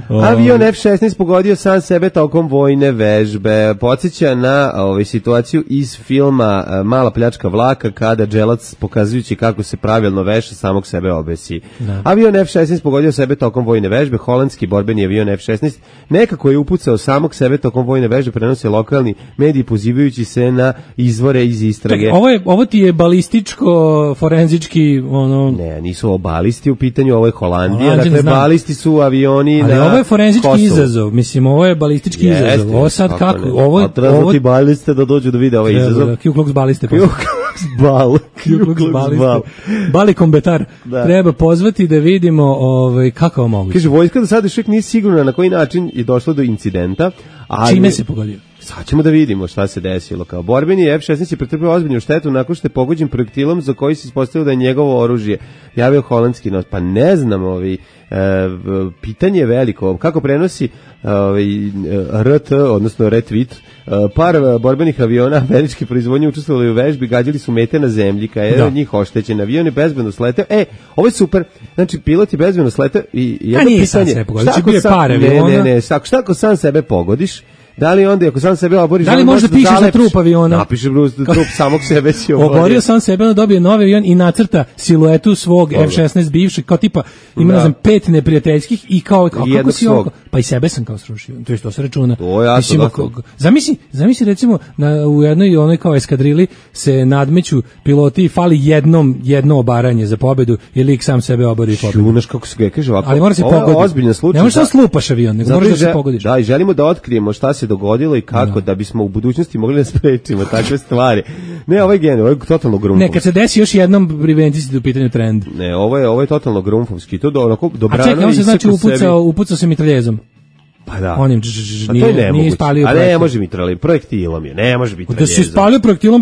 Avion F-16 pogodio sam sebe tokom vojne vežbe. Podsjeća na situaciju iz filma Mala pljačka vlaka, kada dželac pokazujući kako se pravilno veša samog sebe obesi. Da. Avion F-16 pogodio sebe tokom vojne vežbe. Holandski borbeni avion F-16 nekako je upucao samog sebe tokom vojne vežbe, prenose lokalni mediji pozivajući se na izvore iz istrage. Ovo ti je balističko, forenzički Ne, nisu ovo balisti u pitanju, ovo je Holandija. Dakle, balisti su avioni. Ali ovo je forenzički izazov, mislim, ovo je balistički izazov. Ovo sad kako? A treba ti baliste da dođu da vide ovaj izazov. Ku Klux baliste. Ku Klux baliste. Bali kombetar. Treba pozvati da vidimo kako je moguće. Kaže, vojska do sada još uvijek nije sigurna na koji način je došlo do incidenta. Čime se pogodio? Sad ćemo da vidimo šta se desilo. Kao borbeni F-16 je pretrpeo ozbiljnu štetu nakon što je pogođen projektilom za koji se ispostavilo da je njegovo oružje. Javio holandski nos. Pa ne znam, pitanje je veliko. Kako prenosi RT, odnosno retweet, par borbenih aviona američke proizvodnje učestvovali u vežbi, gađali su mete na zemlji, kada je od njih oštećen. Avion je bezbedno sleteo. Ovo je super. Znači, pilot je bezbedno sleteo i jedno pitanje. Šta ako sam sebe pogodiš? Da li onda, ako sam sebe oboriš... Da li možda pišeš na trup aviona? Napiše trup samog sebe si oborio sam sebe, onda dobije novi avion i nacrta siluetu svog F-16 bivšeg, kao tipa, ima, ne znam, 5 neprijateljskih i kao kako si ovo... Pa i sebe sam kao srušio, to je što se računa. Zamisli recimo, u jednoj onoj kao eskadrili se nadmeću piloti i fali jedno obaranje za pobedu i lik sam sebe obori pobedu. Šunaš kako se kaže ovako. Ali mora se pogoditi. Ne možeš da slupaš avion, nego moraš da se pogodiš. Da, i želimo da otkrijemo šta se dogodilo i kako da bismo u budućnosti mogli da sprečimo takve stvari. Ne, ovo je totalno grumfovski. Ne, kad se desi još jednom preventiti u pitanju trend. Ne, ovo je totalno grumfovski. To onako dobrano. A čekaj, on se znači upucao se mitraljezom. Pa da. Onim nije ispalio projektilom. A ne može mitraljezom, projektilom je, ne može mitraljezom. Da se ispalio projektilom,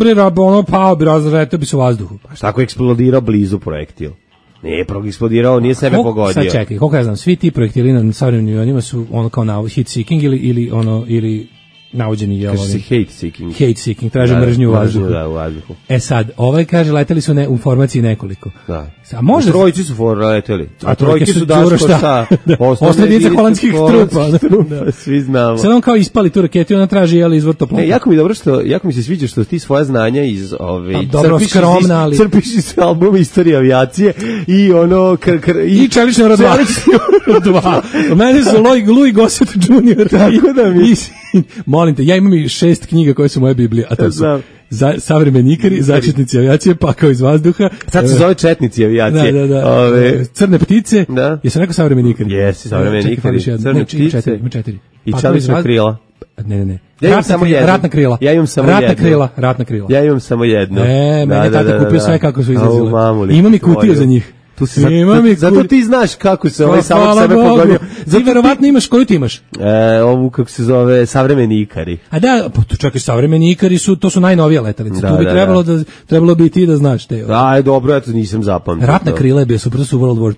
pao bi, razletao bi se u vazduhu. Pa šta ako je eksplodirao blizu projektil? Nije eksplodirao, nije sebe pogodio. Sad čekaj, koliko ja znam, svi ti projektili na savremenim avionima su ono kao heat seeking ili navođeni je hate seeking, traže mržnju u vazduhu. Sad, kaže leteli su u formaciji nekoliko. Da. A možda trojici su leteli. A trojke su Daško sa osnovice holandskih trupa. Svi znamo. Sad on kao ispali tu raketu i ona traži izvor toplota. Jako mi se sviđa što ti svoja znanja iz crpiš iz albuma Istorija avijacije i ono i Čelični rod 2. Mene su Louis Gossett Jr. Tako da mi molim te, ja imam i 6 knjiga koje su moje Biblije, a to su Savremenikari, začetnici avijacije, pakao iz vazduha. Sad se zove četnici avijacije. Da. Crne ptice, jesam rekao savremenikari? Jesi, savremenikari, crne ptice. Ima 4. I Čelična krila. Ne. Ja imam samo jedno. Ratna krila. Ja imam samo ratna krila. Ja imam samo jedno. Meni tata kupio sve kako su izlazile. Imam i kutiju za njih. Zato ti znaš kako se samog sebe pogodio. Ti verovatno imaš, koju ti imaš? Ovu kako se zove savremenikari. A da, pa čekaj, savremenikari to su najnovije letelice. Tu bi trebalo bi ti da znaš te. Dobro, ja to nisam zapamtio. Ratna krila je bio super, su World War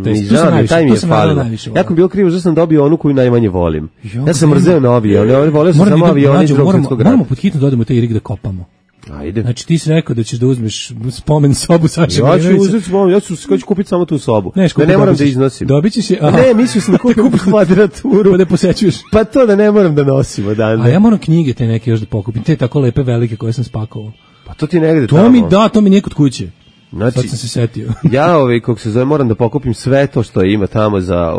II. Tu sam najviše. Ja sam bio krivo, što sam dobio onu koju najmanje volim. Ja sam mrzeo novije, volio sam samo avione iz Drugog svjetskog rata. Moramo pod hitno dodamo taj rig da kopamo. Ajde. Znači ti si rekao da ćeš da uzmeš spomen sobu Saše Milinovića. Ja ću uzeti spomen, ja ću kupiti samo tu sobu. Ne moram da iznosim. Dobit ćeš je. Ne, mislio sam da kupim kvadraturu. Pa da posećuješ. Pa to da ne moram da nosimo. A ja moram knjige te neke još da pokupim. Te tako lepe velike koje sam spakovao. Pa to ti negde tamo. To mi nije kod kuće. Znači, sad sam se setio. Ja, kako se zove, moram da pokupim sve to što ima tamo za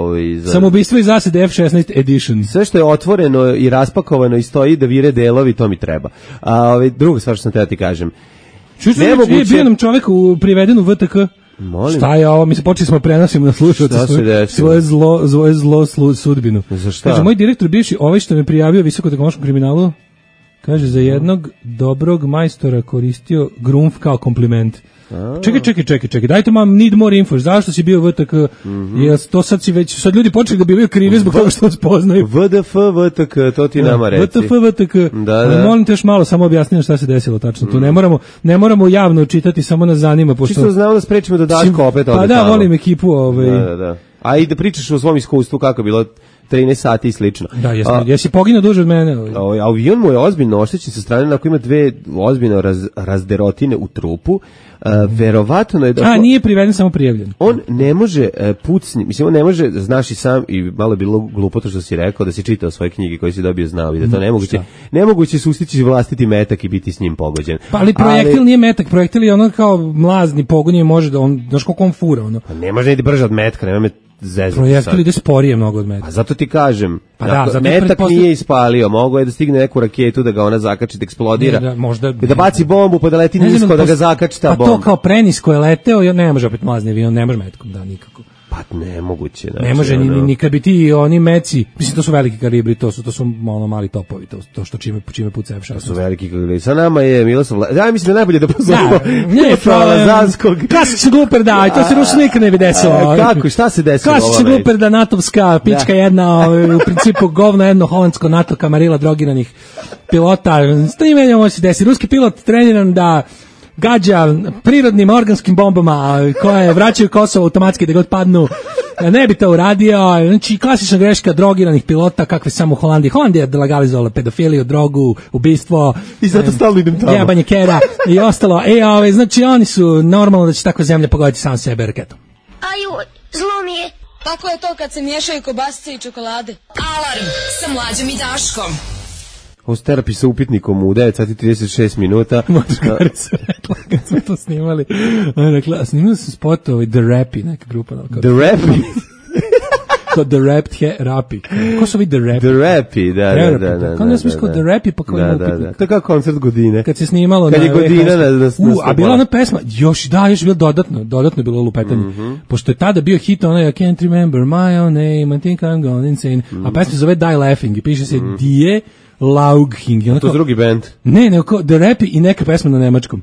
Samoubistvo i zasede F16 edition. Sve što je otvoreno i raspakovano i stoji da vire delovi, to mi treba. A druga stvar što sam teo ti kažem. Nemoguće... Bio nam čovjek priveden u VTK. Molim. Šta je ovo? Mi se počeli smo prenosimo na slušalce svoje zlo sudbinu. Za šta? Kaže, moj direktor bivši, ovaj što me prijavio visokotehnološkom kriminalu, kaže, za jednog dobrog majstora koristio grumf kao kompliment. Čekaj, dajte mam need more info, zašto si bio VTK, to sad ljudi počeli da bivaju krivi zbog toga što vas poznaju. VDF, VTK, to ti nama reci. VTK, ali molim te još malo, samo objasniti šta se desilo tačno, tu ne moramo javno čitati, samo nas zanima. Čisto znamo da sprečimo da Daško opet ode tamo. Pa da, volim ekipu. Da. A i da pričaš o svom iskustvu kako je bilo 13 sati i slično. Da, jesi poginuo duže od mene. Avion mu je ozbiljno oštećen sa strane, ako ima dve ozbiljno razderotine u trupu. Verovatno je da... nije priveden, samo prijavljen. On ne može pucni, mislim, on ne može, znaš i sam, i malo je bilo glupo to što si rekao, da si čitao svoje knjige koje si dobio znao i da to nemoguće. Nemoguće se ustići vlastiti metak i biti s njim pogođen. Pa ali projektil nije metak, projektil je ono kao mlazni pogon je može da on, znaš koliko on fura, ono. Pa ne može ne ide brže od metka, nema me zezati. Projektil ide sporije mnogo od metka. A zato ti kažem, metak nije ispalio, mogo je da stigne neku raketu, da ga ona zakači, da eksplodira, da baci bombu, pa da leti nisko, da ga zakači ta bomba. Pa to kao prenisko je leteo, ne može opet mlazni avion, ne može metkom, da, nikako. Pa nemoguće. Ne može, ni kad bi ti oni meci, mislim, to su veliki kalibri, to su malo mali topovi, to što čime puca F16. To su veliki kalibri. Sa nama je Miroslav, ja mislim da najbolje da pozovemo Miroslava Lazanskog. Klasični gluper, da, to se Rusu nikad ne bi desilo. Kako, šta se desilo? Klasični gluper, da, natovska pička jedna, u principu govno jedno holandsko NATO kamarila drogiranih pilota, s tim menjamo se desi. Ruski pilot treniran da gađa prirodnim organskim bombama koje vraćaju Kosovo automatski da god padnu, ne bi to uradio. Znači, klasična greška drogiranih pilota kakve samo u Holandiji. Holandija je legalizovala pedofiliju, drogu, ubistvo. I zato stalno idem tamo. Jebanje kera i ostalo. Znači, oni su normalno da će takva zemlja pogoditi sam sebe raketom. Aju, zlo mi je. Tako je to kad se miješaju kobasice i čokolade. Alarm sa Mlađom i Daškom. Ovo s terapi sa upitnikom u 9:36 minuta. Močkari su rekla kad smo to snimali. Rekla, snimali su spotovi The Rapi, neka grupa. The Rapi? The Rapi. Ko su ovi The Rapi? The Rapi, da. Kao ne smisli kao The Rapi, pa kao ima upitnik. To je kao koncert Godine. Kad se snimalo kad je Godina a bila ona pesma, još bilo dodatno je bilo lupetanje. Pošto je tada bio hit onaj I can't remember my own name, I think I'm gone insane. A pesma se zove Die Laughing i piše se Die Laughing. To je drugi band. Ne, kao The Rapi i neka pesma na nemačkom.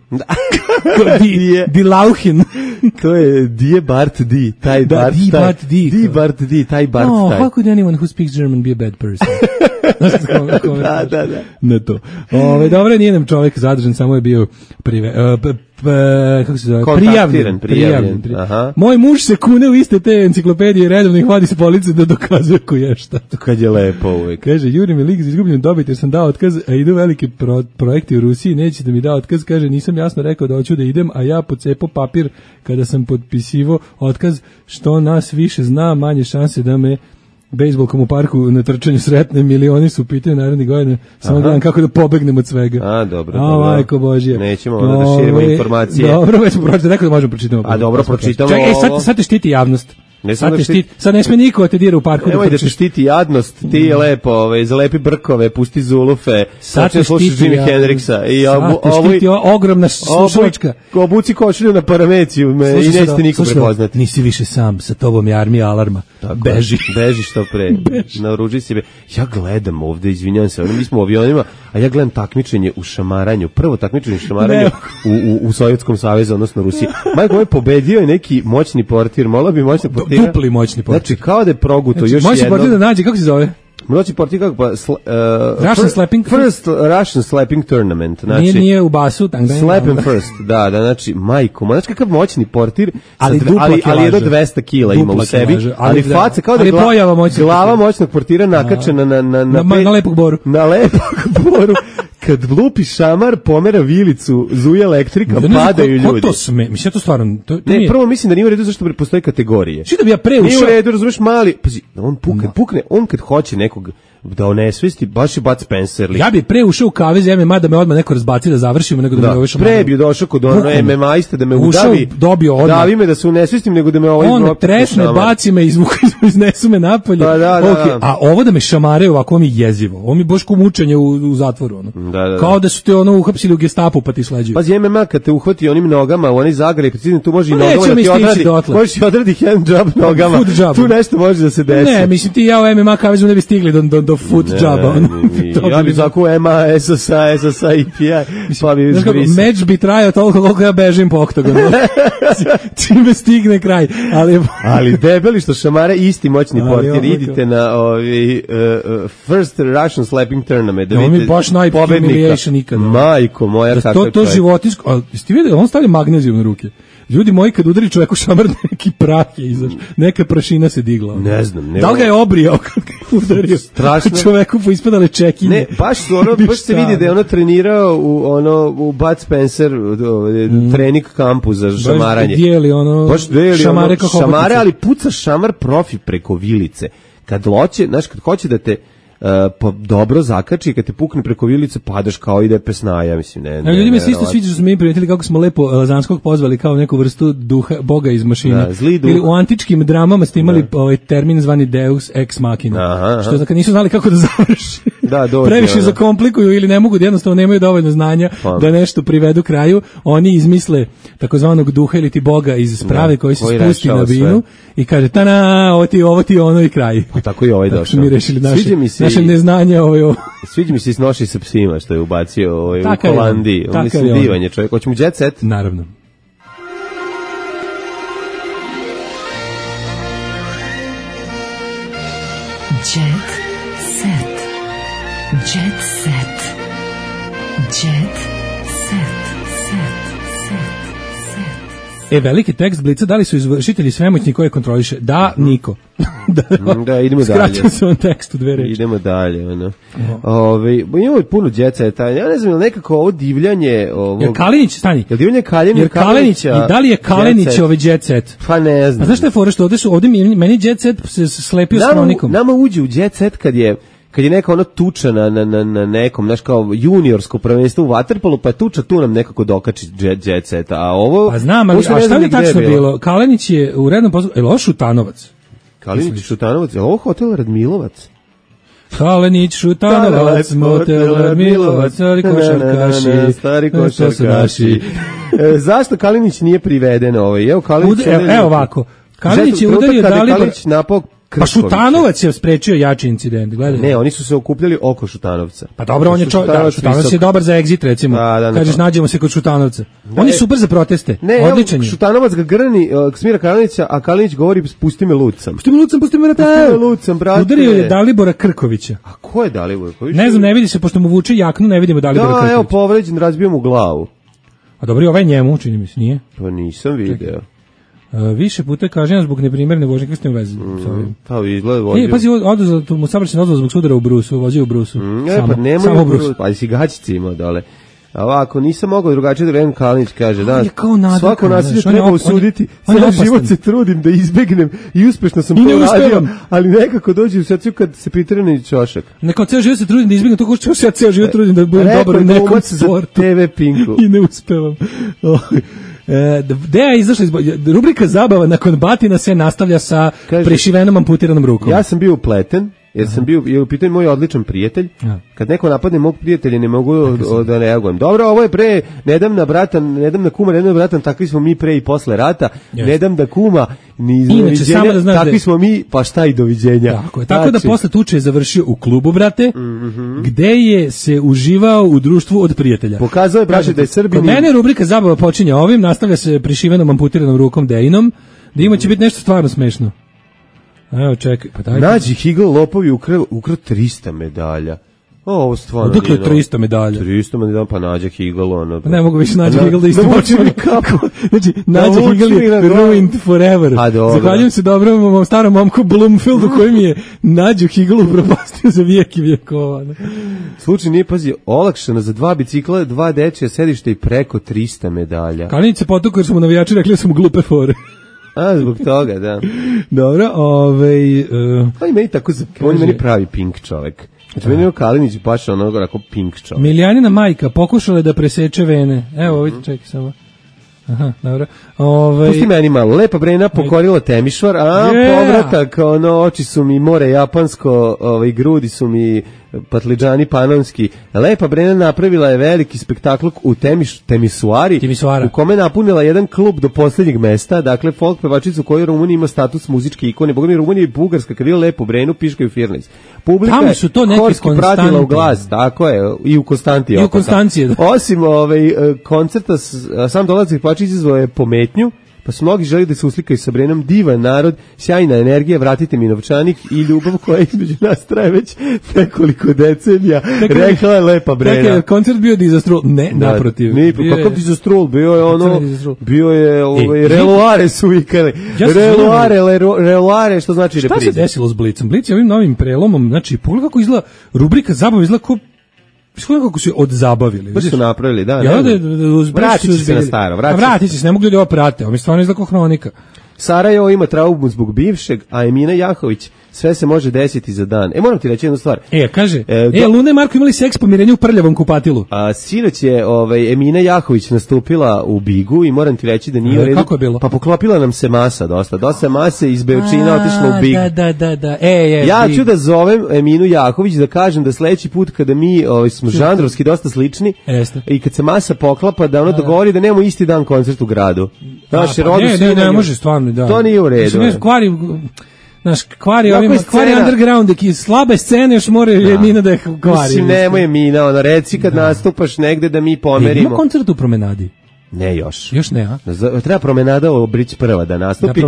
Die Lauchen. To je Die Bart Die, taj Bart. Die Bart Die, taj Bart. Oh, how could anyone who speaks German be a bad person? Da. Na to. Dobro, nije nam čovjek zadržan, samo je bio kako se zove? Prijavljen. Moj muž se kune u iste te enciklopedije, redovno ih vadi s police da dokazuje ko je šta. Kad je lepo uvijek. Kaže, juri mi lik za izgubljen dobit jer sam dao otkaz, a idu veliki projekti u Rusiji, neće da mi da otkaz, kaže, nisam jasno rekao da hoću da idem, a ja pocepao papir kada sam potpisivo otkaz, što nas više zna, manje šanse da me bejsbolkom u parku na trčanju sretne, milioni su pitaju narednih godina, samo gledam kako da pobegnem od svega. A, dobro. Majko Božija. Nećemo da širimo informacije. Dobro, već smo pročitali, rekao da možemo pročitamo. A dobro, pročitamo ovo. Čekaj, sad te štiti javnost. Sad ne sme niko te dira u parku. Nemoj da te štiti jadnost, ti je lepo, zalepi brkove, pusti zulufe, sad te slušaš Jimi Hendrixa. Sad te štiti ogromna slušalačka. Obuci košulju na parameciju i nećete niko prepoznati. Nisi više sam, sa tobom je armija alarma. Beži što pre. Naoruži se. Ja gledam ovde, izvinjavam se, mi smo u avionima, a ja gledam takmičenje u šamaranju. Prvo takmičenje u šamaranju u Sovjetskom savezu, odnosno Rusiji. Majko moj, pobedio je neki moćni portir, mola bi moćni portir. Dupli moćni portir. Znači, kao da je proguto još jedno. Moćni portir da nađe, kako se zove? Moćni portir kako pa... Russian slapping? First Russian slapping tournament. Znači, nije u basu. Slap him first, da, znači, majko. Znači, kakav moćni portir, ali jedno 200 kila ima u sebi, ali faca, kao da je glava moćnog portira nakačena na lepog boru. Na lepog boru. kad lupi šamar, pomera vilicu, zuje elektrika, padaju ljudi. Ko to sme? Mislim, to stvarno... Ne, prvo mislim da nije u redu zašto postoje kategorije. Što da bi ja pre ušao... Nije u redu, razumeš, mali... Pazi, on pukne, on kad hoće nekog da onesvesti, baš je Bud Spencer. Ja bi pre ušao u kavez MMA da me odmah neko razbaci da završimo, nego da me ovaj šamar... Pre bi došao kod ono MMA-ista da me udavi, davi me da se unesvestim, nego da me ovaj... On tresne, baci me, iznesu me napolje. Da. A ovo da me šamare ovako, ovo mi jezivo. Ovo mi baš ko mučenje u zatvoru. Ono. Da. Kao da su te ono uhapsili u Gestapu pa ti sleđuju. Pazi, MMA kad te uhvati onim nogama, oni zagraju, precidno, tu može i nogama da ti odradi. Možeš i odradi hand job nogama. Tu nešto može da se desi. Ne, mislim ti ja u MMA kavezu ne bi stigli do foot joba. Ja bi zaku MMA, SSA, IPI, pa bi izbrisao. Meč bi trajao toliko koliko ja bežim po oktagonu. Čime stigne kraj. Ali debeli što šamare isti moćni portir. Idite na First Russian Slapping Tournament. Da mi baš najpobednika nikada. Majko moja, kako to životinsko. Ali ste vidjeli, on stavlja magnezijum na ruke. Ljudi moji, kad udari čoveku šamar, neki prah je izašao. Neka prašina se digla. Ne znam. Da li ga je obrijao kad ga je udario? Strašno. Čoveku poispadale čekinje. Ne, baš se vidi da je ono trenirao u Bud Spencer trening kampu za šamaranje. Baš dijeli šamare kako šamare, ali puca šamar profi preko vilice. Kad hoće da te dobro zakači, kad te pukne preko vilice, padaš kao ide pesnaja, mislim, ljudima se isto sviđa što smo mi primetili kako smo lepo Lazanskog pozvali kao neku vrstu duha, boga iz mašine. Ili u antičkim dramama ste imali termin zvani Deus ex machina, što kad nisu znali kako da završi. Previše zakomplikuju ili ne mogu, jednostavno nemaju dovoljno znanja da nešto privedu kraju, oni izmisle takozvanog duha ili ti boga iz sprave koji se spusti na binu i kaže, ovo ti ono i kraj. Pa tako i ovaj došao. Mi rešili naše neznanje Sviđa mi se iz Noši sa psima što je ubacio u Holandiji. Mislim, divan je čovjek. Hoćemo Jet Set? Naravno. Jet Set. Jet Set. Jet Set. Veliki tekst Blica, da li su izvršitelji svemoćni koje kontroliše? Da, niko. Da, idemo dalje. Skratio se on tekst u 2 reči. Idemo dalje. Imamo puno Jet Seta. Ja ne znam, je nekako ovo divljanje... Jer Kalinić, stani. Jer divljanje Kalinića... I da li je Kalinić ovaj Jet Set? Pa ne znam. A znaš što je fora što ovdje meni Jet Set se slepio s kronikom. Nama uđe u Jet Set kad je neka ono tuča na nekom, znaš, kao juniorsko prvenstvo u vaterpolu, pa je tuča tu nam nekako dokači Jet Set, a ovo... Pa znam, ali šta je tačno bilo? Kalinić je u rednom poslu... Je li ovo Šutanovac? Kalinić Šutanovac, je li ovo hotel Radmilovac? Kalinić, Šutanovac, motel Radmilovac, stari košarkaši. Zašto Kalinić nije priveden Evo ovako. Kalinić je udario Dalibor... Kalinić napao Pa Šutanovac je sprečio jači incident, gledaj. Ne, oni su se okupljali oko Šutanovca. Pa dobro, on je Šutanovac je dobar za egzit, recimo. Kažeš, nađemo se kod Šutanovca. On je super za proteste. Odličan je. Šutanovac ga grni Smira Kalinića, a Kalinić govori pusti me lucam. Pusti me lucam, brate. Udario je Dalibora Krkovića. A ko je Dalibor? Ne znam, ne vidi se, pošto mu vuče jaknu, ne vidimo Dalibora Krkovića. Evo, povređen, razbio mu glavu. A dobro, ovaj njemu, čini mi se, nije? Pa nisam video. Više puta kažnjen zbog neprimerne vožnje krstne veze. Pa izgleda vozio. Pazi, mu saobraćajna dozvola zbog sudara u Brusu, vozio u Brusu. Pa nemoj u Brusu. Pa si gaćice imao dole. A ovako, nisam mogao drugačije da Ren Kalinić kaže, da, svako nasilje treba osuditi, cijel život se trudim da izbegnem i uspešno sam to uradio, ali nekako dođe u srcu kad se pritrene ćošak. Neko cijel život se trudim da izbegnem, to što se ja cijel život trudim da budem dobar u nekom sportu. TV Pinku. I ne uspevam. Deja je izašla rubrika zabava nakon batina se nastavlja sa prešivenom amputiranom rukom. Ja sam bio upleten, jer sam bio u pitanju moj odličan prijatelj. Kad neko napadne mog prijatelja ne mogu da reagujem. Dobro, ovo je pre, ne dam na kuma, ne dam na bratan, takvi smo mi pre i posle rata. Ne dam da kuma, ni doviđenja, takvi smo mi, pa šta i doviđenja. Tako da posle tuče je završio u klubu, brate, gde je se uživao u društvu od prijatelja. Pokazao je, braće, da je Srbin. Kod mene rubrika zabava počinje ovim, nastavlja se prešivenom amputiranom rukom Dejinom, da ima će biti nešto stvarno smešno. Evo, čekaj, pa daj. Nađi Higl lopovi ukra 300 medalja. Ovo stvarno. Dakle 300 medalja. 300 medalja, pa Nađa Higl, ono. Ne mogu više Nađa Higl da istočim kako. Znači, Nađa Higl je ruined forever. Zahvaljujem se dobrom starom momku Bloomfieldu koji mi je Nađu Higl upropastio za vijek i vijekova. Slučaj nije, pazi, olakšano za 2 bicikla, 2 dečija sedišta i preko 300 medalja. Kalinić se potukao jer su mu navijači rekli da su mu glupe fore. A, zbog toga, da. Dobro, on je meni tako, on je meni pravi pink čovek. Znači, meni je Kalinić baš onoga onako pink čovek. Miljanina majka pokušala da preseče vene. Evo, ovdje, čekaj samo. Aha, dobro. Pusti meni malo. Lepa Brena pokorila Temišvar, povratak, oči su mi more japansko, grudi su mi patliđani panonski. Lepa Brena napravila je veliki spektakl u Temisuari, u kome napunila jedan klub do posljednjeg mesta, dakle folk pevačicu koju u Rumuniji ima status muzičke ikone. Boga mi Rumunija i Bugarska, kad je Lepu Brenu, piškaju Firnic. Publika tamo su to neki horski pratila u glas, tako je, i u Konstantiji. I u Konstanciji, da. Osim koncerta, sam dolazak pevačica izazvao je pometnju, pa su mnogi želi da se uslikaju sa Brenom. Divan narod, sjajna energija, vratite mi novčanik i ljubav koja između nas traje već nekoliko decenija. Rekla je Lepa Brena. Dakle, koncert bio dizastrol? Ne, naprotiv. Kakav dizastrol? Bio je reloare su vikali. Reloare, što znači repriza. Šta se desilo s Blitzom? Blitz je ovim novim prelomom, znači, pogledaj kako izgleda, rubrika zabava izgleda kako su odzabavili. Baš su napravili, da. Vratit će se na staro. Vratit će se, ne mogu ljudi ovo prate. Ovo stvarno izgleda kao hronika. Sarajevo ima traumu zbog bivšeg, a Emina Jahović, sve se može desiti za dan. Moram ti reći jednu stvar. Kaže, Luna i Marko imali seks po mirenju u prljavom kupatilu. Sinoć je Emina Jahović nastupila u Bigu i moram ti reći da nije u redu. Kako je bilo? Pa poklopila nam se masa dosta mase iz Beočina otišla u Big. Da. Ja ću da zovem Eminu Jahović da kažem da sledeći put kada mi smo žanrovski dosta slični i kad se masa poklapa da ono dogovori da nemamo isti dan koncert u gradu. Ne može stvarno. Da. To nije u redu. Kvari underground, slabe scene još mora Emina da je kvari. Mislim, nemoj Emina, reci kad nastupaš negde da mi pomerimo. Ima koncert u Promenadi? Ne još. Još ne, a? Treba Promenada Obrić prva da nastupi,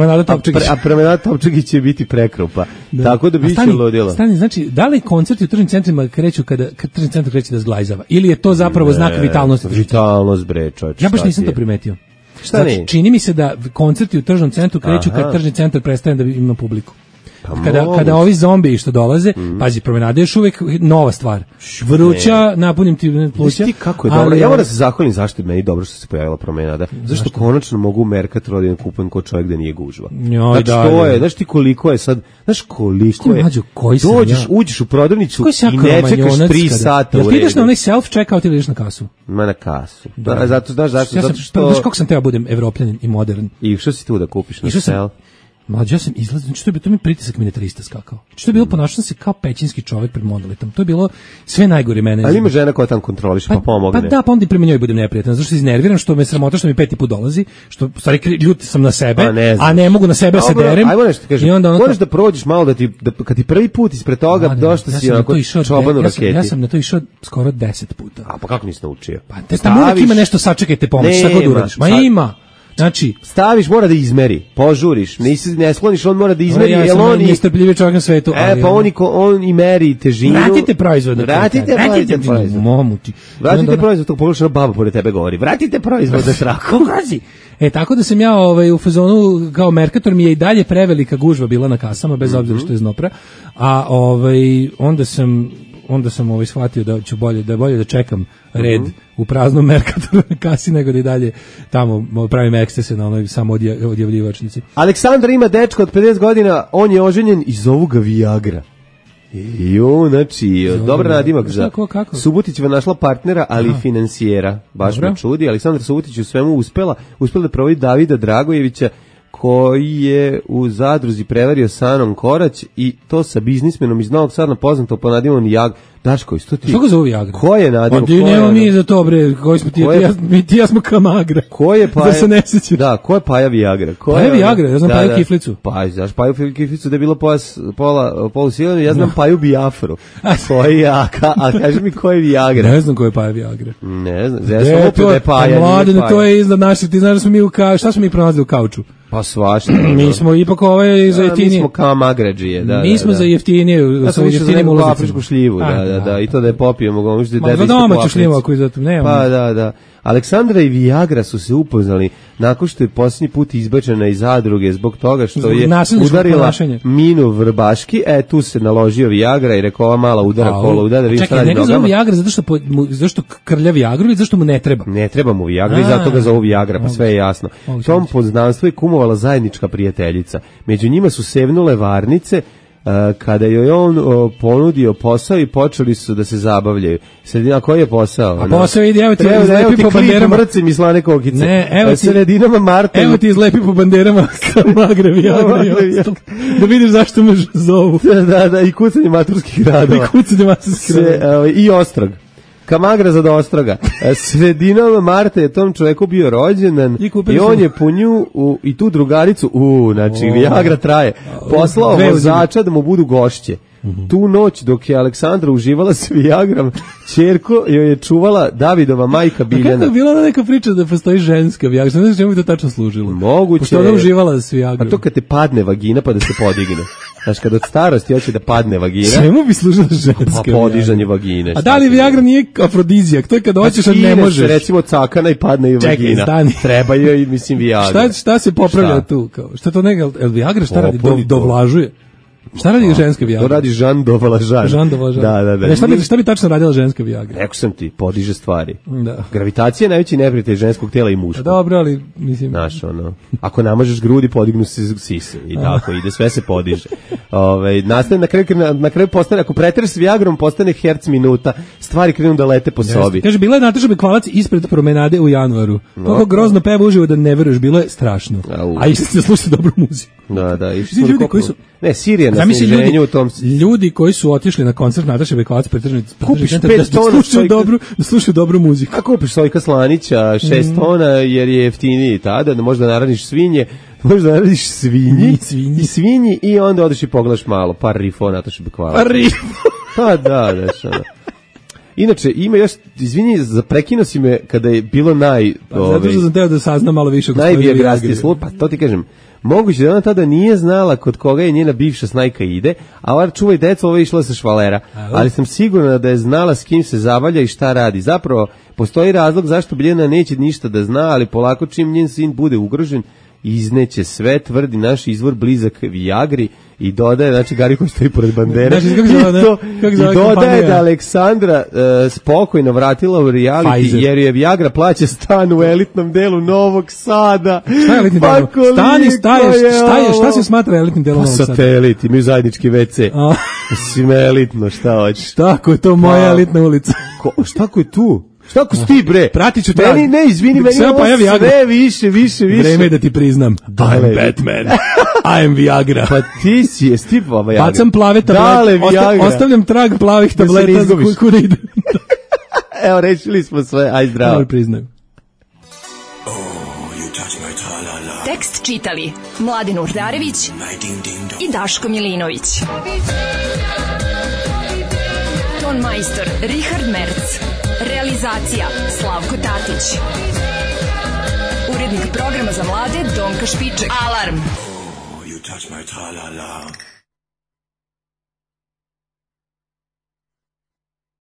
a Promenada Topčagić će biti prekrupa. Tako da biće ludilo. Stani, znači, da li koncerti u tržnim centrima kreću kada tržni centar kreće da zglajzava? Ili je to zapravo znak vitalnosti? Vitalnost, bre, čovječ. Ja baš nisam to primetio. Znači, čini mi se da koncerti u tržnom centru kreću kad tržni centar prestane da ima publiku. Kada ovi zombiji što dolaze, pazi, Promenada je još uvijek nova stvar. Vruća, napunim ti pluća. Ti kako je dobro. Ja moram da se zahvalim zašto je meni dobro što se pojavila Promenada. Zašto konačno mogu u Mercatoru da kupujem kod čovjek da nije gužva. Znači to je, znaš ti koliko je sad, uđeš u prodavnicu i ne čekaš 3 sata u redu. Jel ti ideš na onaj self-checkout ili ideš na kasu? Ma na kasu. Zato što... Znaš kako sam teo budem evropljanin i modern. I što si tu da kupiš na self? Mlađe, ja sam izlazio, znači to mi pritisak miniaturista skakao. Znači to je bilo, ponašao se kao pećinski čovjek pred monolitom. To je bilo sve najgore mene. Ali ima žena koja tam kontroliše pa pomogne. Pa da, pa onda i prema njoj budem neprijatan. Zašto se iznerviram, što me sramota, što mi 5. put dolazi, što stvari ljuti sam na sebe, a ne mogu na sebe se derem. Ajmo nešto kažem. Moraš da prođeš malo kad ti prvi put ispred toga došla si onako čoban u raketi. Ja sam na to išao skoro 10 puta. A pa kako nisi naučio? Pa tamo uvijek ima nešto, sačekajte pomoć, šta god uradiš. Ma ima. Znači, staviš, mora da izmeri, požuriš, ne skloniš, on mora da izmeri, ja sam najnestrpljivi čovjek na svetu. Pa on i meri težinu. Vratite proizvod. Vratite proizvod, to pogledaš baba pored tebe govori. Vratite proizvod za traku. Tako da sam ja u fazonu kao Mercator mi je i dalje prevelika gužva bila na kasama, bez obzira što je znopra, a onda sam shvatio da ću bolje da čekam red u praznom Mercatoru na kasi nego da i dalje tamo pravim ekstase na onoj samo odjavljivačnici. Aleksandar ima dečko od 50 godina, on je oženjen i zovu ga Viagra. Znači, dobar nadimak za Subotićeva našla partnera, ali i finansijera. Baš me čudi. Aleksandar Subotić u svemu uspela da provodi Davida Dragojevića, koji je u zadruzi prevario Sanom Korać i to sa biznismenom iz Novog Sada poznato po nadivom Viagra. Daško, isto ti? Što ga zove Viagra? Ko je nadimak? Pa nemamo mi za to, bre, koji smo ti ja smo Kamagra. Ko je Paja? Da se ne sećam. Da, ko je Paja Viagra? Paja Viagra, ja znam Paju Kiflicu. Pa, znaš Paju Kiflicu da je bilo polu silenu, ja znam Paju Bijafru. Koji je, a kaži mi ko je Viagra? Ne znam ko je Paja Viagra. Ne znam, ja sam opet da je Paja. Mladen, to je iznad naših, ti znaš da smo mi šta smo mi pronalazili u kauču? Pa svašta. Mi smo ipak za jeftinije. Mi smo kao magređije, da. Mi smo za jeftinije, ja sam jeftinijim ulazicama. Afričku šljivu, da, i to da je popijemo, možete da domaću šljivu ako je zato nema. Pa da. Aleksandra i Viagra su se upoznali nakon što je posljednji put izbačena iz zadruge zbog toga što je udarila minu vrbaški, tu se naložio Viagra i rekao ova mala udara kolo, udara da vidiš šta radi nogama. Čekaj, njega zove Viagra zašto krlja Viagru ili zašto mu ne treba? Ne treba mu Viagra i zato ga zovu Viagra, pa sve je jasno. Tom poznanstvu je kumovala zajednička prijateljica. Među njima su sevnule varnice, kada joj on ponudio posao i počeli su da se zabavljaju. Sredina, koji je posao? A posao ide, evo ti izlepi po banderama. Mrcim i slane kokice. Ne, evo ti sredinama marta. Evo ti izlepi po banderama Magre, Viagra i ostalo. Da vidiš zašto me zovu. Da, i kucanje maturskih radova. I ostrog. Kamagra za Ostroga. Sredinom marta je tom čoveku bio rođendan i on je po nju i tu drugaricu, znači Viagra traje, poslao vozača da mu budu gošće. Tu noć dok je Aleksandra uživala s Viagrom, ćerko joj je čuvala Davidova majka Biljana. Kako je bila neka priča da postoji ženska Viagra? Znaš čemu je to tačno služilo? Moguće. Pošto ona uživala s Viagrom. A to kad te padne vagina pa da se podigne. Znaš, kad od starosti hoće da padne vagina. Čemu bi služila ženska Viagra? Pa podižanje vagine. A da li Viagra nije afrodizijak? To je kad hoćeš, a ne možeš. Recimo cakana i padne i vagina. Treba joj, mislim, Viagra. Šta se popravlja tu? Šta to neka, Viagra šta radi? Dovlažuje? Šta radi ženska Viagra? To radi Jean Dovlažan. Da. Šta bi tačno radila ženska Viagra? Rekao sam ti, podiže stvari. Da. Gravitacija je najveći neprijatelj ženskog tela i muškog. Dobro, ali mislim... Znaš, ako namažeš grudi, podignu se sise. I tako ide, sve se podiže. Na kraju postane, ako pretereš s Viagrom, postane herc minuta. Stvari krenu da lete po sobi. Kaže, bila je Nataša Bekvalac ispred promenade u januaru. Kako grozno peva uživo da ne veruješ, bilo je strašno. A i se sluša dobru muziku. Da. Ljudi koji su... Ne, Sirija na sniženju u tom... Ljudi koji su otišli na koncert Nataše Bekvalac kupiš 5 tona da slušaju dobru muziku. A kupiš Sojka Slanića 6 tona jer je jeftiniji tada, da možda naradiš svinje, možda naradiš svinji i onda odeš i pogledaš malo, par rifo Nataše Bekvalac. Pa da. Inače, ima još, izvini, prekinuo si me kada je bilo zato što sam teo da saznam malo više. Najbiografski slud, pa to ti kažem, moguće da ona tada nije znala kod koga je njena bivša snajka ide, a ova čuvaj deca, ova je išla sa švalera, ali sam sigurna da je znala s kim se zabavlja i šta radi. Zapravo, postoji razlog zašto Biljana neće ništa da zna, ali polako čim njen sin bude ugrožen, izneće sve, tvrdi naš izvor blizak Viagri i dodaje, znači Gari koji stoji pored bandere, i dodaje da Aleksandra spokojno vratila u reality jer je Viagra plaća stan u elitnom delu Novog Sada. Šta je elitni delo? Šta se smatra elitnim delom Novog Sada? Satelit, imaju zajednički WC. Mislim, elitno, šta hoćeš? Šta ako je to moja elitna ulica? Šta ako je tu? Šta ako si ti, bre? Pratit ću trag. Ne, izvini, meni ovo sve više. Vreme je da ti priznam. I'm Batman. I'm Viagra. Pa ti si, jesi ti Viagra. Bacam plave tablete. Ostavljam trag plavih tableta kuda ide. Evo, rešili smo sve. Aj, zdravo. Evo, priznajem. Tekst čitali Mladin Urdarević i Daško Milinović. Ton majstor Richard Merc. Realizacija Slavko Tatić. Urednik programa za mlade Donka Špiček. Alarm! Oh, you touch my tra-la-la.